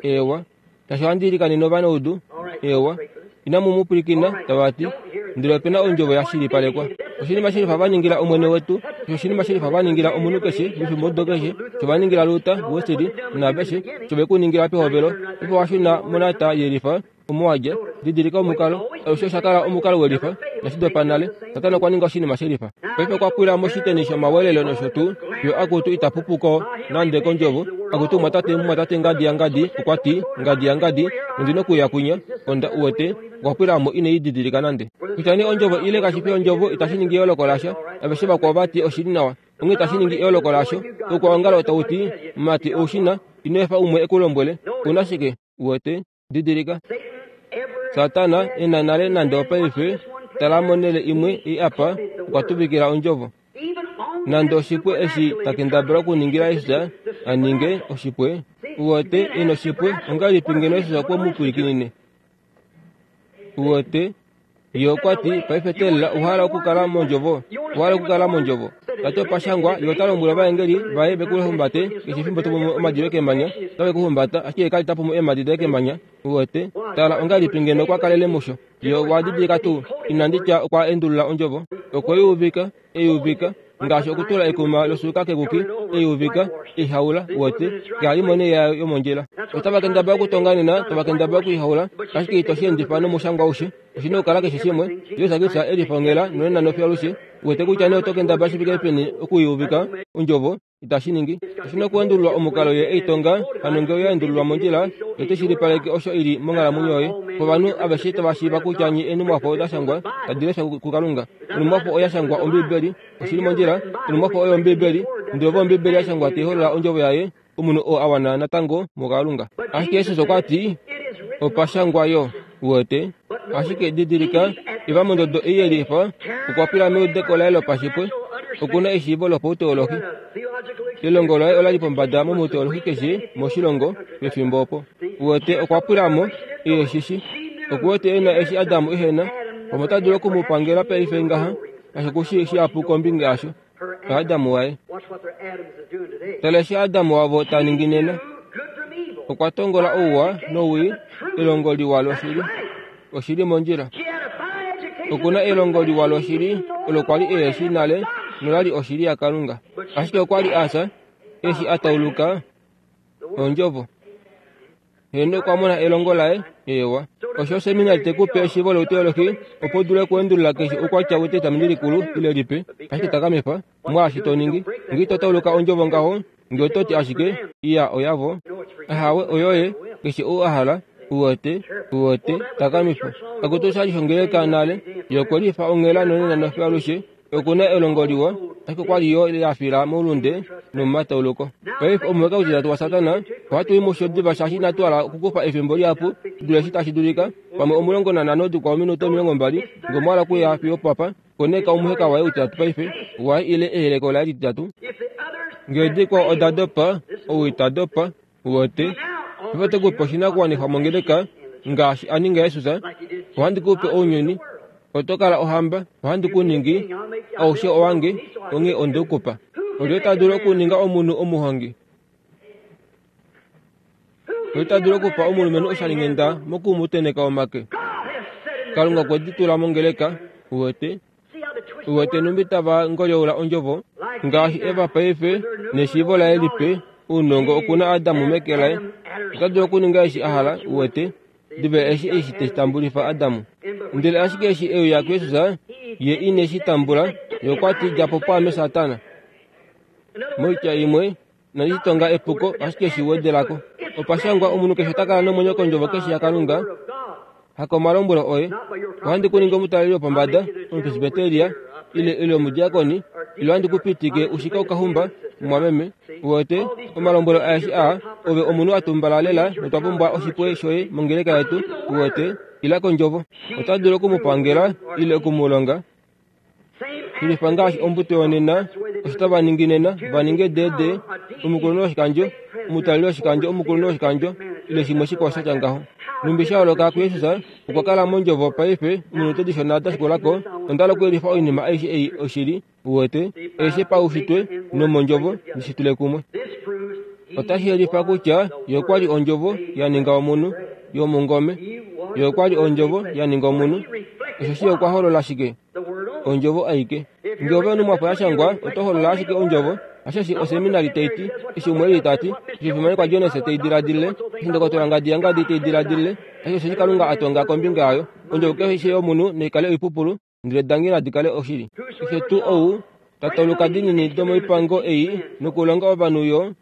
ewa. Tashi ohandi likanene ovanaudu, ewa. Inamu mu pwilikina, tava ti, ndele ope na ondjovo ya shilipalekwa. Oshinima shilifa va ningila Omwene wetu, osho oshinima shilifa va ningila omunhu keshe, mefimbo odo keshe, sho va ningila Luther, Wesley, naaveshe, sho ve ku ningila pehovelo, opo wa shuna monata yelifa, omo wa dja. Didilika omukalo, alushe osha kala omukalo welifa, nashidopa nale, Satana okwa ninga oshinima shelifa. Paife okwa pwila moshiteni shomawelelo nosho tuu, yo akutu ita pupuko nande kondjovo, akutu mwatate, mwatate ngadi ya ngadi, okwa ti, ngadi ya ngadi, ondi nokuya kwinya, onda uwete, okwa pwila mo ine i didilika nande. Kutya nee ondjovo ile kashi fi ondjovo, itashi ningi eyooloko lasha, aveshe vakwao vati oshili nawa, onghee itashi ningi eyooloko lasho. Oukwaongalo tau ti, mati oushina, ino efa umwe e ku lombwele, una shike, uwete, didilika. Satana ena nale nande opaife, tala monhele imwe ei apa, okwa tuvikila ondjovo. Nande oshipwe eshi ta kendabala okuningila Jesus a ninge oshipwe, uwete ena oshipwe, ongahelipi ngeno Jesus okwe mu pwilikinine? Uwete, Ye okwa ti, paife teelela owa okukala mondjovo, owa okukala mondjovo. Tati opashangwa ye ota lombwele ovaengeli vaye vekuhumbate keshe efimbo topumu omadi kemanya, otave kuhumbata ashike kali tapumu eemadi doye kemanya. Uwete, tala ongahelipi ngeno okwa kalele musho. Ye okwa didilika tuu, inandi tya okwa endulula ondjovo, okwe i uvika, ei uvika, ngaashi okutula ekuma losuuka kekuki, ei uvika, ihaula, uwete, kehalimone yayo yomondjila. Otava kendabala okutonga nena, tava kendabala okuihaula, ashike ito shi endifa nomushangwa aushe. Oshina okukala keshe shimwe. Jesus Kristus e lifongela nonena nofiyo alushe. Uwete kutya nee oto kendabala shi fike peni okuiuvika ondjovo, itashi ningi. Oshina okuendululwa omukalo ye eitonga, hano ngee oya endululwa mondjila, ye ote shilipaleke osho ili monghalamwenyo yoye. Ovanhu aveshe tava shiiva kutya nye enumwafo oda shangwa tadi leshwa kuKalunga. Onumwafo oya shangwa Ombibeli, oshili mondjila. Onumwafo oyo Ombibeli, ndele ove Ombibeli ya shangwa tai holola ondjovo yaye, omunhu oo a wana natango muKalunga. Ashike Jesus okwa ti, opashangwa yo, uwete. Ashike didilika, Eva mondodo ei yelifa, okwa pwila meudeko laye lopashipwe, okuna eshiivo lopauteolohi. Elongo laye ola li pombada momuteolohi keshe moshilongo pefimbo opo. Uwete okwa pwila mo, ehe shishi. Okuwete ena eshi Adamu ehena, pamwe ota dulu okumupangela paife ngaha, ashike okushi shihapu kombinga yasho. Adamu waye. Tala eshi Adamu wavo ta ningi nena. Okwa tongola ouwa nowii, elongo liwa loshili. Oshili mondjila. Okuna elongo liwa loshili, olo kwali ehe shi nale, nolali oshili yaKalunga. Ashike okwa li a fya, eshi a tauluka ondjovo. Heno okwa mona elongo laye, ewa. Osho oseminari te kupe eshiivo louteolohi, opo u dule okuendulula keshe oukwatya wetestamenti likulu ile lipe, ashike takamifa mwaashi to ningi. Ngee ito tauluka ondjovo ngaho, ngee oto ti ashike, iya oyavo. Ahawe oyoye, keshe ou a hala, uwete, uwete, takamifa. Akutu oshali shongeleka nale, ye okwe lifa onghela nonena nofiyo alushe. Okuna elongo liwa, ashike okwa li yo ya fila moulunde nomomatauluko. Paife omuheka utitatu waSatana, ohatu i musho diva shaashi inatu hala okukufa efimbo lihapu dule eshi tashi dulika, pamwe omulongo nanhano dikwao ominute omilongo mbali, ngee omwa hala okuya fiyo papa, koneka omuheka waye utitatu paife, waye ile eyeleko laye lititatu. Ngee dikwao oda dopa, ou ita dopa, uwete. Paife ote kupe oshinakuwanifwa mongeleka, ngaashi a ninga Jesus, ohandi kupe ounyuni, oto kala ohamba, ohandi ku ningi, aushe owange, onghee onde u kupa. Olye ta dulu okuninga omunhu omuhongi? Olye ta dulu okupa omulumenhu oshalinghenda moku mu tenheka omake? Kalunga okwe di tula mongeleka, uwete. Uwete numbi tava ngolyoula ondjovo, ngaashi Eva paife neshiivo laye lipe, ounongo okuna Adamu meke laye. Ota dulu okuninga eshi a hala, uwete. Diva eshi eshi teshi tambulifa Adamu. Ndele ashike eshi e uya kuJesus, ye ine shi tambula, ye okwa ti dja po pwaame Satana. Moitya imwe, inandi shi tonga epuko, ashike shi wedelako. Opashangwa omunhu keshe ota kala nomwenyo kondjovo keshe yaKalunga, hakomalombwelo oye. Ohandi ku ningi omutaleli wopombada, omupresbyteria, ile ile omudiakoni, ile ohandi ku pitike ushike okahumba, mwameme. Uwete, omalombwelo aeshe aa, ove omunhu a tumbala lela notwa pumbwa oshipwe shoye mongeleka yetu, uwete, ila kondjovo. Ota dulu okumupangela ile okumulonga. Shilifa ngaashi ombuto yonena, osho tava ningi nena, va ninge D D, omukulunhu woshikandjo, omutaleli woshikandjo, omukulunhu woshikandjo, ile shimwe shikwao sha tya ngaho. Numbi sha holoka kuJesus, okwa kala mondjovo paife, ominute dishona da shikulako, onda hala okuyelifa oinima aishe ei oshili, uwete, aishe paushitwe nomondjovo, ndishi tule kumwe. Otashi yelifa kutya ye okwa li ondjovo ya ninga omunhu yomungome. Ye okwa li ondjovo ya ninga omunhu. Osheshi ye okwa holola shike? Ondjovo aike. Ngee ove onumwafo ya shangwa, oto holola ashike ondjovo. Osheshi oseminari tai ti, eshi umwe eli ta ti, eshi omufimanekwa Jones tei diladilile, eshi ndokotola ngadi yangadi tei diladilile, ashike osheshi Kalunga a tonga kombinga yayo. Ondjovo keshe yomunhu naikale oipupulu, ndele dange nadi kale oshili. Keshe tuu ou ta tauluka dinini domoipango ei nokulonga ovanhu yo,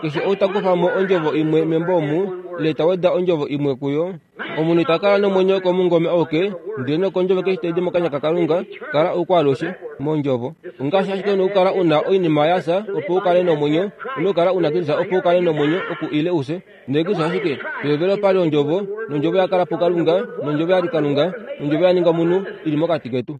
keshe ou ta kufa mo ondjovo imwe membo omu, ile ta weda ondjovo imwe kuyo, omunhu ita kala nomwenyo komungome auke, ndele nokondjovo keshe tai di mokanya kaKalunga, kala oukwaalushe mondjovo. Ongaashi ashike una okukala una oinima ya fya opo u kale nomwenyo, una okukala una Kristus opo u kale nomwenyo oku ile ufye. Ndele Kristus ashike, pehovelo opa li ondjovo, nondjovo ya kala puKalunga, nondjovo ya li Kalunga, nondjovo ya ninga omunhu ili mokati ketu.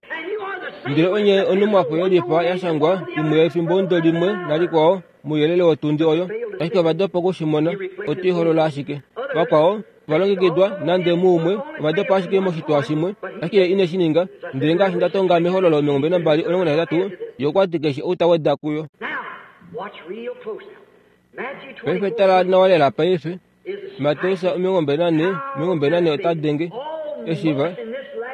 Ndele onye onumwafo yelifa ya shangwa imwe yefimbo limwe nalikwao mouyelele wotundi oyo, ashike ova dopa okushimona, oto i holola ashike. Vakwao Ovalongekidwa nande muumwe ovadopa ashike moshitwa shimwe, ashike ye ine shi ninga. Ndele ngaashi nda tonga mehololo omilongo mbali nambali omulongo nahetatu, ye okwa ti keshe ou ta weda kuyo. Paife tala nawa lela paife. Mateus omilongo mbali nane omilongo mbali nane ota denge eshiva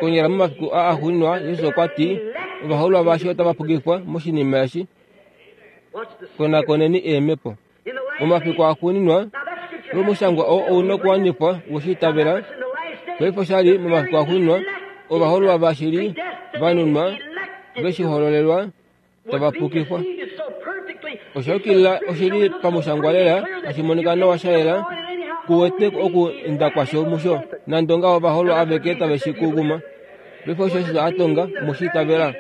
konyala momafiku aa axuuninwa. Jesus okwa ti ovahoololwa vashi otava pukifwa moshinima eshi. Konakoneni eemhepo. Momafiku axuuninwa lomushangwa oo ouna okuwanifwa woshiitavela. Paife oshali momafiku axuuninwa ovahoololwa vashili vanunwa veshihololelwa tava pukifwa. Osha yukilila oshili pamushangwa lela tashi monika nawa sha yela kuwete oku enda kwasho musho nande ongaho ovahoololwa aveke tave shi kuguma. Paife osho Jesus a tonga moshiitavela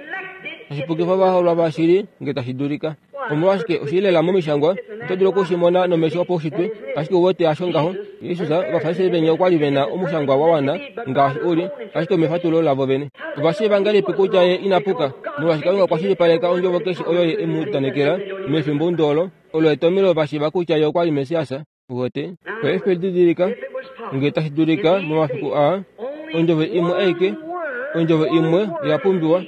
tashi pukifa ovahoololwa vashili nge tashi dulika. Omolwashike oshili lela momishangwa oto dulu okushimona nomesho opaushitwe, ashike uwete hasho ngaho. Jesus ovafarisai venya okwali vena omushangwa wa wana ngaashi uli, ashike omefatulo lavo vene. Ovashiiva ngahelipi kutya ye ina puka? Molwaashi Kalunga okwa shilipaleka ondjovo keshe oyo ye emu udanekela mefimbo olo, olo etomhelo vashiiva kutya ye okwali Messias. Uwete? Paife didilika nge tashi dulika momafiku aa, ondjovo imwe aike, ondjovo imwe oya pumbiwa.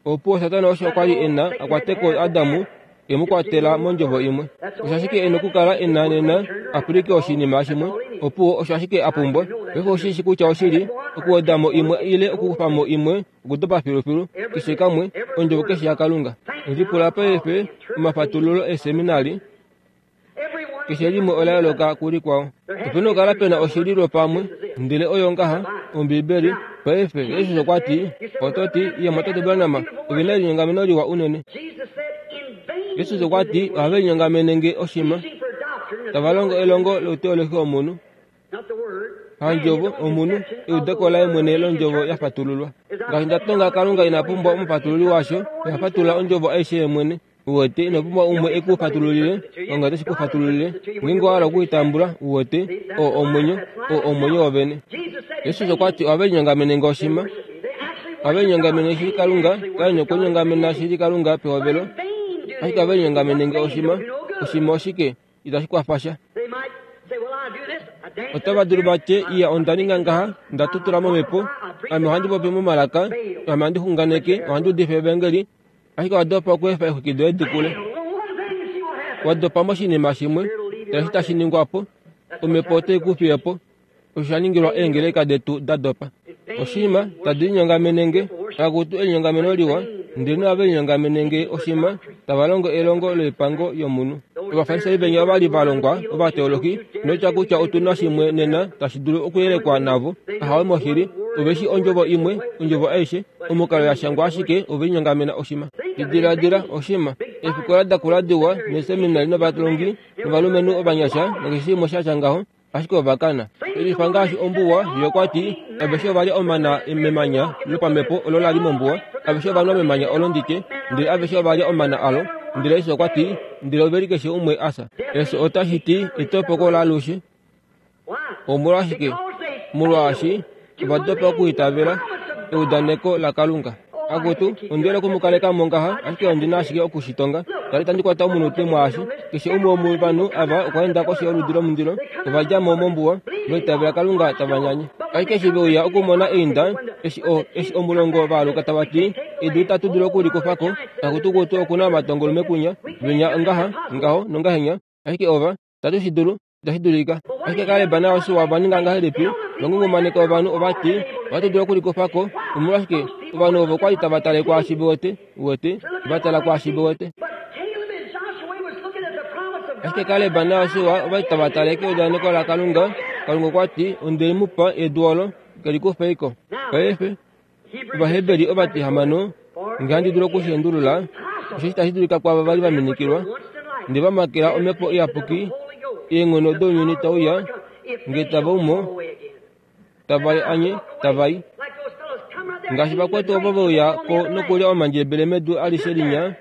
Opo Satana osho okwali ena akwateko Adamu e mu kwatela mondjovo imwe. Osho ashike ena okukala ena nena apulike oshinima shimwe, opo osho ashike a pumbwa. Paife oshishi kutya oshili okuwedamo imwe ile okukufamo imwe, okudopa filufilu keshe kamwe, ondjovo keshe yaKalunga. Lipula paife omafatululo eseminari keshe limwe ola yooloka kulikwao. Opena okukala pena oshili lwopamwe, ndele oyo ngaha Ombibeli. Paife Jesus okwa ti, oto ti iye Tate Branham ovena elinyongameno liwa unene. Jesus okwa ti ohave linyongamene nge oshima, tava longo elongo louteolohi womunhu, handjovo omunhu, eudeko laye mwene londjovo ya fatululwa. Ngaashi nda tonga Kalunga ina pumbwa omufatululi washo, oha fatulula ondjovo aishe ye mwene. Uwete ino pumbwa umwe e ku fatululile, Kalunga oteshi ku fatululile. Ngeenge owa hala okuitambula, uwete, oo omwenyo, oo omwenyo wovene. Jesus okwa ti ohave linyongamene nge oshima, ohave linyongamene shili Kalunga, kaye nokulinyongamena shili Kalunga pehovelo, ashike ohave linyongamene nge oshima. Oshima oshike? Itashi kwafa sha. Otava dulu vatye iya onda ninga ngaha, nda tutula momhepo, ame ohandi popi momalaka, ame ohandi xunganeke, ohandi udifa evangeli, ashike owa dopa okweefa exwiki doye di kule. Wa dopa moshinima shimwe, eshi tashi ningwa po, omhepo otai ku fiye po. Osho sha ningilwa eengeleka detu da dopa. Oshima tadi linyongamene nge, akutu elinyongameno liwa, ndele nohave linyongamene nge oshima, tava longo elongo loipango yomunhu. Ovafarisai venya ovali va longwa ovateolohi, notya kutya otuna shimwe nena tashi dulu okuyelekwa navo. Ahawe moshili, oveshi ondjovo imwe, ondjovo aishe, omukalo ya shangwa ashike ove linyongamena oshima. Diladila oshima, eefikola dakula diwa neeseminari novalongi novalumenhu ovanyasha nakeshe shimwe sha tya ngaho, ashike ovakana. Elifa ngaashi ombuwa, ye okwa ti aveshe ova lya omana memanya lopamhepo olo la li mombuwa, aveshe ova nwa memanya olo ndike, ndele aveshe ova lya omana alo. Ndele Jesus okwa ti, ndele ove li keshe umwe asa. Eso otashi ti etopoko laalushe. Omolwashike? Molwaashi ova dopa okuitavela eudaneko laKalunga. Akutu, ondiwele okumukaleka mo ngaha, ashike ondina ashike okushitonga. Tali tandi kwata omunute mwaashi. Keshe umwe womovanhu ava okwa enda koshi yoludi lomundilo, ova dja mo mombuwa, vaitavela Kalunga tava nyanye. Ashike eshi ve uya okumona einda, eshi o, eshi omulongo vaaluka tava ti, edu itatu dulu okulikufa ko, akutu kutu okuna omatongolume kunya, venya ngaha, ngaho nongahenya, ashike ova, tatu shi dulu, itashi dulika. Ashike Kaleb naJosua ova ninga ngahelipi? Vangungumaneka ovanhu ova ti, ohatu dulu okulikufa ko. Omolwashike? Ovanhu ovo kwali tava tale kwaashi ve wete, wete, va tala kwaashi ve wete. Ashike Kaleb naJosua ova li tava tale keudaneko laKalunga. Kalunga okwa ti, onde mu pa edu olo, kelikufa iko. Paife Ovaheberi ova ti hamano, nge handi dulu okushiendulula, osheshi tashi dulika kwaava vali va minikilwa, ndele va makela omhepo iyapuki, eenghono dounyuni tauya, nge tava umo, tava anye, tava i. Ngaashi vakwetu ovo ve uya ko nokulya omandjebele medu alishe linya,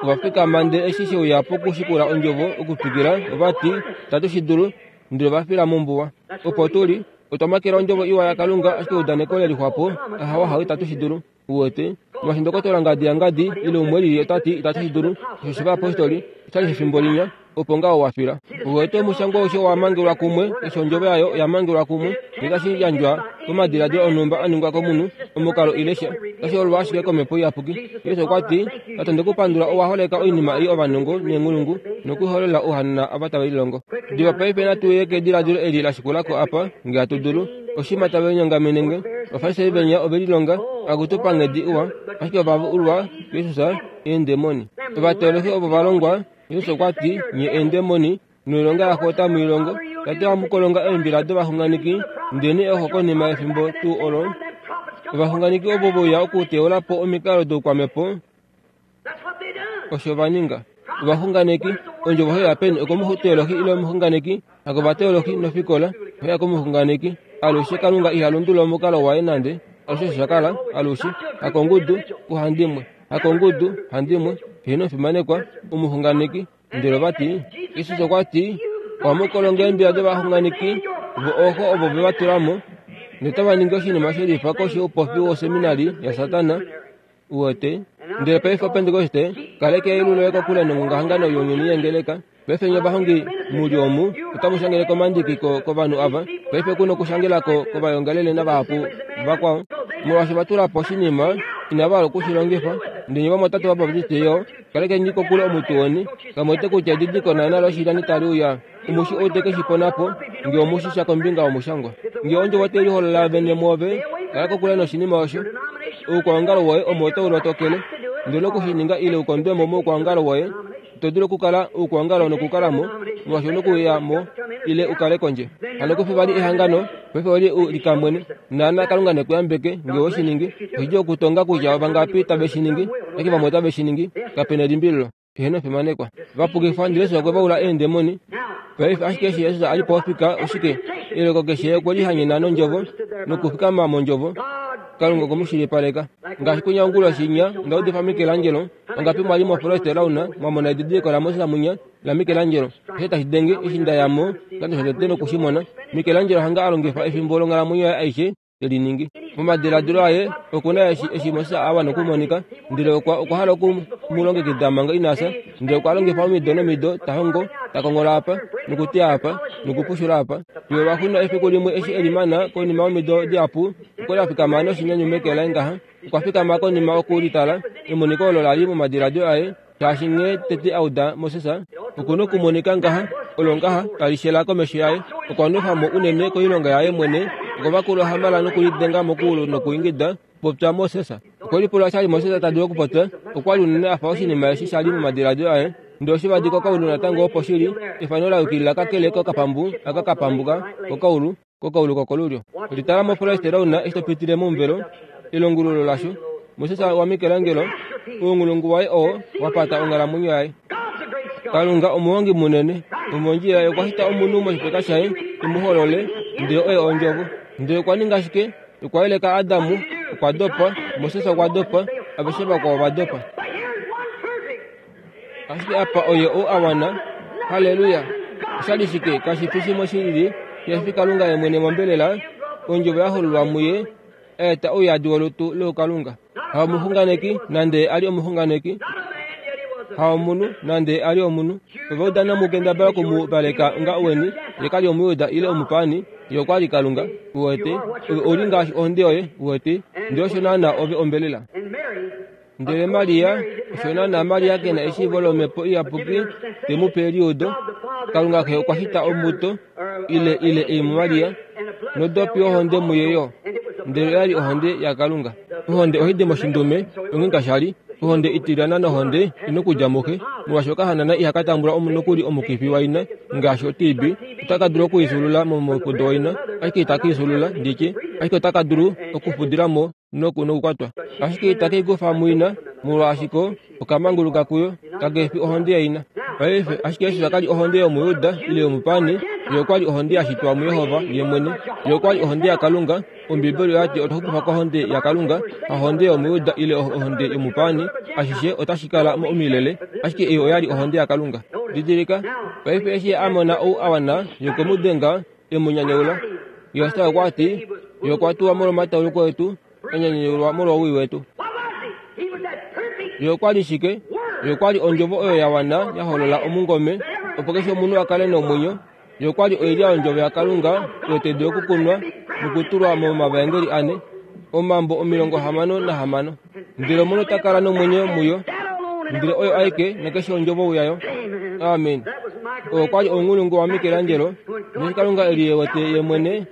ova fikama ndele eshi she uya pokushikula ondjovo okutwikila, ova ti, tatu shi dulu, ndele ova fila mombuwa. Opo tu li, otwa makela ondjovo iwa yaKalunga, ashike eudaneko le lixwapo, ahawa hawe itatu shi dulu. Uwete, molwaashi ndokotola ngadi yangadi ile umwe lili ota ti itatu shi dulu, osho shivayapostoli, Oshali shefimbo linya opo ngaho wafila. Uwete omushangwa aushe wa mangelwa kumwe, keshe ondjovo yayo oya mangelwa kumwe, noitashi yandjwa komadiladilo onhumba a ningwa komunhu, omukalo ile sha. Otashi hololwa ashike komhepo iyapuki. Jesus okwa ti, Tate ndekupandula owa holeka oinima ei ovanongo neenghulungu nokuihololela ouhanana ava tave lilongo. Diva paife natu ye kediladilo eli la shikulako apa, nge hatu dulu. Oshima tave linyongamene nge, Ovafarisai venya ove lilonga akutu panghedi iwa, ashike ova ulwa kuJesus eendemoni. Ovateolohi ovo va longwa, Jesus okwa ti, nye eendemoni, noilonga yaxo otamu i longo. Tate ohamu kolonga eembila dovaxunganeki, ndele oxo konima yefimbo tuu olo, ovaxunganeki ovo veuya okuteula po omikalo doukwamhepo, osho va ninga. Ovaxunganeki, ondjovo oyo yapeni okomuteolohi ile omuxunganeki, hakovateolohi nofikola, oya komuxunganeki. Alushe Kalunga iha lundulula omukalo waye nande, alushe osho sha kala, alushe, hakongudu, kuhandimwe, hakongudu, handimwe, heeno omufimanekwa, omuxunganeki. Ndele ova ti, Jesus okwa ti, ohamu kolonga eembila dovaxunganeki, vo ooxo ovo ve va tula mo, notava ningi oshinima shelifa koshi youpofi woseminari yaSatana. Uwete? Ndele paife Opentekoste, kaleka eyelu loye kokule nongongahangano younyuni yengeleka. Paife nye ovahongi mu li omu, otamu shangele komandiki kovanhu ava. Paife ku nokushangelako kovayongalele navahapu vakwao. Molwaashi va tula po oshinima, inava hala okushi longifa. Ndele nye vamwatate vaBaptiste yo, kalekeni kokule omuti weni. Kamwe wete kutya edidiliko naana loshilyani tali uya. Omushi ou te ke shi pona po, nge omushi sha kombinga yomushangwa. Nge ondjovo tai liholola vene mwoove, kala kokule noshinima osho. Oukwaongalo woye omo tau lotokele, ndele oku shi ninga ile ukondwe mo moukwaongalo woye. Ito dulu okukala oukwaongalo nokukala mo, molwaashi ou nokuya mo ile ukale kondje. Hano kufi vali ehangano, paife oli u likamwene. Naana Kalunga nekuyambeke nge we shi ningi. Oshidjuu okutonga kutya ovangapi tave shi ningi, ashike vamwe otave shi ningi, kape nelimbililo. Heeno fimanekwa. Vapukifwa ndele Jesus okwe va ula eendemoni. Paife ashike eshi Jesus a li pofika oshike? Eleko keshe okwe lihanyena nondjovo nokufikama mondjovo. Kalunga okwe mu shilipaleka. Ngaashi kunya onguloshi inya onda udifa Michelangelo, ongapi mwa li moForest Lawn mwa mona edidiliko laMoses munya laMichelangelo. Osho tashi denge eshi nda ya mo oshikando shotete noku shi mona. Michelangelo hanga a longifa efimbo longhalamwenyo yaye aishe te li ningi. Momadiladilo aye oku na eshi eshi Moses a wana okumonika, ndele okwa okwa hala oku mu longekida manga ina fya, ndele okwa longifa omido nomido ta hongo, ta kongola apa, nokuteya apa, nokupushula apa. Fiyo lwaxuuninwa efiku limwe eshi e limana konima yomido dihapu, okwa li a fikama noshinyanyu meke laye ngaha. Okwa fikama konima okulitala emoniko olo la li momadiladilo aye, shaashi nghee tete a uda Moses, oku nokumonika ngaha, olo ngaha tali shela komesho yaye. Okwa nwefa mo unene koilonga yaye mwene, okwa vakula ohamala nokulidenga mokuulu nokuingida, popya Moses. Okwe lipula sha li Moses ta dulu okupopya, okwa li unene a fa oshinima eshi sha li momadiladilo aye. Ndele oshivadi kokaulu natango opo shi li, efano la yukilila kakele kokapambu aka ka pambuka kokaulu, kokaulu kokolulyo. Litala moForest Lawn eshi to pitile momuvelo, elongululo lasho. Moses waMichelangelo, ounghulungu waye oo wa pata onghalamwenyo yaye. Kalunga omuhongi munene, omondjila ye okwa shita omunhu moshifeka shaye, e mu holole, ndele oye ondjovo. Ndele okwa ninga shike? Okwa yeleka Adamu, okwa dopa, Moses okwa dopa, aveshe vakwao va dopa. Ashike apa oye ou a wana. Halleluya! Osha li shike? Kashi fi shimwe shi lili, shihe fi Kalunga ye mwene mombelela, ondjovo ya hololwa muye, a eta ouyadi wolutu loukalunga. Haomuxunganeki, nande a li omuxunganeki. Haomunhu, nande a li omunhu. Ova uda nomukendabala oku mu valeka onga weni, ye ka li Omujuda ile omupaani, ye okwa li Kalunga. Uwete, ove ou li ngaashi ohonde yoye, uwete, ndele osho naana ove ombelela. Ndele Maria, osho naana Maria ke na eshiivo lomhepo iyapuki te mu pe eliudo. Kalunga Xe okwa shita ombuto ile ile ei muMaria, nodopi yohonde muye yo, ndele oya li ohonde yaKalunga. Ohonde ohai di moshindume, onghee kasha li ohonde itilyana nohonde inokudja muxe, molwaashi okahanana ihaka tambula nokuli omukifi waina ngaashi o-T B, otaka dulu okuifyuulula momufudo waina, ashike itaka ifyuulula, nditye, ashike otaka dulu okufudila mo noku nokukwatwa. Ashike itaka ikufa muina, molwaashi ko okamanguluka kuyo, kake fi ohonde yaina. Paife, ashike Jesus ka li ohonde yOmujuda ile yomupaani, ye okwa li ohonde ya shitwa muJehova ye mwene. Ye okwa li ohonde yaKalunga. Ombibeli oya ti otwa xupifwa kohonde yaKalunga, hahonde yOmujuda ile ohonde yomupaani, ashishe otashi kala omilele, ashike ei oya li ohonde yaKalunga. Didilika, paife eshi a mona ou a wana, ye okwe mu denga, e mu nyanyaula. Josua okwa ti, ye okwa tuwa molwomatauluko etu, a nyanyaulwa molwowii wetu. Ye okwa li shike? Ye okwa li ondjovo oyo ya wana ya holola omungome opo keshe omunhu a kale nomwenyo. Ye okwa li oilya yondjovo yaKalunga oyo tai dulu okukunwa nokutulwa momavaengeli ane, omambo omilongo hamano nahamano. Ndele omunhu ota kala nomwenyo muyo, ndele oyo aike nakeshe ondjovo yayo. Amen. Oyo okwa li ounghulungu waMichelangelo, neshi Kalunga e liwete ye mwene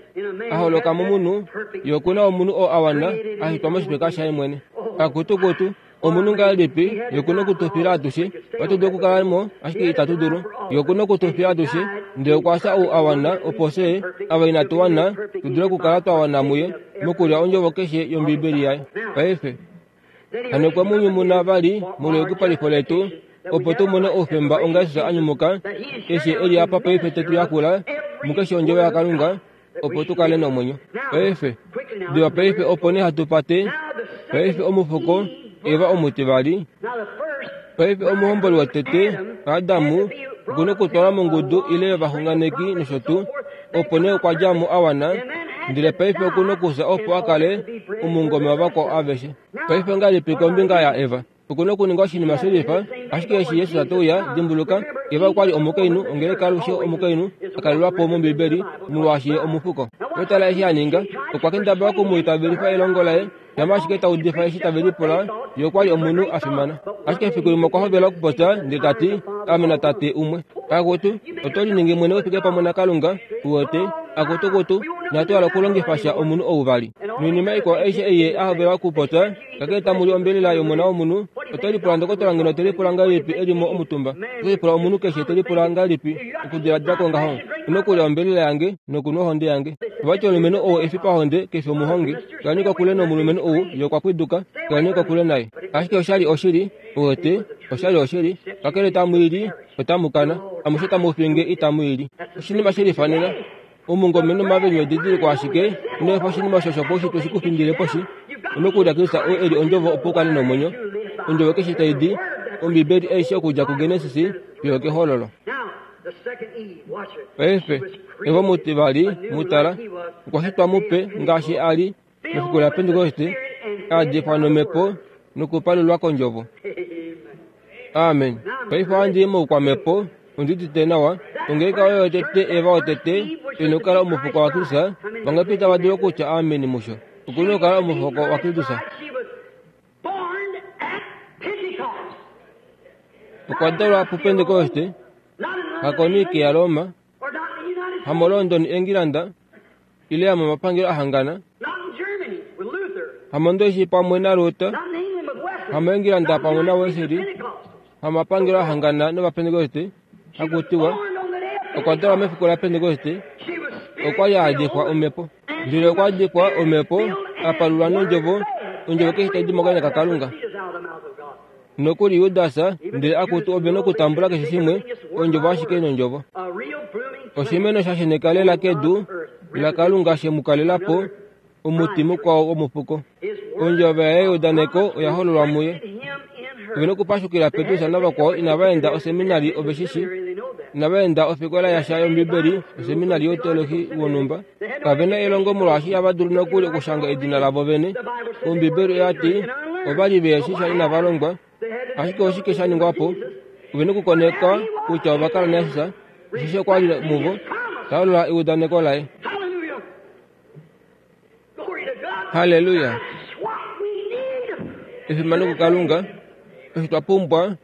a holoka momunhu, ye oku na omunhu oo a wana a shitwa moshifeka shaye mwene. Akutukutu, omunhu ngahelipi ye oku na okutufila atushe, ohatu dulu okukala mo ashike itatu dulu. Ye oku na okutufila atushe, ndele okwa fya ou a wana opo fye ava inatu wana tu dule okukala twa wana muye mokulya ondjovo keshe yOmbibeli yaye. Paife hano okwe mu nyumuna vali molweyukipalifo letu, opo tu mone oufemba onga Jesus a nyumuka, eshi e li apa paife te tu yakula mukeshe ondjovo yaKalunga, opo tu kale nomwenyo. Paife diva paife opo nee hatu pate. Paife omufuko Eva omutivali. Paife omuhomboli wotete Adamu oku na okutwalwa mongudu ile yovaxunganeki nosho tuu, opo nee okwa dja mo a wana, ndele paife oku na okufya opo a kale omungome wavakwao aveshe. Paife ongahelipi kombinga yaEva? Oku na okuninga oshinima shelifa, ashike eshi Jesus te uya, dimbuluka, Eva okwa li omukainhu, ongeleka alushe omukainhu a kalelwa po mOmbibeli, molwaashi ye omufuko. Otala eshi a ninga, okwa kendabala oku mu itavelifa elongo laye, shama ashike ta udifa eshi tave lipula, ye okwa li omunhu a fimana. Ashike efiku limwe okwa hovela okupopya ndele ta ti, Ame natate umwe. Akutu, oto liningi mwene u fike pamwe naKalunga, u wete, akutukutu, inatu hala okulongifa sha omunhu ou vali. Noinima ikwao aishe ei ye a hovela okupopya, kakele tamu li ombelela yOmona wOmunhu, oto lipula ndokotola ngeno te lipula ngahelipi e li mo omutumba. Oto lipula omunhu keshe te lipula ngahelipi okudiladila kwongaho. Ino kulya ombelela yange nokunwa ohonde yange. Ovati omulumenhu ou e fi pahonde ke fi omuhongi. Kaleni kokule nomulumenhu ou, ye okwa pwiduka, kaleni kokule naye. Ashike oshali oshili, u wete, oshali oshili, kakele tamu i li, otamu kana, amushe tamu finge itamu i li. Oshinima she lifanena. Omungome nomaviinyu edidiliko ashike, ino efa oshinima osho shopaushitwe shi ku findile poshi. Ino kulya Kristus oo e li ondjovo opo u kale nomwenyo. Ondjovo keshe tai di, Ombibeli aishe okudja kuGenesis fiyo okEhololo. Paife, Eva omutivali, mu tala, okwa shitwa mupe ngaashi a li mefiku laPentekoste, a difwa nomhepo nokupalulwa kondjovo. Amen. Paife ohandi i moukwamhepo, ondi udite nawa. Ongeleka oyo yotete, Eva wotete, e na okukala omufuko waKristus. Vangapi tava dulu okutya amen musho? Oku na okukala omufuko waKristus. Okwa dalwa puPentekoste, hakoNike yaRoma, hamoLondon Engilanda, ile hamomapangelo a hangana, hamondoishi pamwe naLuther, hamoEngilanda pamwe naWesley, hamapangelo a hangana nOvapentekoste, haku tiwa okwa dalwa mefiku laPentekoste, okwa li a dikwa omhepo. Ndele okwa dikwa omhepo, a palulwa nondjovo, ondjovo keshe tai di mokanya kaKalunga. Nokuli Judas, ndele akutu ove nokutambula keshe shimwe, ondjovo ashike nondjovo. Oshimeno sha sheneka lela kedu laKalunga she mu kalela po, omuti mukwao womufuko. Ondjovo yaye yeudaneko oya hololwa muye. Ove nokupashukila Petrus navakwao inava enda oseminari ove shi shi, inava enda ofikola yasha yOmbibeli, oseminari youteolohi wonhumba. Kave na elongo molwaashi ihava dulu nokuli okushanga edina lavo vene. Ombibeli oya ti ova li ve shi sha inava longwa. Ashike oshike sha ningwa po? Ove nokukoneka kutya ova kala naJesus, osheshi okwa li muvo, ta holola eudaneko laye. Halleluya! Efimano kuKalunga, osho twa pumbwa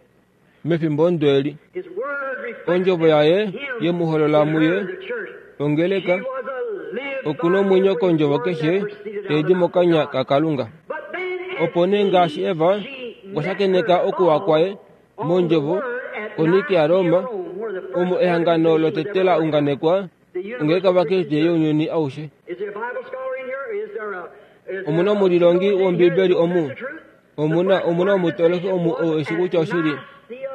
mefimbo ndo eli. Ondjovo yaye ye mu holola muye, ongeleka, oku nomwenyo kondjovo keshe tai di mokanya kaKalunga. Opo nee ngaashi Eva okwa shakeneka okuwa kwaye mondjovo koNike yaRoma, omo ehangano lotete la unganekwa, ongeleka yOvakriste younyuni aushe. Omu na omulilongi wOmbibeli omu? Omu na omu na omutoloki omu ou eshi kutya oshili?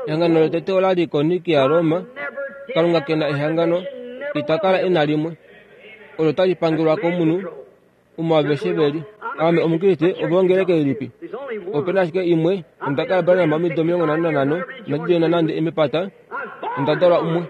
Ehangano lotete ola li koNike yaRoma. Kalunga ke na ehangano, ita kala e na limwe olo tali pangelwa komunhu omo aveshe ve li. Ame Omukriste, ove ongeleka ilipi? Ope na ashike imwe. Onda kala Branham omido omilongo nhano nanhano, inandi djoina nande mepata. Onda dalwa umwe.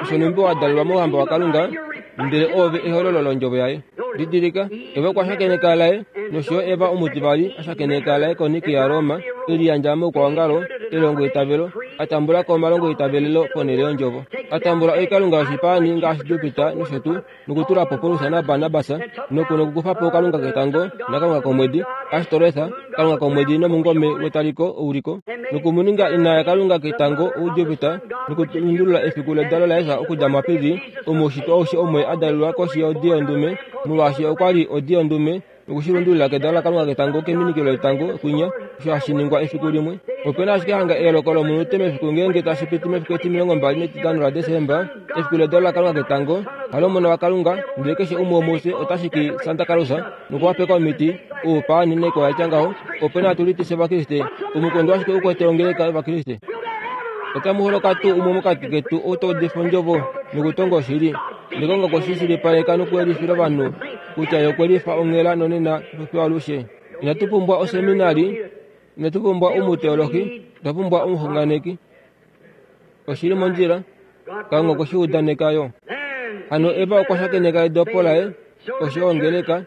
Osho nhumbi wa dalelwa mouhamba waKalunga, ndele oove ehololo londjovo yaye. Didilika, Eva okwa shakeneka laye Nosho yo Eva omutivali a shakeneka laekoniki yaRoma, e liyandja moukwaongalo, elongo itavelo, a tambula ko omalongo itavelelo ponhele yondjovo, a tambula oikalunga yoshipaani ngaashi Jupiter nosho tuu, nokutula po Paulus naBarnabas, noku nokukufa po kalunga ketango nakalunga komwedi, Ashtoreth, kalunga komwedi nomungome wetaliko ouliko, nokumuninga ina yakalunga ketango ouJupiter, nokulundulula efiku ledalo laJesus okudja muAprili, omushitwa aushe omwe a dalelwa koshi yodi yondume, molwaashi okwa li odi yondume, nokushilundulula kedalo lakalunga ketango keminikilo letango kwinya, osho hashi ningwa efiku limwe. Opena ashike hanga eyooloko lomunute mefiku ngeenge tashi piti mefiku etimilongo mbali netitano laDesemba, efiku ledalo lakalunga ketango, halomona wakalunga, ndele keshe umwe womufye otashi ki Santa Claus nokuwapeka omiti oupaani naikwao yatya ngaho. Opena tulitise Ovakriste, omukondo ashike ukwete ongeleka yOvakriste. Otamu holoka tuu umwe mokati ketu ou ta udifa ondjovo nokutonga oshili, nekonga okushishilipaleka nokuyelifila ovanhu kutya ye okwe lifa onghela nonena nofiyo alushe. Inatu pumbwa oseminari, inatu pumbwa omuteolohi, otwa pumbwa omuxunganeki. Oshili mondjila, Kalunga okwe shi udaneka yo. Hano Eva okwa shakeneka edopo laye, osho ongeleka,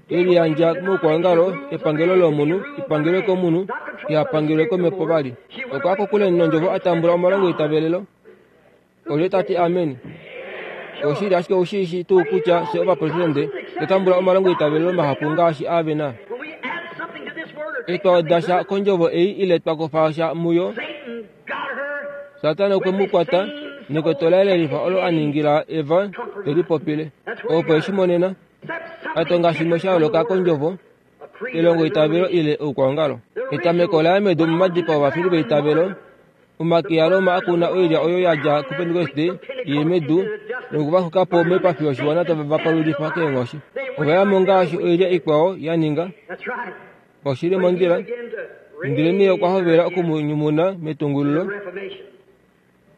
e liyandja moukwaongalo, epangelo lomunhu, ipangelwe komunhu, ihapangelwe komhepo vali. Okwa kokule nondjovo a tambula omalongo itavelelo. Olye ta ti amen? Oshili ashike oushi tuu kutya fye ovapresidente otwa tambula omalongo itavelelo mahapu ngaashi ave na. Etwa weda sha kondjovo ei ile twa kufa sha muyo, Satana okwe mu kwata nekoto laye lelifa olo a ningila Eva te lipopile. Opo eshi monena, a tonga shimwe sha yooloka kondjovo, elongo itavelo ile oukwaongalo. Etameko laye medu momadipao ovafili veitavelo, omake yaRoma akuna oilya oyo ya dja kuPentekoste ye medu nokuvaxuka po moipafi yoshiwana tave va palulifa keenghoshi. Ova ya mo ngaashi oilya ikwao ya ninga. Oshili mondjila, ndele nee okwa hovela okumunyumuna metungululo,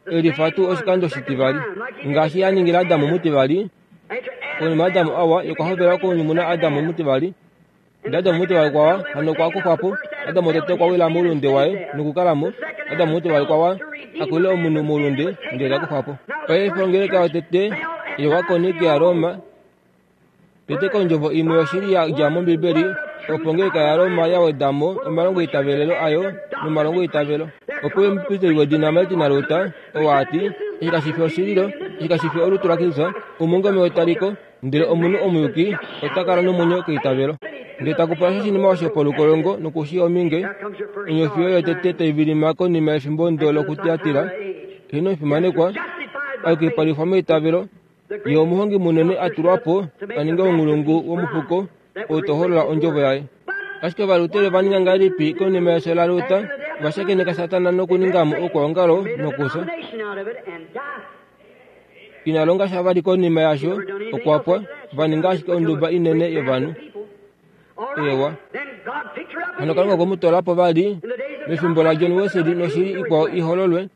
elifa tuu oshikando shitivali ngaashi a ningila Adamu mutivali. Konima Adamu awa, ye okwa hovela okunyumuna Adamu mutivali. Ndele Adamu mutivali kwawa, hano okwa kufwa po. Adamu wotete okwa wila moulunde waye nokukalamo. Adamu mutivali kwawa, akulile omunhu moulunde, ndele ta kufwa po. Paife ongeleka yotete yovakoniki yaRoma, tete kondjovo imwe yoshili ya dja mOmbibeli, opo ongeleka yaRoma ya weda mo omalongo itavelelo ayo nomalongo itavelo. Opo omupristeli wedina Martin Luther oo a ti, eshi kashi fi oshililo, eshi kashi fi olutu laKristus, omungome wetaliko, ndele omunhu omuyuki ota kala nomwenyo keitavelo. Ndele taku pula oshinima osho polukolongo nokushi ominge, onyofi oyo yotete tai vilima konima yefimbo ndo lokutiatira, heeno omufimanekwa, ayukipalifwa meitavelo, ye omuhongi munene a tulwa po a ninge omulungu womufuko ou to holola ondjovo yaye. Ashike Ovalutere ova ninga ngahelipi konima yefyo laLuther? Ova shakeneka Satana nokuninga mo oukwaongalo nokufya. Ina longa sha vali konima yasho, okwa pwa. Ova ninga ashike onduba inene yovanhu. Ewa. Hano Kalunga okwe mu toola po vali mefimbo laJohn Wesley noshili ikwao i hololwe.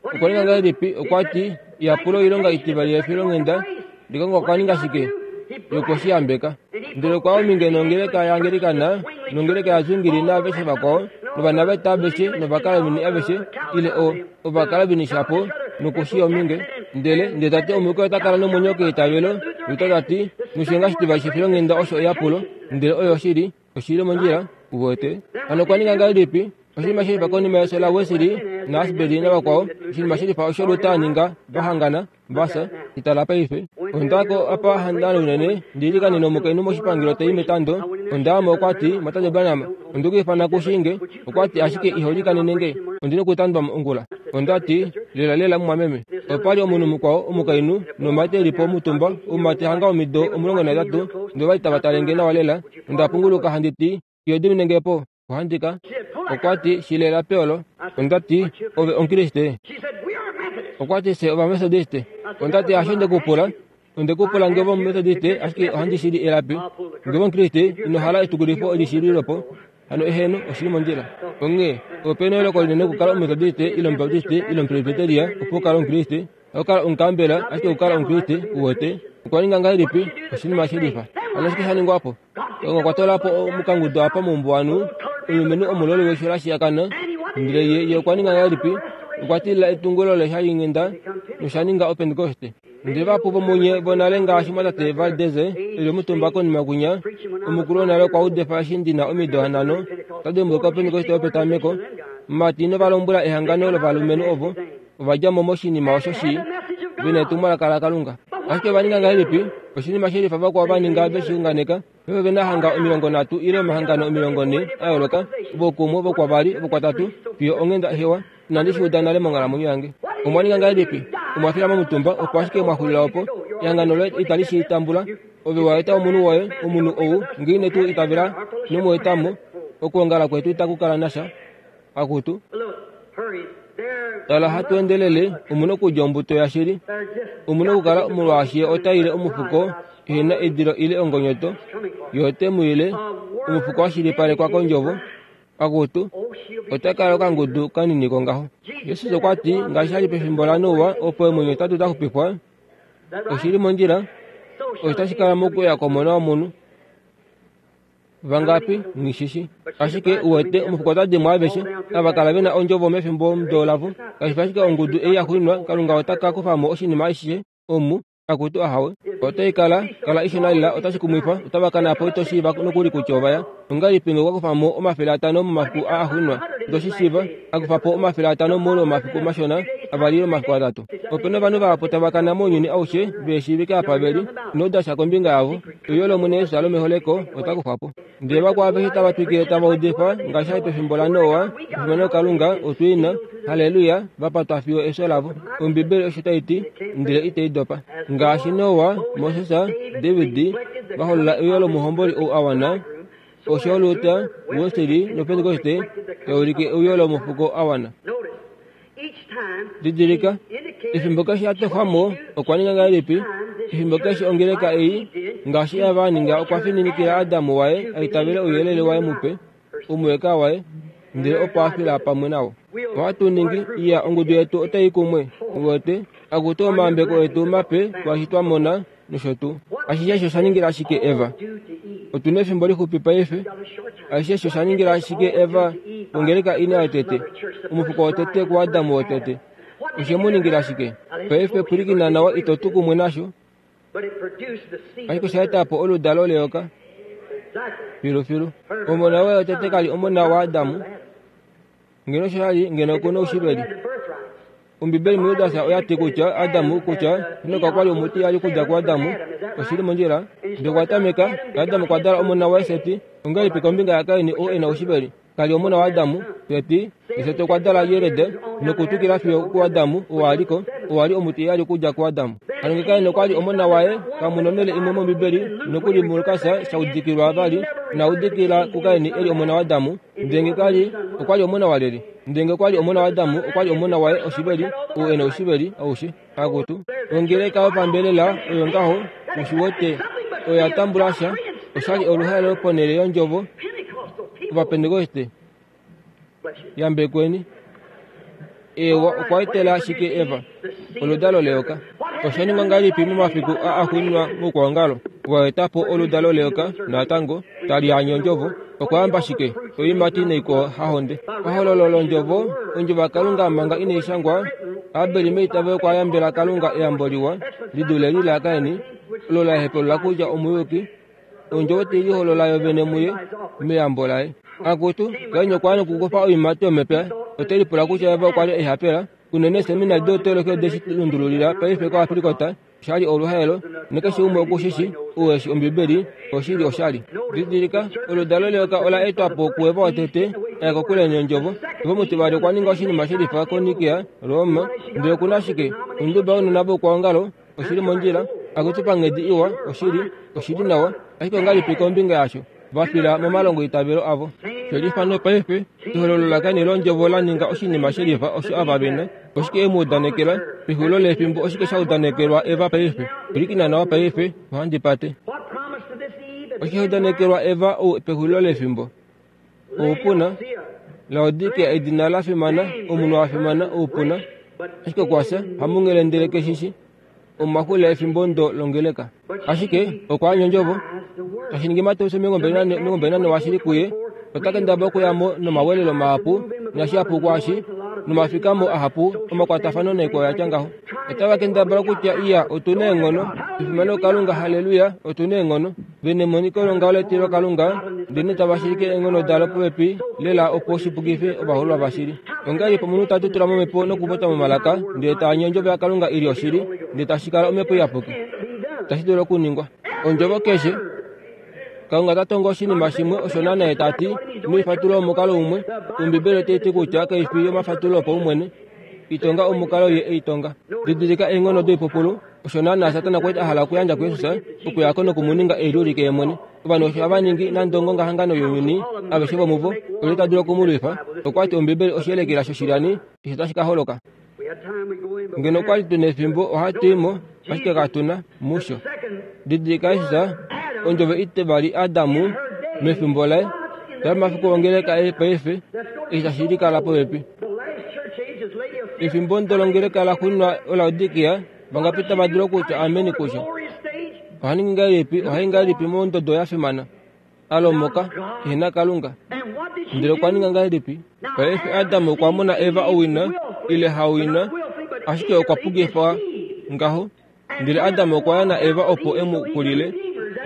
Okwa ninga ngahelipi? Okwa ti, yapula oilonga itivali yefilonghenda. Kalunga okwa ninga shike? Ye okwe shi yambeka. Ndele okwa ominge nongeleka yaAngelikana, nongeleka yaZwingli naaveshe vakwao, novanaveta aveshe novakalvini aveshe, ile o ovakalvini shapo, nokushi ominge. Ndele ndele ta ti omuyuki ota kala nomwenyo keitavelo. Luther ta ti, noshilenga shitivali shefilonghenda osho eyapulo, ndele oyo oshili, oshili mondjila, uwete. Hano okwa ninga ngahelipi? Oshinima shelifa konima yefyo laWesley naAsbury navakwao, oshinima shelifa osho Luther a ninga, va hangana, vafya, itala paife. Onda ko apa handana unene, ndi ilikanene omukainhu moshipangelo tai metando. Onda amo okwa ti, Mwatate Branham, onde ku ifana kushinge. Okwa ti ashike iho likanene nge, ondi nokutandwa ongula. Onda ti, lela lela mumwameme. Opa li omunhu mukwao omukainhu nomumati e li po omutumba, oumati hanga omido omulongo nahetatu, ndele ova li tava tale nge nawa lela. Onda punguluka handi ti, iho dimine nge po? Ohandika. Okwa ti, shilela peolo. Onda ti, ove Omukriste? Okwa ti, fye Ovamethodiste. Onda ti, hasho nde ku pula. Onde ku pula nge Omumethodiste, ashike ohandi shili elapi. Nge Omukriste, ino hala etukulifo olishililepo. Hano eheno, oshili mondjila. Onghee, ope na eyooloko linene okukala Omumethodiste ile Omubaptiste ile Omupresbyteria opo u kale Omukriste. Okukala Omukambela, ashike okukala Omukriste, uwete. Okwa ninga ngahelipi? Oshinima shelifa. Hano oshike sha ningwa po? Kalunga okwa toola po omukangudo apa moumbuwanhu, omulumenhu omuloli weisho la shiyakana. Ndele ye, ye okwa ninga ngahelipi? Okwa tilila etungulo leshalinghenda nosha ninga Opentekoste. Ndele vahapu vomunye vonale ngaashi mwatate Valdez eli omutumba konima kwinya, omukulu wonale okwa udifa eshi ndi na omido hanhano, ota dimbuluka opentekoste yopetameko. Mati novalombwela ehangano lovalumenhu ovo ova dja mo moshinima osho shii, ve na etumwalaka laKalunga. Ashike ova ninga ngahelipi? Oshinima shelifa vakwao va ninga ve shi unganeka. Paife ove na hanga omilongo nhatu ile omahangano omilongo nhee a yooloka, vokumwe, vokwavali, vokwatatu, fiyo onghenda hewa. Inandi shi uda nale monghalamwenyo yange. Omwa ninga ngahelipi? Omwa fila momutumba, opo ashike mwa xulila opo. Ehangano loye itali shi tambula. Ove wa eta omunhu woye, omunhu ou, ngee ine tu itavela nomu eta mo, okwoongala kwetu itaku kala nasha. Akutu. Tala hatu endelele, omu na okulya ombuto yashili. Omu na okukala molwaashi ye ota ile omufuko ehena edilo ile ongonyoto, ye ote mu ile omufuko wa shilipalekwa kondjovo. Akutu, ota kala okangudu kanini kongaho. Jesus okwa ti, ngaashi sha li pefimbo laNoa, opo eemwenyo hetatu da xupifwa, oshi li mondjila, osho tashi kala mokuya kwOmona wOmunhu. Vangapi nghishishi. Ashike uwete omufuko ota di mo aveshe, ava kala ve na ondjovo mefimbo mudo lavo. Kashi fi ashike ongudu ei ya xwinwa, Kalunga ota ka kufa mo oshinima ashishe omu, akutu ahawe. Otai kala, kala ishona lela, otashi kumwifa, otava kana po ito shiiva nokuli kutya ova ya. Ongahelipi ngee okwa kufa mo omafele atano momafiku aa axwinwa? Ito shi shiiva, a kufa po omafele atano moule womafiku mashona, avali ile omafiku atatu. Ope na ovanhu vahapu tava kana mounyuni aushe ve shiivike apa ve li, ino uda sha kombinga yavo. Euyo lOmwene Jesus lomeholeko ota kufwa po. Ndele vakwao aveshe tava twikile tava udifa ngaashi sha li pefimbo laNoa, efimano Kalunga, otu i na, halleluya, va patwa fiyo efyo lavo. Ombibeli osho tai ti, ndele itai dopa. Ngaashi Noa, Moses, David va holola euyo lomuhomboli ou a wana, osho Luther, Wesley noPentekoste tai ulike euyo lomufuko a wana. Didilika, efimbo keshe a tofwa mo, okwa ninga ngahelipi? Efimbo keshe ongeleka ei, ngaashi Eva a ninga, okwa fininikila Adamu waye a itavele ouyelele waye mupe, omuweka waye, ndele opo a fila pamwe nao. Ohatu ningi, iya, ongudu yetu otai kumwe, uwete, akutu omayambeko etu mape kwaashi twa mona, nosho tuu. Ashishe osho sha ningila ashike Eva. Otu na efimbo lixupi paife. Ashishe osho sha ningila ashike Eva ongeleka ina yotete, omufuko wotete kuAdamu wotete. Oshe mu ningila ashike. Paife pwilikina nawa, ito tu kumwe nasho. Ashike osha eta po oludalo leyoka. Filufilu. Omona waye wotete kali omona waAdamu. Ngeno osho sha li, ngeno oku na oushiveli. Ombibeli muJudas oya ti kutya Adamu kutya Henok okwa li omutiyali okudja kuAdamu. Oshi li mondjila. Ndele okwa tameka, Adamu okwa dala omona waye Seti. Ongahelipi kombinga yaKain ou e na oushiveli? Kali omona waAdamu, Seti. Seti okwa dala Jered nokutwikila fiyo kuAdamu ou a li ko, ou a li omutiyali okudja kuAdamu. Hano ngee Kain okwa li omona waye, kamu nonhele imwe mOmbibeli nokuli muLukas sha udikilwa vali, ina udikila kuKain e li omona waAdamu. Ndele ngee kali, okwa li omona walyelye? Ndele ngee okwa li omona waAdamu, okwa li omona waye oshiveli, ou e na oushiveli aushe. Akutu, ongeleka yopambelela oyo ngaho, ushi wete, oyo ya tambula sha, osha li oluhaelo ponhele yondjovo. Ovapentekoste, yambekweni. Ewa okwa etela ashike Eva, oludalo leyoka. Osha ningwa ngahelipi momafiku aa axuuninwa moukwaongalo? Wa eta po oludalo leyoka, natango, tali anye ondjovo. Okwa yamba ashike oiimati naikwao hahonde. Pahololo londjovo, ondjovo yaKalunga manga inai shangwa, Abel meitavelo okwa yambela Kalunga eyambo liwa, li dule li laKain, olo la hepelula kutya omuyuki. Ondjovo tai liholola yo vene muye meyambo laye. Akutu, Kain okwa ya nokukufa oiimati yomepya. Ote lipula kutya Eva okwa li ehapela. Unene eeseminari doutoloki ode shi lundululila paife kOvafilikota. Osha li oluhaelo, nakeshe umwe oku shi shii, ou eshi Ombibeli, oshili oshali. Didilika, oludalo leyoka ola etwa po kuEva wotete, a ya kokule nondjovo. Eva omutivali okwa ninga oshinima shelifa koNikea, Roma, ndele oku na ashike onduba younona voukwaongalo, oshili mondjila, akutu panghedi iwa, oshili, oshili nawa, ashike ongahelipi kombinga yasho? Va fila momalongoitavelo avo. Shelifa nopaife, ehololo laKain londjovo la ninga oshinima shelifa osho ava ve na. Oshike e mu udanekela? Pexulilo lefimbo oshike sha udanekelwa Eva paife? Pwilikina nawa paife, ohandi pate. Oshike sha udanekelwa Eva ou pexulilo lefimbo? Oupuna. Laodikea edina la fimana, omunhu a fimana, oupuna. Ashike okwa fya, hamunghele ndele keshishi. Omaxulilo efimbo ndo longeleka. Ashike okwa anya ondjovo. Tashi ningi Mateus omilongo mbali nane washili kuye, ota kendabala okuya mo nomawelelo mahapu nashihapu kwaashi, Nomafikamo ahapu omakwatafano naikwao yatya ngaho. Otava kendabala kutya iya otu na eenghono, efimano Kalunga, haleluya, otu na eenghono. Ve nemoniko longaho letilo Kalunga, ndele tava shilike eenghono dalo popepi lela opo shipukife ovaholwa vashili. Ongahelipi omunhu ta tutula momhepo nokupopya momalaka, ndele ta anye ondjovo yaKalunga i li oshili, ndele tashi kala omhepo iyapuki? Itashi dulu okuningwa. Ondjovo keshe Kalunga ta tongo oshinima shimwe osho naana ye ta ti, ino omukalo umwe. Ombibeli otai ti kutya kai fi yomafatulo opaumwene. Itonga omukalo ye e i tonga. Didilika eenghono doipupulu. Osho naana Satana okwa li a hala okuyandja kuJesus, okuya ko nokumuninga e liulike ye mwene. Ovanhu osho hava ningi nande ongongahangano younyuni, aveshe vomuvo, olyelye ta dulu okumulwifa? Okwa ti Ombibeli oshiyelekela shoshilyani osho tashi ka holoka. Ngeno okwa li tu nefimbo ohatu i mo, ashike katu na musho. Didilika Jesus, ondjovo itivali Adamu, mefimbo laye, tala ongeleka ei paife, eshi tashi likala popepi. Efimbo ndolongeleka la xuuninwa oLaodikia, vangapi tava dulu okutya ameni kusho? Oha ningi ngahelipi? Ohai ngahelipi mondodo ya fimana? Alomoka, ehena Kalunga. Ndele okwa ninga ngahelipi? Paife Adam okwa mona Eva owina, ile hawina, ashike okwa pukifwa ngaho. Ndele Adam okwa ya na Eva opo e mu kulile.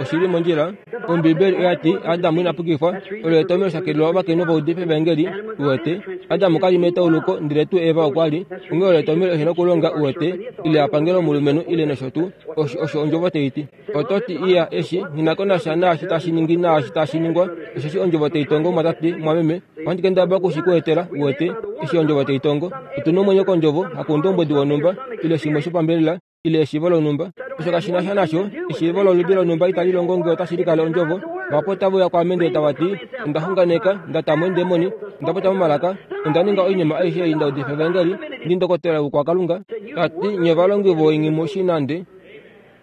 Oshili mondjila. Ombibeli oya ti Adam ina pukifwa. Olo etomhelo shakelelwa ovakainhu vaudife evangeli, uwete. Adam ka li metauluko, ndele tuu Eva okwa li. Onghee olo etomhelo ehe nokulonga, uwete, ile a pangele omulumenhu, ile nosho tuu. Osho osho ondjovo tai ti. Oto ti iya eshi, nghi na ko nasha naashi tashi ningi naashi tashi ningwa, osheshi ondjovo tai tongo mwatate, mwameme. Ohandi kendabala oku shi ku etela, uwete, eshi ondjovo tai tongo. Otu na omwenyo kondjovo, hakoundombwedi wonhumba, ile shimwe shopambelela, ile eshiivo lonhumba. Osho kashi na sha nasho, eshiivo loludi lonhumba itali longo ngee otashi likale ondjovo. Vahapu otave uya kwaame ndele tava ti, onda xunganeka, nda ta mo eendemoni, onda popya momalaka, onda ninga oinima aishe ei nda udifa evangeli, ndi ndokotola wokwakalunga. Ta ti, nye ovalongi voingi mu shi nande.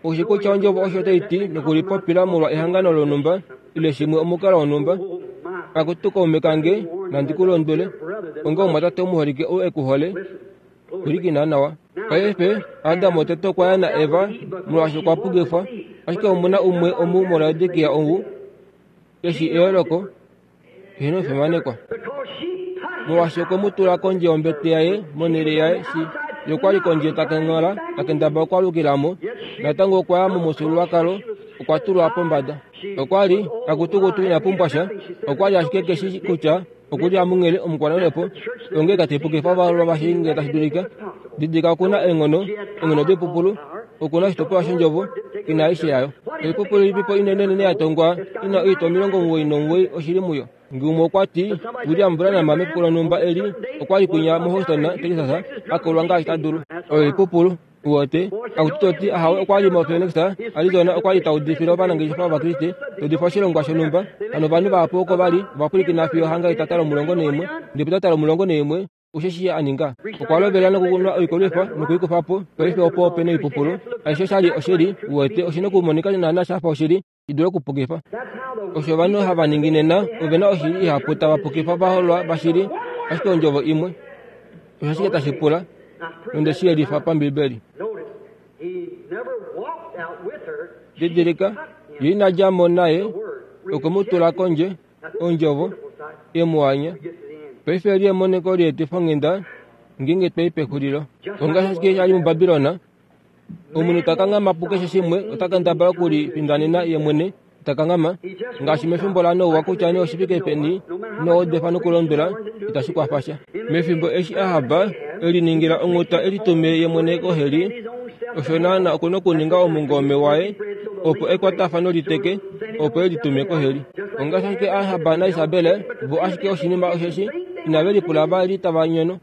Oushi kutya ondjovo osho tai ti nokulipopila molwa ehangano lonhumba, ile shimwe omukalo wonhumba. Akutu kaume kange, nandi ku londwele, onga omumwatate omuholike ou e ku hole, pwilikina nawa. Paife, Adam wotete okwa ya na Eva, molwaashi okwa pukifwa, ashike omu na umwe omu muLaodikia ou, eshi eyooloko, eheno omufimanekwa. Molwaashi okwe mu tula kondje yombete yaye, monhele yaye, shi ye okwa li kondje ta kenghola, ta kendabala okwaalukila mo, natango okwa ya momufyuululwakalo, okwa tulwa pombada. Okwa li akutukutu ina pumbwa sha, okwa li ashike keshi kutya oku li amunghele omukwanaulepo, onghee ka taipukifa ovaholwa vashili ngee tashi dulika. Didilika oku na eenghono, eenghono doipupulu, oku na oshitopolwa shondjovo, ina aishe yayo. Oipupulu ilipipo inenenene ya tongwa ina oitwa omilongo omuwoi nomuwoi oshili muyo. Ngee umwe okwa ti, William Branham mefiku lonhumba eli okwa li kwinya moHouston, Texas, a kolwa ngaashi ta dulu. Oyo oipupulu, uwete. Akutu toti ahawe okwa li moPhoenix, Arizona, okwa li ta udifile ovanangeshefa Ovakriste, ta udifa oshilongwa shonhumba. Hano ovanhu vahapu oko va li, ova pwilikina fiyo hanga etata lomulongo naimwe, ndele petata lomulongo naimwe, osheshi a ninga. Okwa lovela nokunwa oikolwifa nokuikufa po, paife opo ope noipupulu. Aishe oshali oshili, uwete, oshi nokumonika naana sha fa oshili, i dule okupukifa. Osho ovanhu hava ningi nena, ove na oshili ihapu tava pukifa ovaholwa vashili, ashike ondjovo imwe. Osho ashike tashi pula, nonde shi yelifa pambibeli. Didilika, ye ina dja mo naye, okwe mu tula kondje, ondjovo, e mu anya. Paife eli emoniko lieetifonghenda, ngeenge twa i pexulilo. Ongaashi ashike sha li muBabilon, omunhu ta kanghama pukeshe shimwe, ota kendabala okulifindanena ye mwene, ta kanghama. Ngaashi mefimbo laNoa kutya nee oshifike peni noodefa nokulondwela, itashi kwafa sha. Mefimbo eshi Ahab e liningila onghuta e litume ye mwene koheli, osho naana oku nokuninga omungome waye opo ekwatafano liteke, opo e litume koheli. Ongaashi ashike Ahab naIsabel, vo ashike oshinima osheshi inave lipula va li tava nyono.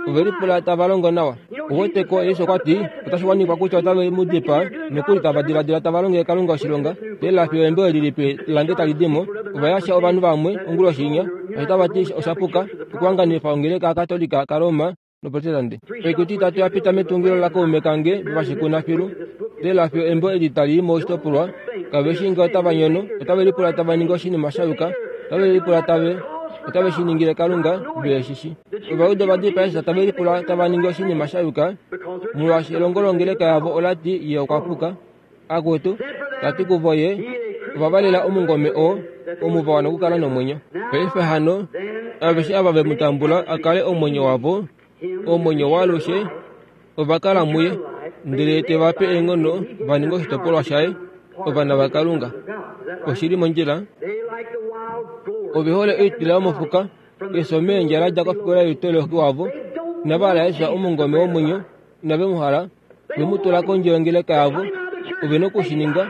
Ove lipula tava longo nawa. Uweteko, Yesu okwa ti, otashi wanifwa kutya otave mu dipaa, nokuli tava diladila tava longele Kalunga oshilonga. Ndele fiyo embo eli lipe lange tali di mo, ova yasha ovanhu vamwe onguloshi inya, osho tava ti osha puka, okuhanganifa ongeleka yaKatolika kaRoma noProtestante. Oikuti itatu ya pita metungilo lakaume kange vashikuna filu. Ndele fiyo embo eli tali i moshitopolwa, kave shi ngee otava nyono, otave lipula tava ningi oshinima sha yuka, otave lipula tave otave shi ningile Kalunga, ve shi shi. Ovajuda ova dipaa Jesus tave lipula tava ningi oshinima sha yuka, molwaashi elongo longeleka yavo ola ti ye okwa puka. Akutu, ta ti kuvo ye, ova valela omungome oo, omu va wana okukala nomwenyo. Paife hano, Aveshe ava ve mu tambula a kale omwenyo wavo, omwenyo waalushe, ova kala muye, ndele te va pe eenghono va ninge oshitopolwa shaye, ovana vaKalunga. Oshili mondjila. Ove hole oitila yomofuka, efyo meendja la dja kofikola youtoloki wavo, inava hala Jesus omungome womwenyo, inave mu hala, ve mu tula kondje yongeleka yavo, ove nokushininga,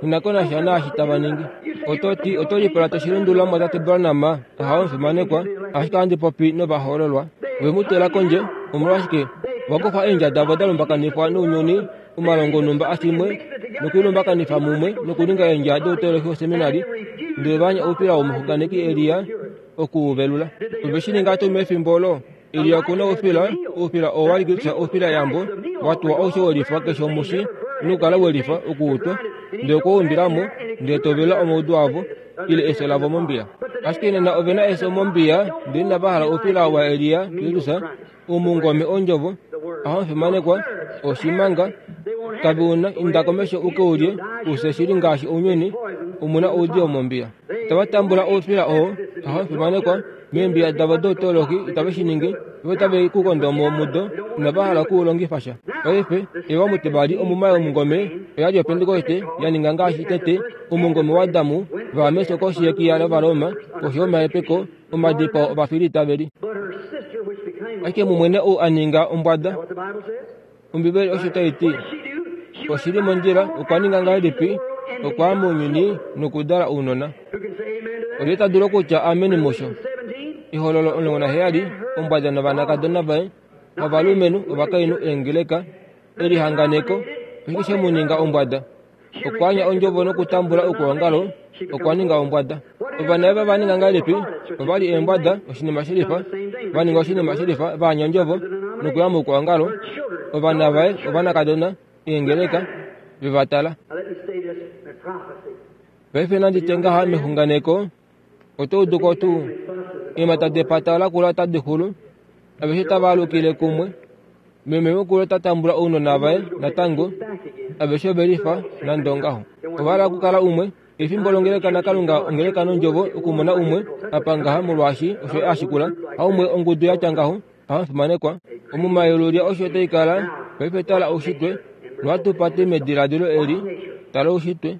inako nasha naashi tava ningi. Oto ti oto lipula to shi lundulula mwatate Branham, ahawe omufimanekwa, ashike ohandi popi novahoololwa. Ove mu tula kondje, omolwashike? Vakufa eendja davo da lumbakanifwa nounyuni, omalongo onhumba ashimwe, nokuilumbakanifa mumwe nokuninga eendja doutoloki woseminari, ndele va anya oupila womuxunganeki Elia okuuvelula. Ove shi ninga tuu mefimbo olo? Elia okuna oufila, oufila oo wa li oufila yambo, wa tuwa aushe welifa keshe omushi, nokukala welifa okuutwa, ndele okwa umbilamo, ndele tovelula omaudu avo, ile efyo lavo mombiya. Ashike nena ove na efyo mombiya, ndele inava hala oufila waElia Kristus, omungome ondjovo, ahamufimanekwa, oshimanga, kave una inda komesho uke ulye, ufye shili ngaashi ounyuni, omuna oudiyo mombiya. Itava tambula oufila oo, ahamufimanekwa, meembiya davo doutoloki itave shi ningi, vo otave ku kondo mo mudo, inava hala okuulongifa sha. Paife, Eva mutivali omuma yomungome oya li yoPentekoste ya ninga ngaashi tete omungome waAdamu va mesho koshi yekiya lOvaroma, koshi yomahepeko omadipao ovafilitaveli. Ashike mumwene ou a ninga ombwada, Ombibeli osho tai ti, oshili mondjila, okwa ninga ngahelipi? Okwa ya mounyuni nokudala ounona. Olye ta dulu okutya amen musho? Ehololo omulongo naheyali, ombwada novanakadona vaye, ovalumenhu, ovakainhu, eengeleka, elihanganeko, oshike she mu ninga ombwada? Okwa anya ondjovo nokutambula okuongalo, okwa ninga ombwada. Ovana vaye va ninga ngahelipi? Ova li eembwada, oshinima shelifa, va ninga oshinima shelifa, va anya ondjovo nokuya mokuongalo. Ovana vaye, ovanakadona, eengeleka, ve va tala. Paife nandi tye ngaha mexunganeko, oto udu ko tuu? Eemhata depata lakula otadi xulu, aveshe tava alukile kumwe. Meme mukulu ota tambula ounona vaye natango, aveshe ove lifa nande ongaho. Ova hala okukala umwe, efimbo longeleka naKalunga ongeleka nondjovo okumona umwe apa ngaha molwaashi osho a shikula, haumwe ongudu ya tya ngaho, ahamufimanekwa. Omumayelulya osho tai kala, paife tala oushitwe, nohatu pate mediladilo eli, tala oushitwe.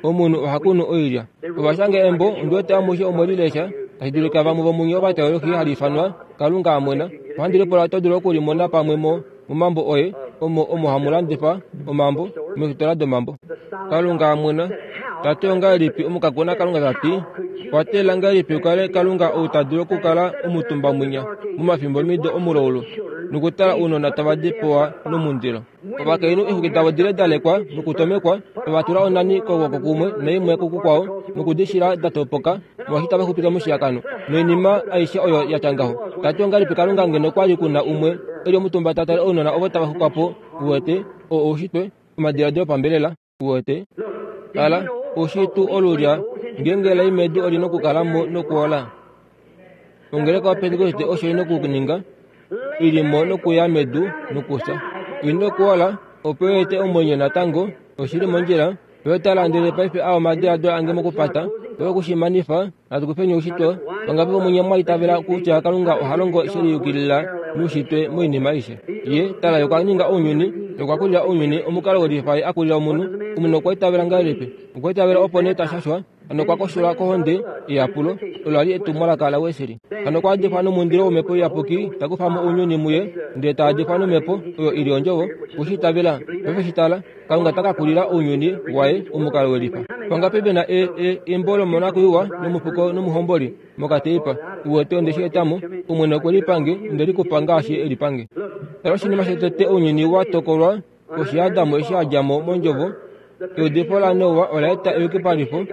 Omunhu oha kunu oilya. Ovashanga embo ondiwete amushe omwe lilesha, tashi dulika vamwe vomunye ovateologi hali ifanwa Kalunga amwena. Ohandi lipula oto dulu okulimona pamwe mo momambo oye, omo omo hamu landifa omambo, meefitola domambo. Kalunga amwena, tate ongahelipi omukakuna Kalunga tati, kwatela ngahelipi ukale Kalunga ou ta dulu okukala omutumba mwinya momafimbo mido omulaulu, nokutala ounona tava dipawa nomundilo. Ovakainhu eexwiki davo dile da lekwa nokutomekwa, ova tula onani kokwooko kumwe naimwe kukukwao, nokudishila da topoka, molwaashi tava xupitwa moshiyakano, noinima aishe oyo ya tya ngaho. Tati ongahelipi Kalunga ngeno kwa li kuna umwe e li omutumba ta tale ounona ovo tava xukwa po, uwete, oo oushitwe, omadiladilo opambelela, uwete. Tala, oushitwe olulya, ngeenge lai medu oli nokukala mo nokuola. Ongeleka yoPentekoste osho ina okuninga, ili mo nokuya medu nokufya. Ina okuola, opo e ete omwenyo natango, oshili mondjila. Oyo tala ndele paife aa omadiladilo ange mokupata, oyo okushimanifa, natu kufeni oushitwe. Vangapi vomunye mwa itavela kutya Kalunga oha longo she liyukilila noushitwe moinima aishe? Ye, tala, ye okwa ninga ounyuni, ye okwa kulila ounyuni, omukalo welifa ye a kulila omunhu. Omunhu okwa itavela ngahelipi? Okwa itavela opo nee ta shashwa, hano okwa kosholwa kohonde yeyapulo, olo la li etumwalaka laWesley. Hano okwa adifwa nomundilo wOmhepo Iyapuki, ta kufa mo ounyuni muye, ndele ta adifwa nomhepo, oyo i li ondjovo, kushi itavela. Paife shi tala, Kalunga ta ka kulila ounyuni waye omukalo welifa. Vangapi ve na e, e, embo lomonakwiiwa nomufuko nomuhomboli mokateipa? Uwete onde shi eta mo, Omwene okwe lipange, onde likupa ngaashi e lipange. Tala oshinima shotete ounyuni wa tokolwa koshi yaAdam eshi a dja mo mondjovo, eudifo laNoa ola eta eyukipalifo,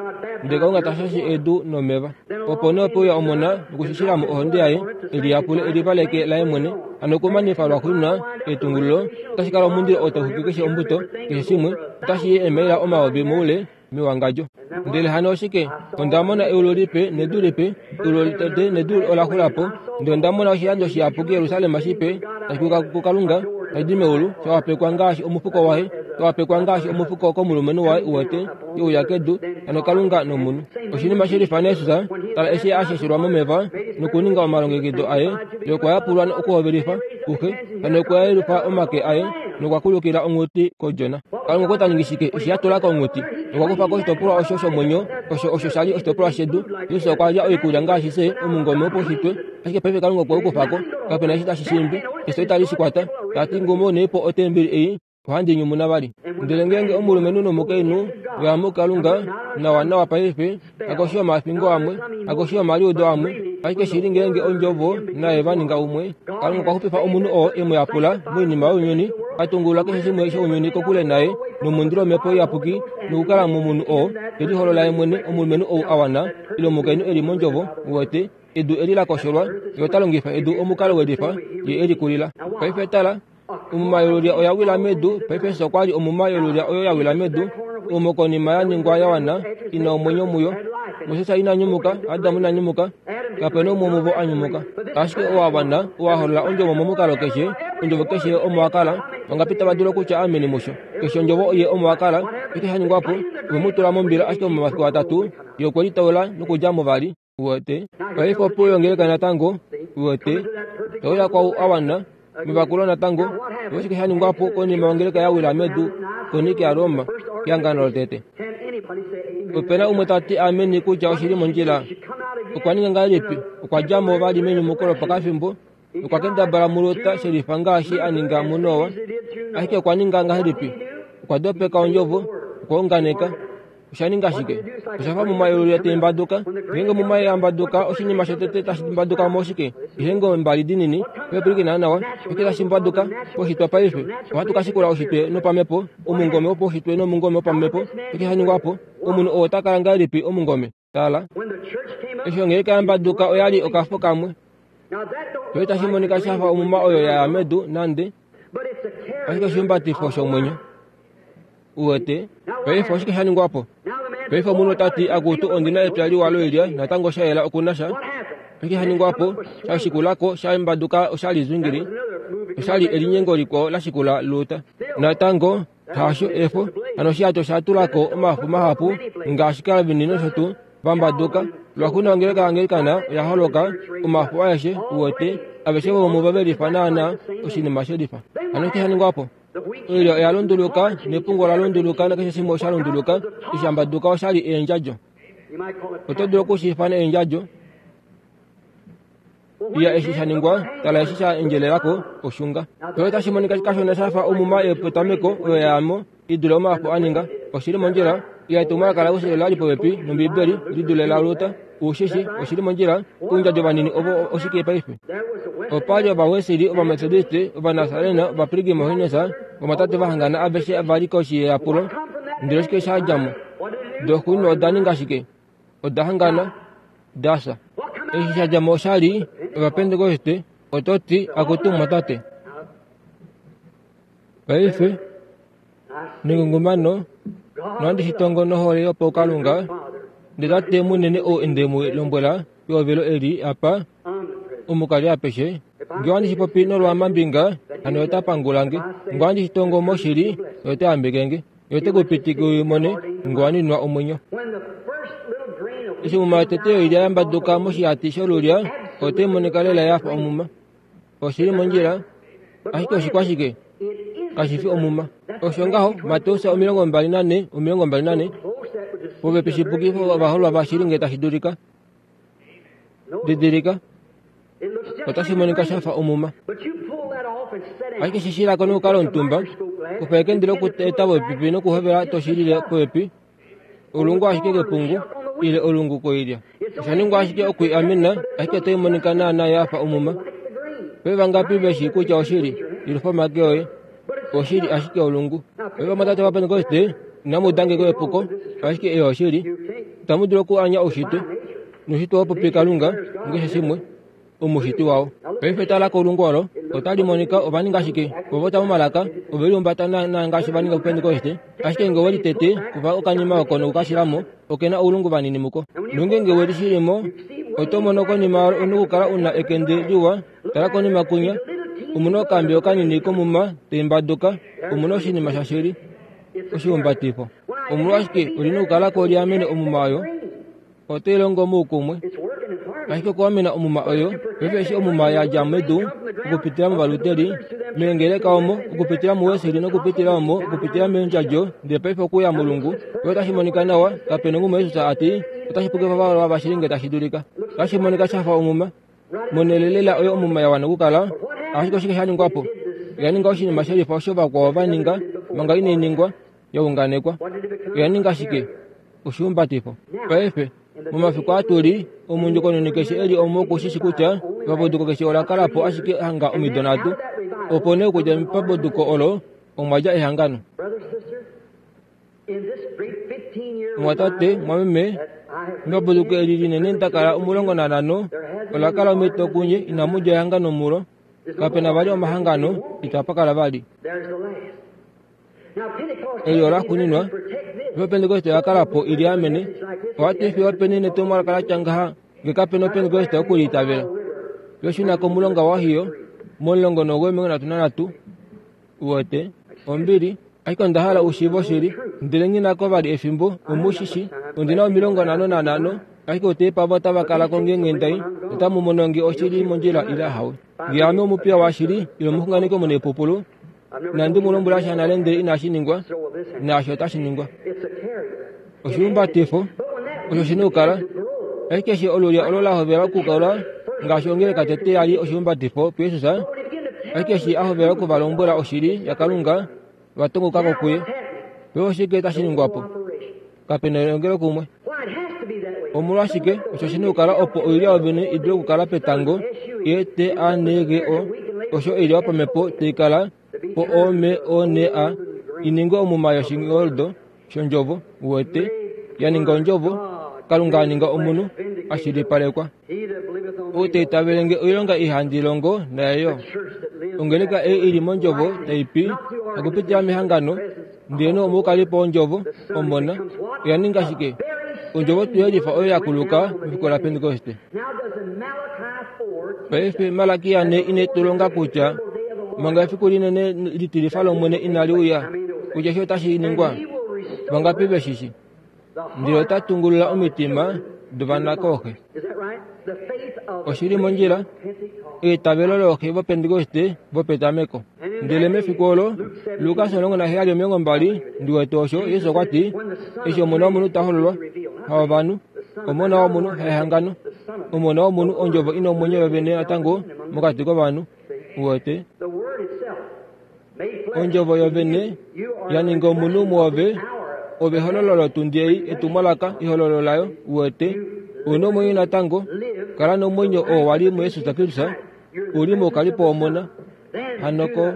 ndele Kalunga ta shashe edu nomeva. Opo nee ope uya Omona nokushishila mo ohonde yaye, e liyapule elivaleke laye mwene, hano okumanifa lwaxuuninwa etungululo, otashi kala omundilo oo tau xwike keshe ombuto, keshe shimwe, otashi i eemaila omayovi moule mewangadjo. Ndele hano oshike? Onda mona eulu lipe nedu lipe, eulu lotete nedu ola xula po, ndele onda mona oshilando shiyapuki Jerusalem shipe, tashi kuka kuKalunga, tashi di meulu, sha wapekwa ngaashi omufuko waye, Wapekwa ngaashi omufuko komulumenhu waye uwete ye uya kedu hano Kalunga nomunhu. Oshinima shelifa naJesus tala eshi asheshelwa momeva nokuninga omalongekido aye ye okwa yapulwa okuhovelifa kuxe hano okwa yelufa omake aye nokwa kulukila onghuti kodjona. Kalunga okwa ta ningi shike eshi a tula ko onghuti? Okwa kufa ko oshitopolwa osho shomwenyo osho osho shali oshitopolwa shedu. Jesus okwa lya oikulya ngaashi fye omungome wopaushitwe, ashike paife Kalunga okwe u kufa ko. Kapena eshi tashi shiimbi, efyo itali shi kwata. Tati ngumunei po otembeli ei, ohandi nyumuna vali. Ndele ngeenge omulumenhu nomukainhu veya muKalunga nawanawa paife, hakoshi yomafingo amwe, hakoshi yomaliudo amwe, ashike shili ngeenge ondjovo naye va ninga umwe. Kalunga okwa xupifa omunhu oo e mu yapula moinima younyuni, a tungulula keshe shimwe shounyuni kokule naye nomundilo womhepo iyapuki nokukala momunhu oo te liholola ye mwene, omulumenhu ou a wana ile omukainhu e li mondjovo uwete edu eli la kosholwa, ye ota longifa edu omukalo welifa ye e likulila. Paife tala, omuma yolulya oya wila medu. Paife Jesus okwa li omuma yolulya oyo ya wila medu, omo konima ya ningwa ya wana ina omwenyo muyo. Moses ina nyumuka, Adamu ina nyumuka, kapena umwe muvo a nyumuka. Ashike owa wana, owa holola ondjovo momukalo keshe, ondjovo keshe omo wa kala, vangapi tava dulu okutya ameni musho. Keshe ondjovo ye omo wa kala, osho sha ningwa po, ove mu tula mombila, ashike momafiku atatu ye okwe litaula nokudja mo vali. Uwete paife opo yongeleka natango, uwete tauya kwau a wana mevakulo natango. Oshike sha ningwa po konima yongeleka ya wila medu konike yaRoma kehangano lotete? Opena umwe ta ti ameni kutya oshili mondjila. Okwa ninga ngahelipi? Okwa dja mo vali menyumuko lopakafimbo. Okwa kendabala muLuta shelifa ngaashi a ninga muNoa. Ashike okwa ninga ngahelipi? Okwa dopeka ondjovo, okwa unganeka. Osha ninga shike? Osha fa muma yolulya tai mbaduka. Ngeenge muma ya mbaduka, oshinima shotete tashi mbaduka mo oshike? Eehengo mbali dinini. Pwilikina nawa, oshike tashi mbaduka poshitwa paife? Ohatu ka shikula oshitwe nopamhepo, omungome wopaushitwe nomungome wopamhepo. Oshike sha ningwa po? Omunhu oo ota kala ngahelipi omungome? Tala, eshi ongeleka ya mbaduka oya li okafo kamwe. Sho itashi monika sha fa omuma oyo ya ya medu nande, ashike oshihumbatifo shomwenyo. Uwete paife oshike sha ningwa po? Paife omunhu ota ti akutu ondina epya liwa loilya natango sha yela okuna sha. Oshike sha ningwa po? Sha shikulako sha mbaduka oshali zwingili, oshali elinyengo likwao la shikula Luta. Natango hasho efo hano oshihato sha tulako omafo mahapu ngaashi Calvin nosho tuu vambaduka. Lwakuna ongeleka yaAnglikana oya holoka omafo aeshe uwete aveshe vomuvo ve lifa naana oshinima shelifa. Hano oshike sha ningwa po? Oilya oya lunduluka nepungo la lunduluka nakeshe shimwe osha lunduluka. Eshi shambaduka oshali eendjadjo. Oto dulu okushi ifana eendjadjo. Iya eshi sha ningwa, tala eshi sha endjelelako oshunga. Sho otashi monika kashona sha fa omuma yepetameko oyo ya yamo i dule omafo a ninga. Oshili mondjila. Iya etumwalaka laWesley la li popepi nOmbibeli li dule laLuther. Ushishi oshili mondjila. Oundjadjo vanini ovo oshike paife? Opa li Ovawesley, Ovamethodiste, Ovanasarena, Ovapilgrim Holiness, ovatate va hangana aveshe va li koshi yeyapulo. Ndele oshike sha dja mo? Doxuuninwa oda ninga shike? Oda hangana, da fya. Eshi sha dja mo osha li Ovapentekoste. Oto ti akutu mumwatate. Paife nengungumano nohandi shi tongo nohole yopaukalunga, ndele Tate munene ou nde mu lombwela pehovelo eli apa omukali apeshe, ngee ohandi shi popi nolwaamambinga, hano ota pangula nge. Ngee ohandi shi tongo moshili, ye ota yambeke nge. Ye ote ku pitike u mone ngee wa ninwa omwenyo. Eshi omuma yotete yoilya ya mbaduka moshihati sholulya, otai monika lela ya fa omuma. Oshili mondjila, ashike oshikwashike? Kashi fi omuma. Osho ngaho Mateus omilongo mbali nane omilongo mbali nane popepi shipukifo ovaholwa vashili ngee tashi dulika. Didilika, otashi monika sha fa omuma. Ashike shishilako nokukala omutumba, kufa ekende lokueta popepi nokuhovela toshilile popepi, olungu ashike kepungu ile olungu koilya. Osha ningwa ashike okwiamena, ashike otai monika naana ya fa omuma. Paife vangapi veshi kutya oshili? Yelufa omake oye. Oshili ashike olungu. Paife vamwatate Ovapentekoste, inamu uda nge epuko, ashike ei oshili. Itamu dulu okuanya oushitwe. Noushitwe owa popi Kalunga mukeshe shimwe, omushiti wao. Paife tala kolungu olo, otali monika ova ninga shike? Ova ota momalaka, ove lihumbata naana ngaashi va ninga puPentekoste, ashike ngee ove litete, kufa okanima oko nokukashilamo, oke na oulungu vanini muko. Nongeenge we lishilimo, oto mono konima yalo una okukala una ekende liwa. Tala konima kunya, omuna okambi okanini komuma tai mbaduka, omuna oshinima shashili. Oshihumbatifo omolwashike olina okukala ko liamene omuma oyo otai longo moukumwe ashike okuamena omuma oyo paife eshi omuma yadja medu okupitila movaluteli meengeleka omo okupitila muweseli nokupitila omo okupitila meendjadjo ndele paife okuya mulungu oyo otashi monika nawa kapena omuma Jesus ati otashi pukifa vavalwa vashili nge tashi dulika otashi monika shafa omuma monelelela oyo omuma ya wana okukala ashike oshike sha ningwapo oya ninga oshinima shelifa osho vakwao va ninga manga inai ningwa yaunganekwa oya ninga shike oshihumbatifo paife momafiku atuli omundjokononi keshe eli omo okushishi kutya epapuduko keshe ola kala po ashike hanga omido nhatu opo nee okudja mepapuduko olo omwa dja ehangano mwatate mwameme mepapuduko eli linene ndakala omulongo nanhano ola kala omitokunye inamu dja ehangano mulo kapena vali omahangano itapa kala vali eli ola xuninwa opentekoste oya kala po ili amene owati fiyo peni netumwalaka latya ngaha nge kapena opentekoste okuliitavela yoshuna komulonga wahiyo momulongo noumwe omilongo nhatu nanhatu uwete ombili ashike onda hala ushiive oshili ndele nghinako vali efimbo omushishi ondina omilongo nhano nanhano ashike oteipa otava kala ko ngeenge ndai otamu mono nge oshili mondjila ile ahawe nge ame omupiya washili ile omuxunganeki omunaipupulu nandi mu lombwela sha nale ndele inashi ningwa naasho otashi ningwa oshihumbatifo osho shina okukala ashike eshi olulya olo la hovela okukala ngaashi ongeleka tete yali oshihumbatifo puJesus ashike eshi a hovela okuvalombwela oshili yaKalunga vatongokako kuye paife oshike tashi ningwapo kapena elongelo kumwe omolwashike osho shina okukala opo oilya yovene idule okukala petango E T A N G O osho oilya yopamhepo taikala po O M O N A ininge omuma yoshingoldo shondjovo uwete ya ninga ondjovo Kalunga a ninga omunhu ashilipalekwa ou taitavele nge oilonga ihandi longo naye yo ongeleka ei ili mondjovo taipi okupitila mehangano ndele omoukalipo wondjovo omona oya ninga shike ondjovo tuyelifa oyo yakuluka mefiku laPentekoste paife Malakia ne ine tulonga kutya manga efiku linene litilifa lOmwene inali uya kutya eshi otashi ningwa vangapi veshishi ndele ota tungulula omitima dovanakooxe oshili mondjila eitavelo looxe vopentekoste vopetameko ndele mefiku olo Lukas omulongo naheyali omilongo mbali ndiwete osho Jesus okwa ti eshi omona womunhu ta hololwa haovanhu omona womunhu haehangano omona womunhu ondjovo ina omwenyo yovene natango mokati kovanhu uwete ondjovo yovene ya ninga omunhu muove ove ehololo lotundi ei etumwalaka ehololo layo uwete una omwenyo natango kala nomwenyo oo wali muJesus Kristus uli moukalipo womona hanoko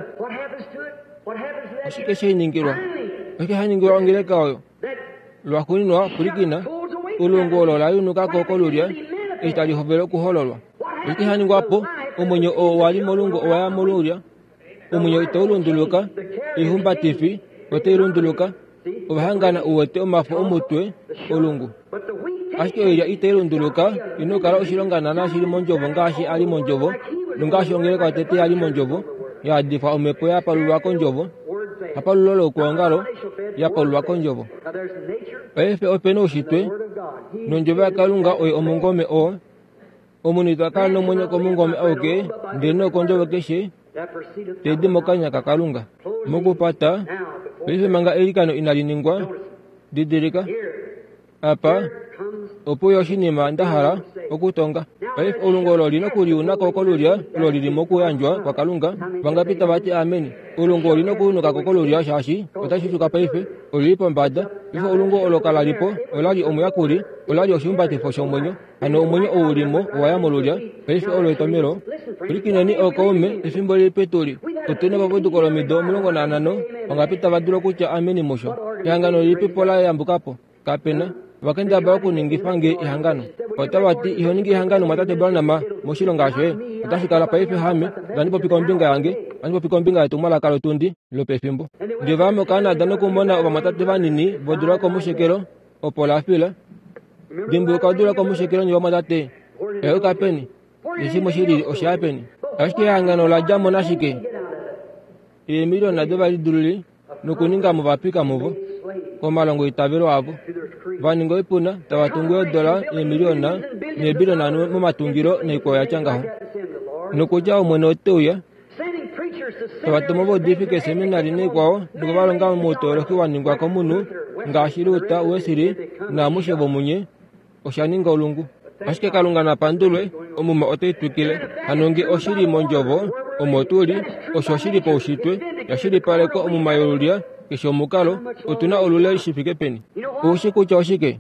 oshike shiningilwa oshike shaningilwa ongeleka oyo lwaxuuninwa pwilikina ulungu olo la yunukako kolulya eshi tali hovele okuhololwa oshike shaningwapo omwenyo oo wali molungu owaya molulya omwenyo itaulunduluka oihumbatifi otailunduluka ovahangana uwete omafo omutwe olungu ashike oilya itailunduluka ina okukala oshilonga naana shili mondjovo ngaashi ali mondjovo nongaashi ongeleka yotete yali mondjovo yaadifwa omhepo yapalulwa kondjovo hapalulo lokuongalo yapalulwa kondjovo paife opena oushitwe nondjovo yaKalunga oyo omungome oo omunhu ita kala nomwenyo komungome auke ndele nokondjovo keshe taidi mokanya kaKalunga mokupata paife manga eilikano inali ningwa didilika apa opo yo oshinima nda hala okutonga paife olungu olo olina okuliunako kolulya olo lili mokuyandjwa kwaKalunga vangapi tava ti ameni olungu olina okuyunukako kolulya shaashi otashi shuka paife olili pombada paife olungu olo kalalipo olali omuyakuli olali oshihumbatifo shomwenyo hano omwenyo ou ulimo owaya molulya paife olo etomelo pwilikineni ookaume efimbo lilipi tuli otuna epapuduko lomido omulongo nanhano vangapi tava dulu okutya ameni musho ehangano lilipipo la yambukapo kapena vakendabala okuningifa nge ehangano otava ti iho ningi ehangano mwatate Branham moshilonga shoye otashi kala paife hame vandipopi kombinga yange vandipopi kombinga yetumwalaka lotundi lopefimbo ndele vaya moCanada nokumona ovamwatate vanini vodula komushekelo opo la fila dimbuluka odula komushekelo nye vamwatate eyuka peni neshimwe shilili osha peni ashike ehangano ola dja mo nashike eemiliona dovalidululi Nokuninga movapika muvo komalongo itavelo avo vaninga oipuna tava tungu eedola eemiliona neebiliona momatungilo noikwao yatya ngaho nokutya Omwene ote uya tava tuma ovaudifi keeseminari noikwao nokuvalonga moutoloki wa ningwa komunhu ngaashi Luther, Wesley naamushe vomunye osha ninga olungu. Ashike Kalunga napandulwe, omuma otai twikile. Hano nge oshili mondjovo omo tuli, osho shili paushitwe yashilipalekwa omuma yolulya keshe omukalo otuna olule shi fike peni. Oushi kutya oshike?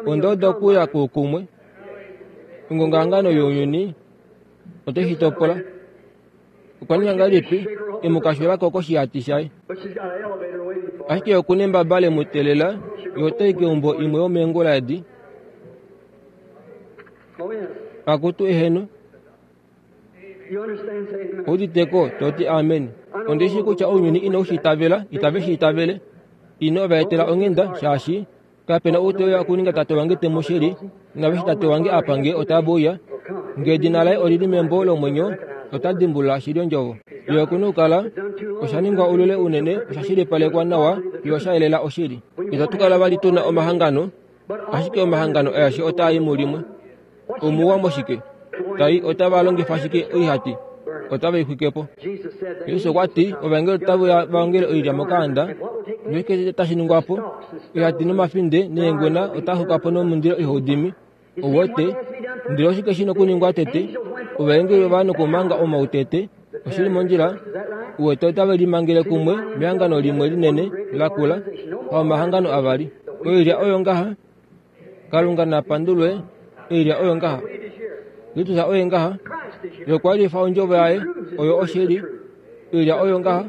Onda uda okuya kukumwe ongongahangano younyuni otai shi topola. Okwa ninga ngahelipi emukashulako koshihati shaye? Ashike okuna embaba lemuteelela, ye otai keumbo imwe yomeengula edi. Akutu eheno. Ouditeko toti amen. Ondishi kutya ounyuni inau shi itavela, itave shi itavele. Ino vaetela onghenda shaashi kapena ou te uya okuninga tate wange te mu shili, naveshi tate wange apa nge otave uya. Nge edina laye olili membo lomwenyo, ota dimbulula shili ondjovo. Ye okuna okukala osha ningwa olule unene, osha shilipalekwa nawa, fiyo sha yelela oshili. Itatu kala vali tuna omahangano, ashike omahangano aeshe otaa i mulimwe. Omuwa moshike? Tai otava longifa shike oihati? Otava i xwike po. Jesus okwa ti ovaengeli otave uya va ongele oilya mokaanda, noshike tashi ningwa po? Oihati nomafinde neengwena otaa xuka po nomundilo ihau dimi. Ouwete, ndele oshike shi nokuningwa tete? Ovaengeli ova nokumanga omau tete. Oshili mondjila, uwete otave limangele kumwe mehangano limwe linene lakula, haomahangano avali. Oilya oyo ngaha, Kalunga napandulwe, oilya oyo ngaha. Kristus oye ngaha, ye okwa lifa ondjovo yaye, oyo oshili. Oilya oyo ngaha,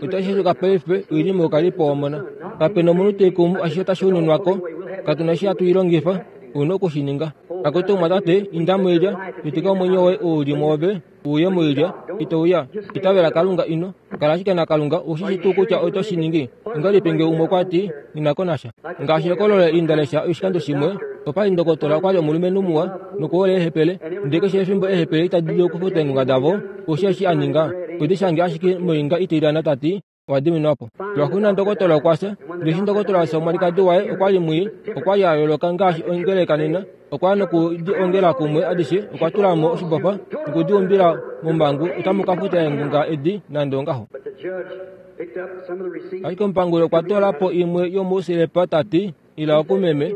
otashi xuka paife oili moukalipo womona. Kapena omunhu te kumu ashishe otashi ununwako, katuna eshi hatu i longifa, ouna okushininga. Akutu mwatate, inda moilya, pitika omwenyo woye ou uli mwoove uye moilya, ito uya. Itavela Kalunga ino kala ashike naKalunga, oushi tuu kutya oto shi ningi. Ongahelipi nge umwe okwa ti, nghi ko nasha. Ngaashi ekololo inda lesha oshikando shimwe, opa li ndokotola okwa li omulumenhu muwa nokuhola eehepele, ndele keshe efimbo eehepele itadi dulu okufuta eengunga davo, oushi eshi a ninga, okwe di shange ashike moinga itilyana ta ti, owa diminwa po. Lwaxuuninwa ndokotola okwa fya, ndele eshi ndokotola a fya omwalikadi waye okwa li mwii, okwa li a yooloka ngaashi ongeleka nena, okwa ya nokudi ongela kumwe adishe, okwa tula mo oshibofa nokudi umbila momhangu, otamu ka futa eengunga edi nande ongaho. Ashike omupanguli okwa toola po imwe yomouselepa ta ti, ila oku meme.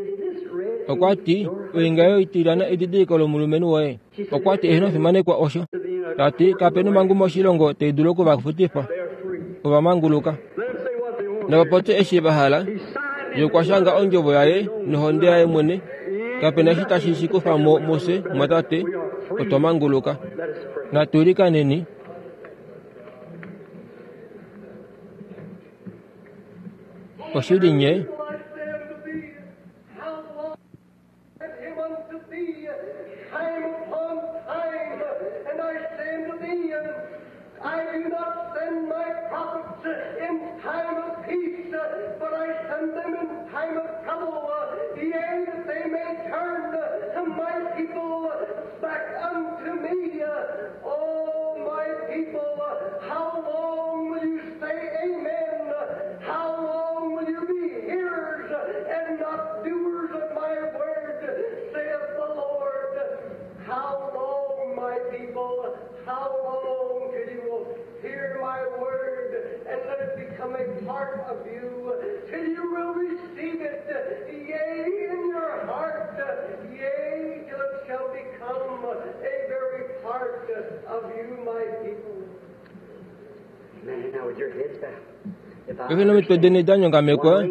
Okwa ti, oinga yoitilyana edidiliko lomulumenhu woye. Okwa ti eheno fimanekwa osho. Ta ti kapena omhangu moshilongo tai dulu okuvafutifa. Ova manguluka. Nava popye eshi va hala. Ye okwa shanga ondjovo yaye nohonde yaye mwene. Kapena eshi tashi shi kufa mo mufye, mwatate, otwa manguluka. Natu ilikaneni. Oshili nye. I do not send my prophets in time of peace, but I send them in time of trouble, yea, that they may turn my people back unto me. Oh, my people, how long will you say amen? How long will you be hearers and not doers of my word, saith the Lord? How long, my people, how long till you will hear my word and let it become a part of you, till you will receive it, yea, in your heart, yea, till it shall become a very part of you, my people. Amen. Now with your heads bowed. If I Paife nomitwe deni da nyongamekwa,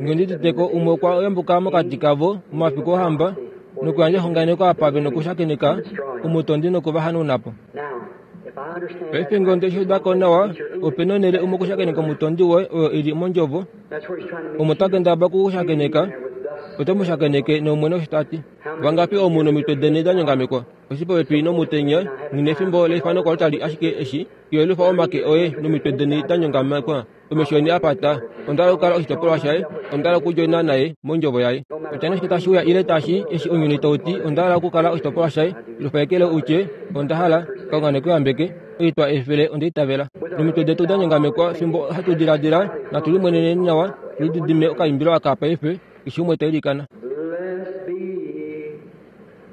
ngendi umwe okwa yambuka mokati kavo momafiku ohamba nokuyandja exunganeko apa ve nokushakeneka omutondi nokuvahanuna po. now, if I understand Paife nge onde shi uda ko nawa, opena onhele umwe okushakeneka omutondi woye oyo ili mondjovo, that's where he's trying to meet omo ta kendabala okukushakeneka, there with thus ote mu shakeneke nomwene osho ta ti. Vangapi omu nomitwe deni da nyongamekwa, oshi popepi nomutenya, nghi nefimbo leifano kwali ashike eshi, yelufa omake oye nomitwe deni da nyongamekwa, omesho eni a pata, onda hala okukala oshitopolwa shaye, onda hala okudjoina naye mondjovo yaye. Kutya nee oshike tashi uya ile tashi eshi ounyuni tau ti, onda hala okukala oshitopolwa shaye, lufa ekele utye, onda hala, Kalunga neku yambeke. Oitwa efele ondeitavela. Nomitwe detu danyongamekwa fimbo hatu diladila natu limweneneni nawa tulididime okaimbilo aka paife keshe umwe tailikana. Blessed be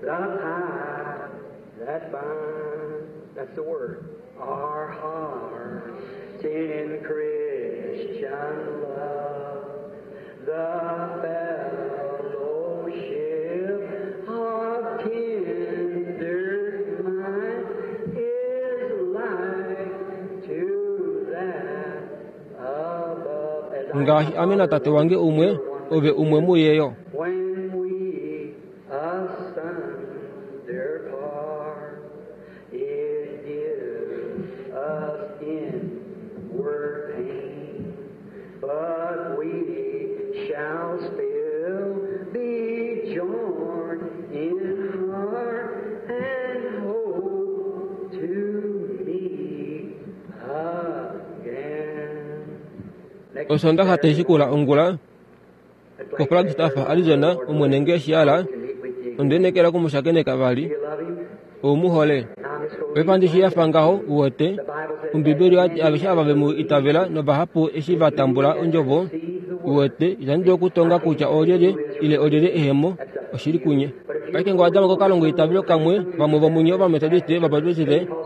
the tie that binds, that's the word, our hearts in Christian love, the fellowship of tender mind is like to that above. As I Ngaashi ame natate wange umwe ove umwe muyeyo. When we asunder part, it gives us inward pain, but we shall still be joined in heart and hope to meet again. Next Osondaxa taishikula ongula ko Flagstaff, Arizona, omwene nge shiala ondenekela kumushakeneka vali oumuhole. Paife shiyafa ngaho uwete ombibeli oyati aveshe ava vemu itavela novahapu eshi vatambula ondjovo uwete itandi dulu okutonga kutya olyelye ile olyelye ehemo oshili kunye. Paife nge owadama kokalongo itavelo kamwe vamwe vomunye ovametodiste, vabaptiste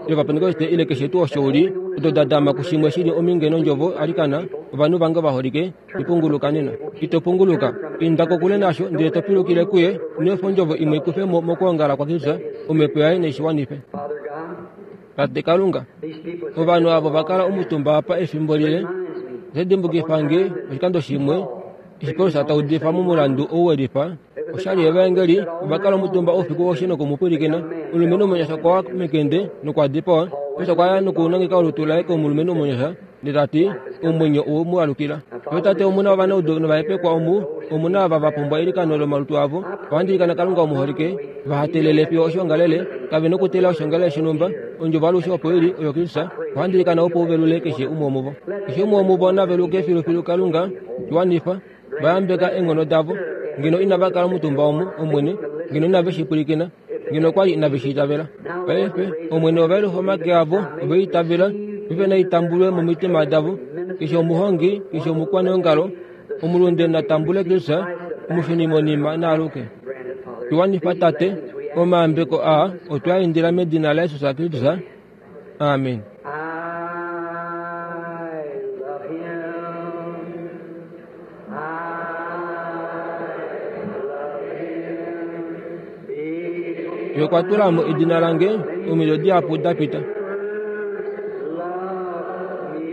ile ovapentekoste ile keshe tuu osho uli oto dadama kushimwe shili ominge nondjovo alikana ovanhu vange ovaholike ipunguluka nena. Ito punguluka inda kokule nasho ndele to pilukile kuye neefa ondjovo imwe ikufe mo mokwoongala kwaKristus omhepo yaye neishiwanife. Father God, Tate Kalunga, these people ovanhu avo vakala omutumba apa efimbo lile reminds me oshadimbukifa nge oshikando shimwe eshi Paulus taudifa momulandu ou welifa oshali yevaengeli ovakala omutumba oufiku woshe nokumupwilikina. Omulumenhu omunyasha okwa wa mekende nokwa dipawa. Paulus okwa ya nokunangeka olutu laye komulumenhu omunyasha ndele tati omwenyo owe mu alukila. Yo tate omuna ovanaudu novahepekwa omu omuna ava vapumbwa eilikano lomalutu avo vahandilikana Kalunga omuholike vahatelele fiyo oshiongalele kave nokutela oshiongalele shonhumba ondjovo alushe opo ili oyo Kristus vahandilikana opo uvelule keshe umwe womuvo. Keshe umwe womuvo naveluke filufilu Kalunga shiwanifa vayambeka eenghono davo ngeno inava kala omutumba omu omwene ngeno inave shi pwilikina ngeno okwali inave shi itavela. Paife omwene ovaelufa omake avo oveitavela paife naitambulwe momitima davo keshe omuhongi keshe omukwaneongalo omulunde natambule Kristus omushunimonima naaluke. granted, Father. Shiwanifa tate omayambeko aa otwa indila medina laJesus Kristus. Amen. I love him. I love him. Because Ye okwa tula mo edina lange omido dihapu da pita. loved me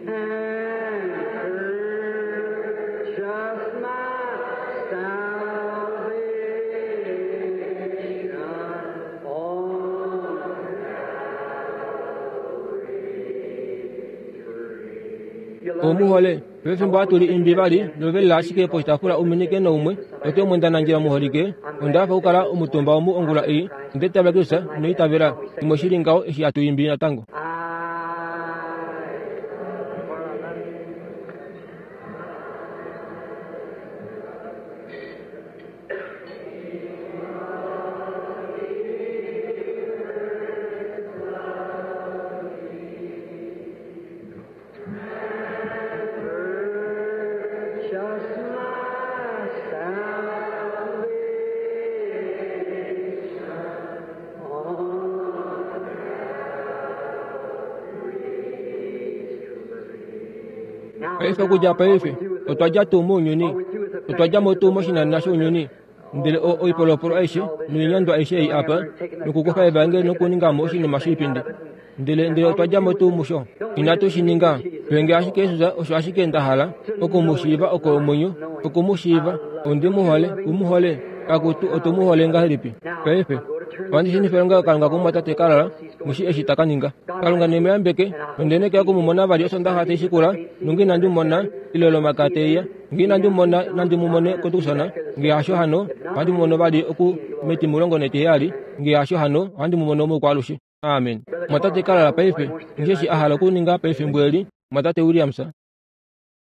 and purchased my salvation on Omuhole pefimbo hatuli imbi vali novelela ashike poshitaafula uminike noumwe ote omwendanandjila muholike ondafa okukala omutumba omu ongula ei ondeitavela Kristus noitavela imwe shili ngaho eshi hatu imbi natango. I Purchased my salvation on Paife okudja paife otwa dja tuu mounyuni otwa dja mo tuu moshinanena shounyuni ndele o- oipolopolo aishe noinyandwa aishe ei apa nokukufa evangeli nokuningamo oshinima shoipindi ndele ndele otwa dja mo tuu musho inatu shi ninga penge ashike Jesus osho ashike nda hala okumushiiva oko omwenyo okumushiiva ondi muhole umuhole kakutu otu muhole ngahelipi paife ohandi shinifile ngaho Kalunga kumwatate kalala mushi eshi taka ninga. Kalunga nemuyambeke nondenekela okumumona vali osondaxa taishikula nonge inandi mumona ile lomaka teiya nge inandi mumona nandi mumone kotukusona nge hasho hano ohandi mumono vali oku metimulongo netiheyali nge hasho hano ohandi mumono moukwaalushe. Amen. Mwatate kalala paife ngeshi a hala okuninga pefimbo eli mwatate Williams.